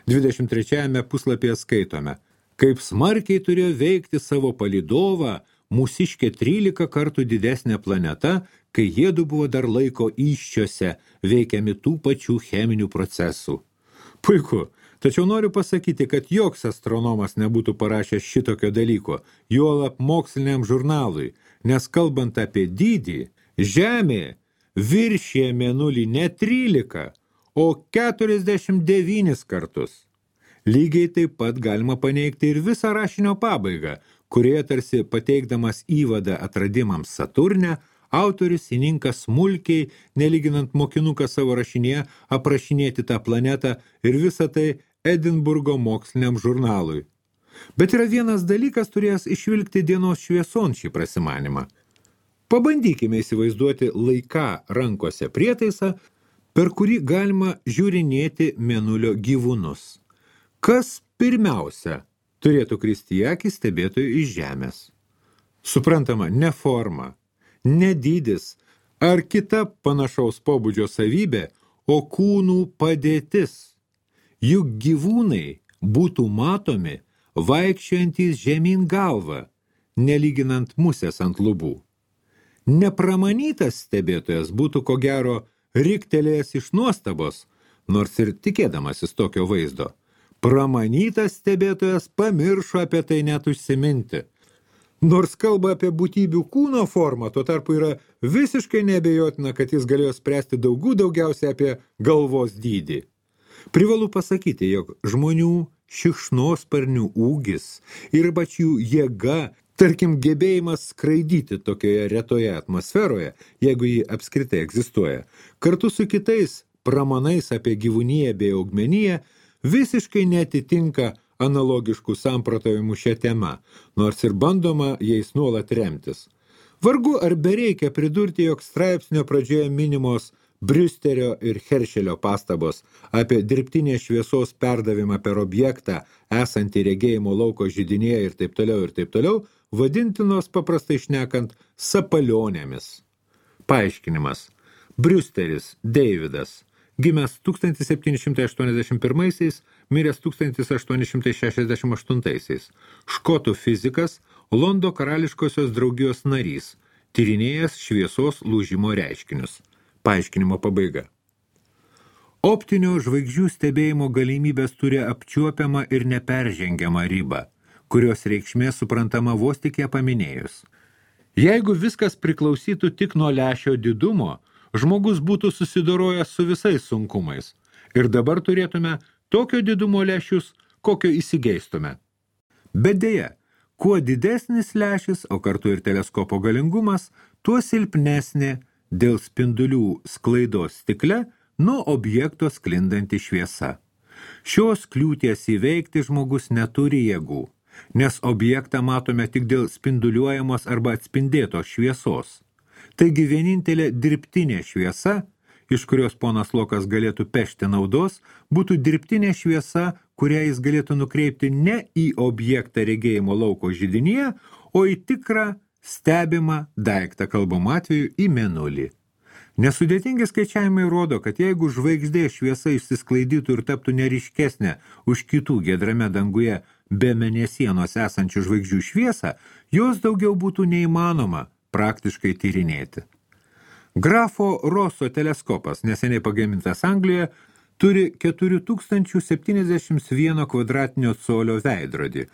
23 puslapyje skaitome, kaip smarkiai turėjo veikti savo palydovą mūsiškė 13 kartų didesnė planeta, kai jiedu buvo dar laiko įsčiose, veikiami tų pačių cheminių procesų. Puiku, tačiau noriu pasakyti, kad joks astronomas nebūtų parašęs šitokio dalyko, juolab moksliniam žurnalui, nes kalbant apie dydį, Žemė viršė Mėnulį ne 13, o 49 kartus. Lygiai taip pat galima paneigti ir visą rašinio pabaigą, kurioje tarsi pateikdamas įvadą atradimams Saturne, autorius įninka smulkiai, nelyginant mokinuką savo rašinėje, aprašinėti tą planetą ir visą tai Edinburgo moksliniam žurnalui. Bet yra vienas dalykas turėjęs išvilgti dienos švieson šį prasimanimą. Pabandykime įsivaizduoti laiką rankose prietaisą, per kurį galima žiūrinėti Mėnulio gyvūnus. Kas pirmiausia turėtų kristi į akį stebėtojų iš Žemės? Suprantama, ne forma, ne dydis ar kita panašaus pobūdžio savybė, o kūnų padėtis. Juk gyvūnai būtų matomi vaikščiojantys žemyn galvą, nelyginant musės ant lubų. Nepramanytas stebėtojas būtų ko gero riktelėjęs iš nuostabos, nors ir tikėdamasis tokio vaizdo. Pramanytas stebėtojas pamiršo apie tai net užsiminti. Nors kalba apie būtybių kūno formą, tuo tarpu yra visiškai neabejotina, kad jis galėjo spręsti daugiausiai apie galvos dydį. Privalu pasakyti, jog žmonių šikšnosparnių ūgis ir pačių jėga, tarkim, gebėjimas skraidyti tokioje retoje atmosferoje, jeigu ji apskritai egzistuoja, kartu su kitais pramanais apie gyvūniją bei augmeniją, visiškai neatitinka analogiškų samprotavimų šią temą, nors ir bandoma jais nuolat remtis. Vargu ar bereikia pridurti, jog straipsnio pradžioje minimos Briusterio ir Heršelio pastabos apie dirbtinės šviesos perdavimą per objektą, esantį regėjimo lauko židinėje ir taip toliau, vadintinos paprastai šnekant sapalionėmis. Paaiškinimas. Briusteris Davidas, gimęs 1781, miręs 1868, škotų fizikas, Londo karališkosios draugijos narys, tyrinėjęs šviesos lūžimo reiškinius. Paaiškinimo pabaiga. Optinio žvaigždžių stebėjimo galimybės turi apčiuopiamą ir neperžengiamą ribą, kurios reikšmė suprantama vos tik ją paminėjus. Jeigu viskas priklausytų tik nuo lęšio didumo, žmogus būtų susidorojęs su visais sunkumais ir dabar turėtume tokio didumo lęšius, kokio įsigeistume. Bet deja, kuo didesnis lęšis, o kartu ir teleskopo galingumas, tuo silpnesnė dėl spindulių sklaidos stikle nuo objekto sklindanti šviesa. Šios kliūties įveikti žmogus neturi jėgų, nes objektą matome tik dėl spinduliuojamos arba atspindėtos šviesos. Taigi vienintelė dirbtinė šviesa, iš kurios ponas Lokas galėtų pešti naudos, būtų dirbtinė šviesa, kurią jis galėtų nukreipti ne į objektą regėjimo lauko židinyje, o į tikrą stebimą daiktą kalbam atveju į Mėnulį. Nesudėtingi skaičiavimai rodo, kad jeigu žvaigždė šviesa išsisklaidytų ir taptų neryškesnė už kitų giedrame danguje be mėnesienos esančių žvaigždžių šviesą, jos daugiau būtų neįmanoma praktiškai tyrinėti. Grafo Roso teleskopas, neseniai pagamintas Anglijoje, turi 4071 kvadratinio colio veidrodį,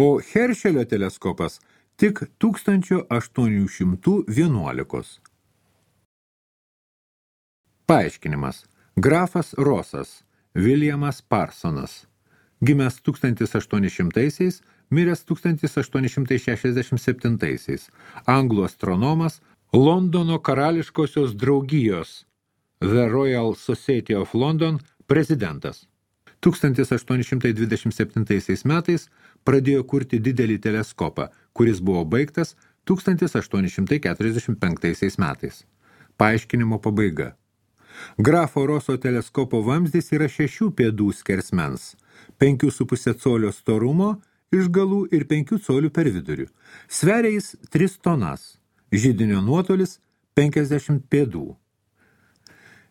o Heršelio teleskopas tik 1811. Paaiškinimas. Grafas Rosas, Williamas Parsonas, gimęs 1800, miręs 1867, anglų astronomas, Londono karališkosios draugijos The Royal Society of London prezidentas. 1827 metais pradėjo kurti didelį teleskopą, kuris buvo baigtas 1845 metais. Paaiškinimo pabaiga. Grafo Roso teleskopo vamzdis yra 6 pėdų skersmens, 5,5 colio storumo iš galų ir 5 colių per vidurių. Sveria jis 3 tonas, židinio nuotolis 50 pėdų.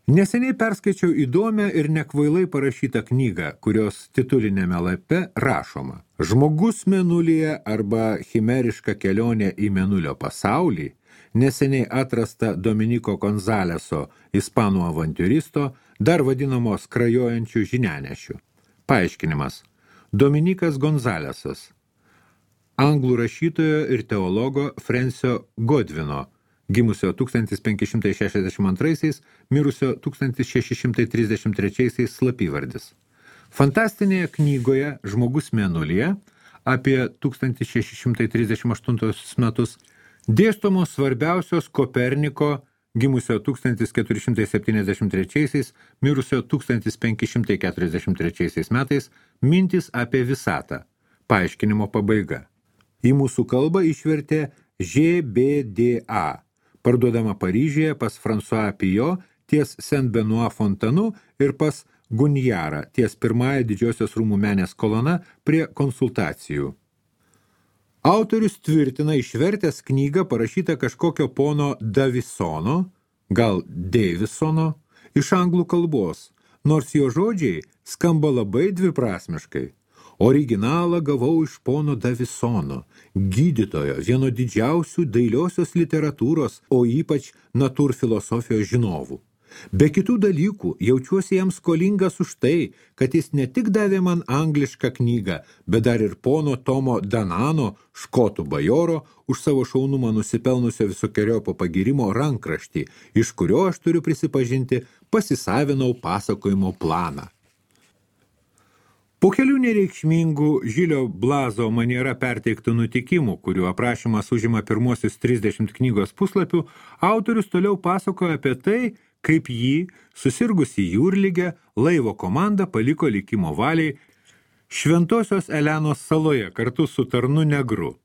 Neseniai perskaičiau įdomią ir nekvailai parašytą knygą, kurios titulinėme lape rašoma: Žmogus mėnulyje arba chimeriška kelionė į mėnulio pasaulį, neseniai atrasta Dominiko Gonzaleso, ispanų avantiūristo, dar vadinamo skrajojančių žinianešių. Paaiškinimas. Dominikas Gonzalesas, anglų rašytojo ir teologo Francio Godwino, gimusio 1562, mirusio 1633 slapyvardis. Fantastinėje knygoje Žmogus mėnulyje apie 1638 metus dėstomos svarbiausios Koperniko, gimusio 1473, mirusio 1543 metais, mintys apie visatą. Paaiškinimo pabaiga. Į mūsų kalbą išvertė GBDA, parduodama Paryžiuje pas François Pijot ties Saint-Benoît fontanu ir pas Gunjarą ties pirmąją Didžiosios rūmų menės kolona prie konsultacijų. Autorius tvirtina išvertęs knygą parašytą kažkokio pono Davisono, gal Davisono, iš anglų kalbos, nors jo žodžiai skamba labai dviprasmiškai. Originalą gavau iš pono Davisono, gydytojo, vieno didžiausių dailiosios literatūros, o ypač natūrfilosofijos žinovų. Be kitų dalykų jaučiuosi jam skolingas už tai, kad jis ne tik davė man anglišką knygą, bet dar ir pono Tomo Danano, škotų bajoro, už savo šaunumą nusipelnusio visokiojopo pagyrimo rankraštį, iš kurio aš turiu prisipažinti, pasisavinau pasakojimo planą. Po kelių nereikšmingų Žilio Blazo maniera perteiktų nutikimų, kurių aprašymas užima pirmuosius 30 knygos puslapių, autorius toliau pasakoja apie tai, kaip jį, susirgusi jūrligę, laivo komanda paliko likimo valiai Šventosios Elenos saloje kartu su tarnu negru.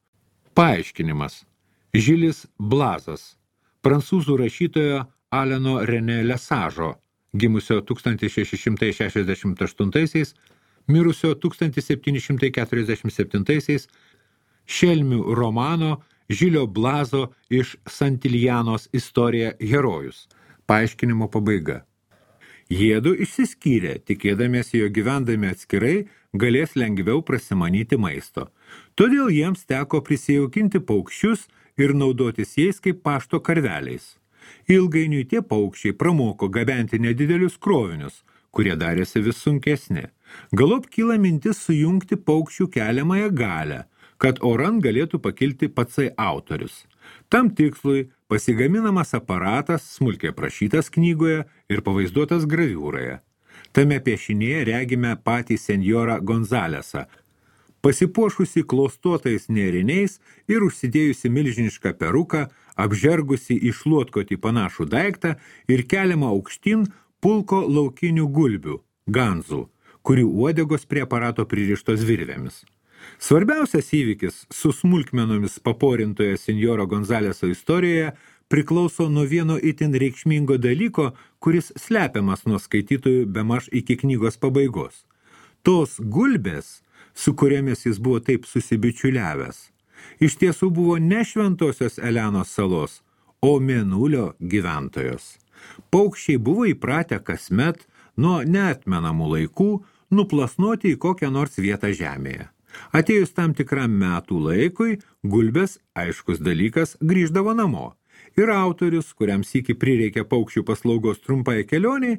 Paaiškinimas. Žilis Blazas, prancūzų rašytojo Aleno René Lesažo, gimusio 1668, mirusio 1747, šelmių romano Žilio Blazo iš Santiljanos istorija herojus. Paaiškinimo pabaiga. Jiedu išsiskyrė, tikėdamiesi, jo gyvendami atskirai galės lengviau prasimanyti maisto. Todėl jiems teko prisijaukinti paukščius ir naudotis jais kaip pašto karveliais. Ilgainiui tie paukščiai pramoko gabenti nedidelius krovinius, kurie darėsi vis sunkesni. Galop kyla mintis sujungti paukščių keliamąją galią, kad oran galėtų pakilti patsai autorius. Tam tikslui pasigaminamas aparatas smulkiai aprašytas knygoje ir pavaizduotas graviūroje. Tame piešinėje regime patį senjorą Gonzalesą, pasipuošusi klostuotais nėriniais ir užsidėjusi milžinišką peruką, apžergusi į šluotkotį panašų daiktą ir keliamą aukštyn pulko laukinių gulbių, ganzų, kurių uodegos prie aparato pririštos virvėmis. Svarbiausias įvykis su smulkmenomis paporintoje senjoro Gonzaleso istorijoje priklauso nuo vieno itin reikšmingo dalyko, kuris slepiamas nuo skaitytojų bemaž iki knygos pabaigos. Tos gulbės, su kuriamis jis buvo taip susibičiuliavęs, iš tiesų buvo ne Šventosios Elenos salos, o Mėnulio gyventojos. Paukščiai buvo įpratę kasmet nuo neatmenamų laikų nuplasnoti į kokią nors vietą žemėje. Atėjus tam tikram metų laikui, gulbės, aiškus dalykas, grįždavo namo. Ir autorius, kuriam sykį prireikia paukščių paslaugos trumpai kelioniai,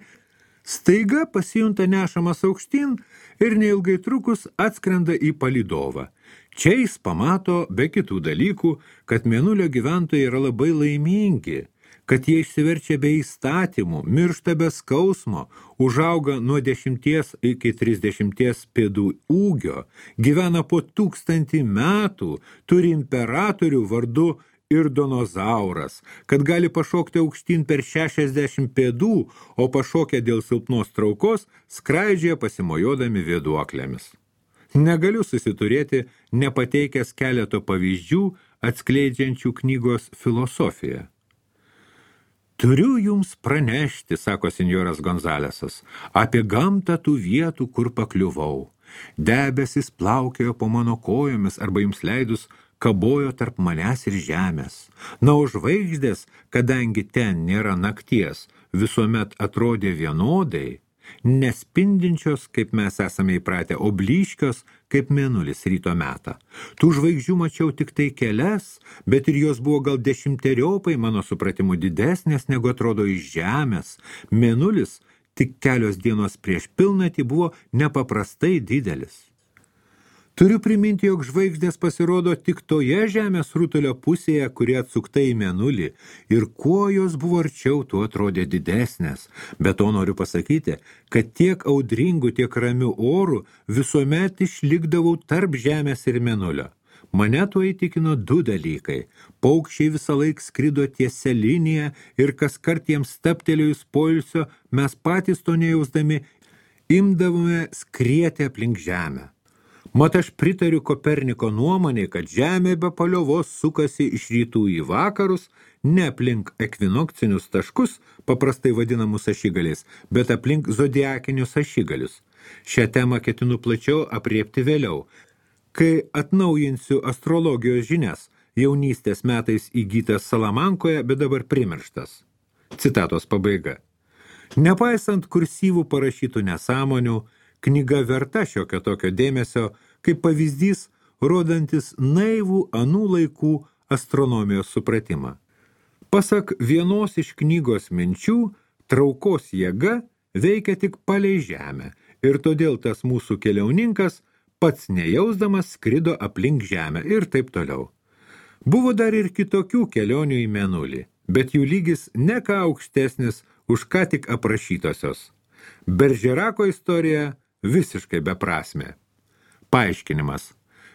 staiga pasijunta nešamas aukštyn ir neilgai trukus atskrenda į palydovą. Čia jis pamato, be kitų dalykų, kad Mėnulio gyventojai yra labai laimingi, kad jie išsiverčia be įstatymų, miršta be skausmo, užauga nuo 10 iki 30 pėdų ūgio, gyvena po 1000 metų, turi imperatorių vardu Irdonozauras, kad gali pašokti aukštyn per 60 pėdų, o pašokę dėl silpnos traukos skraidžia pasimojodami vėduoklėmis. Negaliu susiturėti, nepateikęs keleto pavyzdžių atskleidžiančių knygos filosofiją. Turiu jums pranešti, sako senjoras Gonzalesas, apie gamtą tų vietų, kur pakliuvau. Debesis plaukėjo po mano kojomis arba jums leidus kabojo tarp manęs ir žemės. Na, o žvaigždės, kadangi ten nėra nakties, visuomet atrodė vienodai, nespindinčios, kaip mes esame įpratę, o blyškios, kaip mėnulis ryto metą. Tų žvaigždžių mačiau tik tai kelias, bet ir jos buvo gal 10-teriopai mano supratimu didesnės, negu atrodo iš žemės. Mėnulis tik kelios dienos prieš pilnatį buvo nepaprastai didelis. Turiu priminti, jog žvaigždės pasirodo tik toje žemės rutulio pusėje, kuri atsukta į mėnulį, ir kuo jos buvo arčiau, tuo atrodė didesnės. Bet to noriu pasakyti, kad tiek audringų, tiek ramių orų visuomet išlikdavau tarp žemės ir mėnulio. Mane tuo įtikino du dalykai. Paukščiai visą laik skrido tiesia linija ir kaskart jiems staptelėjus poilsio, mes patys to nejausdami imdavome skrieti aplink žemę. Mat aš pritariu Koperniko nuomonė, kad Žemė be paliovos sukasi iš rytų į vakarus, ne aplink ekvinokcinius taškus, paprastai vadinamus ašigaliais, bet aplink zodiakinius ašigalius. Šią temą ketinu plačiau apriepti vėliau, kai atnaujinsiu astrologijos žinias, jaunystės metais įgytas Salamankoje, bet dabar primirštas. Citatos pabaiga. Nepaisant kursyvų parašytų nesąmonių, knyga verta šiokio tokio dėmesio, kaip pavyzdys, rodantis naivų anų laikų astronomijos supratimą. Pasak vienos iš knygos minčių, traukos jėga veikia tik palei žemę ir todėl tas mūsų keliauninkas pats nejausdamas skrido aplink žemę ir taip toliau. Buvo dar ir kitokių kelionių į mėnulį, bet jų lygis ne ką aukštesnis už ką tik aprašytosios. Beržerako istorija visiškai beprasmė. Paaiškinimas.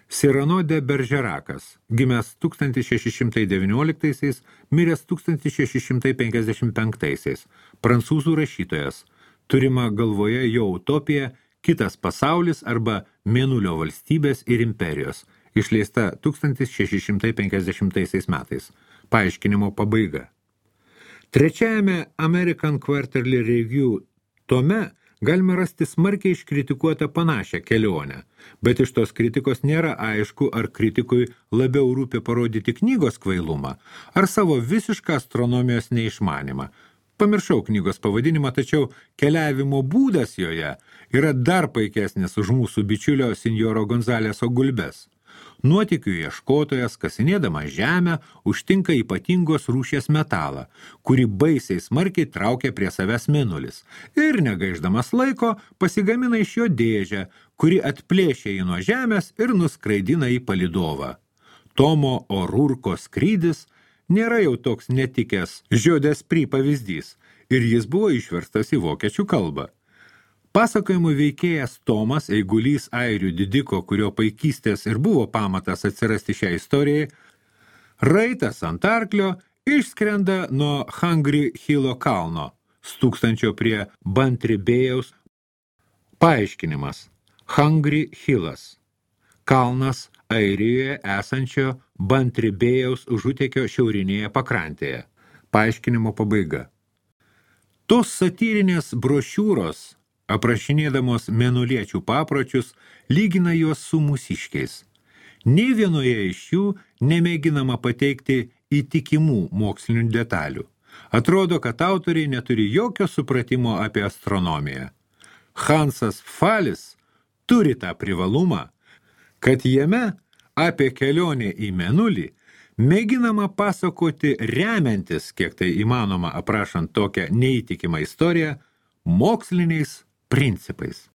Cyrano de Bergerakas, gimęs 1619, miręs 1655, prancūzų rašytojas, turima galvoje jo utopija Kitas pasaulis arba Mėnulio valstybės ir imperijos, išleista 1650 metais. Paaiškinimo pabaiga. Trečiajame American Quarterly Review tome galime rasti smarkiai iškritikuotą panašią kelionę, bet iš tos kritikos nėra aišku, ar kritikui labiau rūpi parodyti knygos kvailumą, ar savo visišką astronomijos neišmanimą. Pamiršau knygos pavadinimą, tačiau keliavimo būdas joje yra dar paikesnis už mūsų bičiulio Sinjoro Gonzaleso Gulbes. Nuotykių ieškotojas, kasinėdamas žemę, užtinka ypatingos rūšies metalą, kurį baisiai smarkiai traukia prie savęs mėnulis ir, negaiždamas laiko, pasigamina iš jo dėžę, kuri atplėšia jį nuo žemės ir nuskraidina į palydovą. Tomo O'Rourko skrydis nėra jau toks netikęs Žiodės Pri pavyzdys ir jis buvo išverstas į vokiečių kalbą. Pasakojimų veikėjas Tomas, eigulys airių didiko, kurio paikystės ir buvo pamatas atsirasti šią istorijai, raitas ant arklio išskrenda nuo Hungry Hillo kalno, stūkstančio prie Bantribėjaus. Paaiškinimas. Hungry Hillas. Kalnas Airijoje esančio Bantribėjaus užutekio šiaurinėje pakrantėje. Paaiškinimo pabaiga. Tos satyrinės brošiūros, aprašinėdamos mėnuliečių papročius, lygina juos su mūsiškiais. Nei vienoje iš jų nemėginama pateikti įtikimų mokslinių detalių. Atrodo, kad autoriai neturi jokio supratimo apie astronomiją. Hansas Pfalis turi tą privalumą, kad jame apie kelionę į mėnulį mėginama pasakoti remiantis, kiek tai įmanoma aprašant tokią neįtikimą istoriją, moksliniais principais.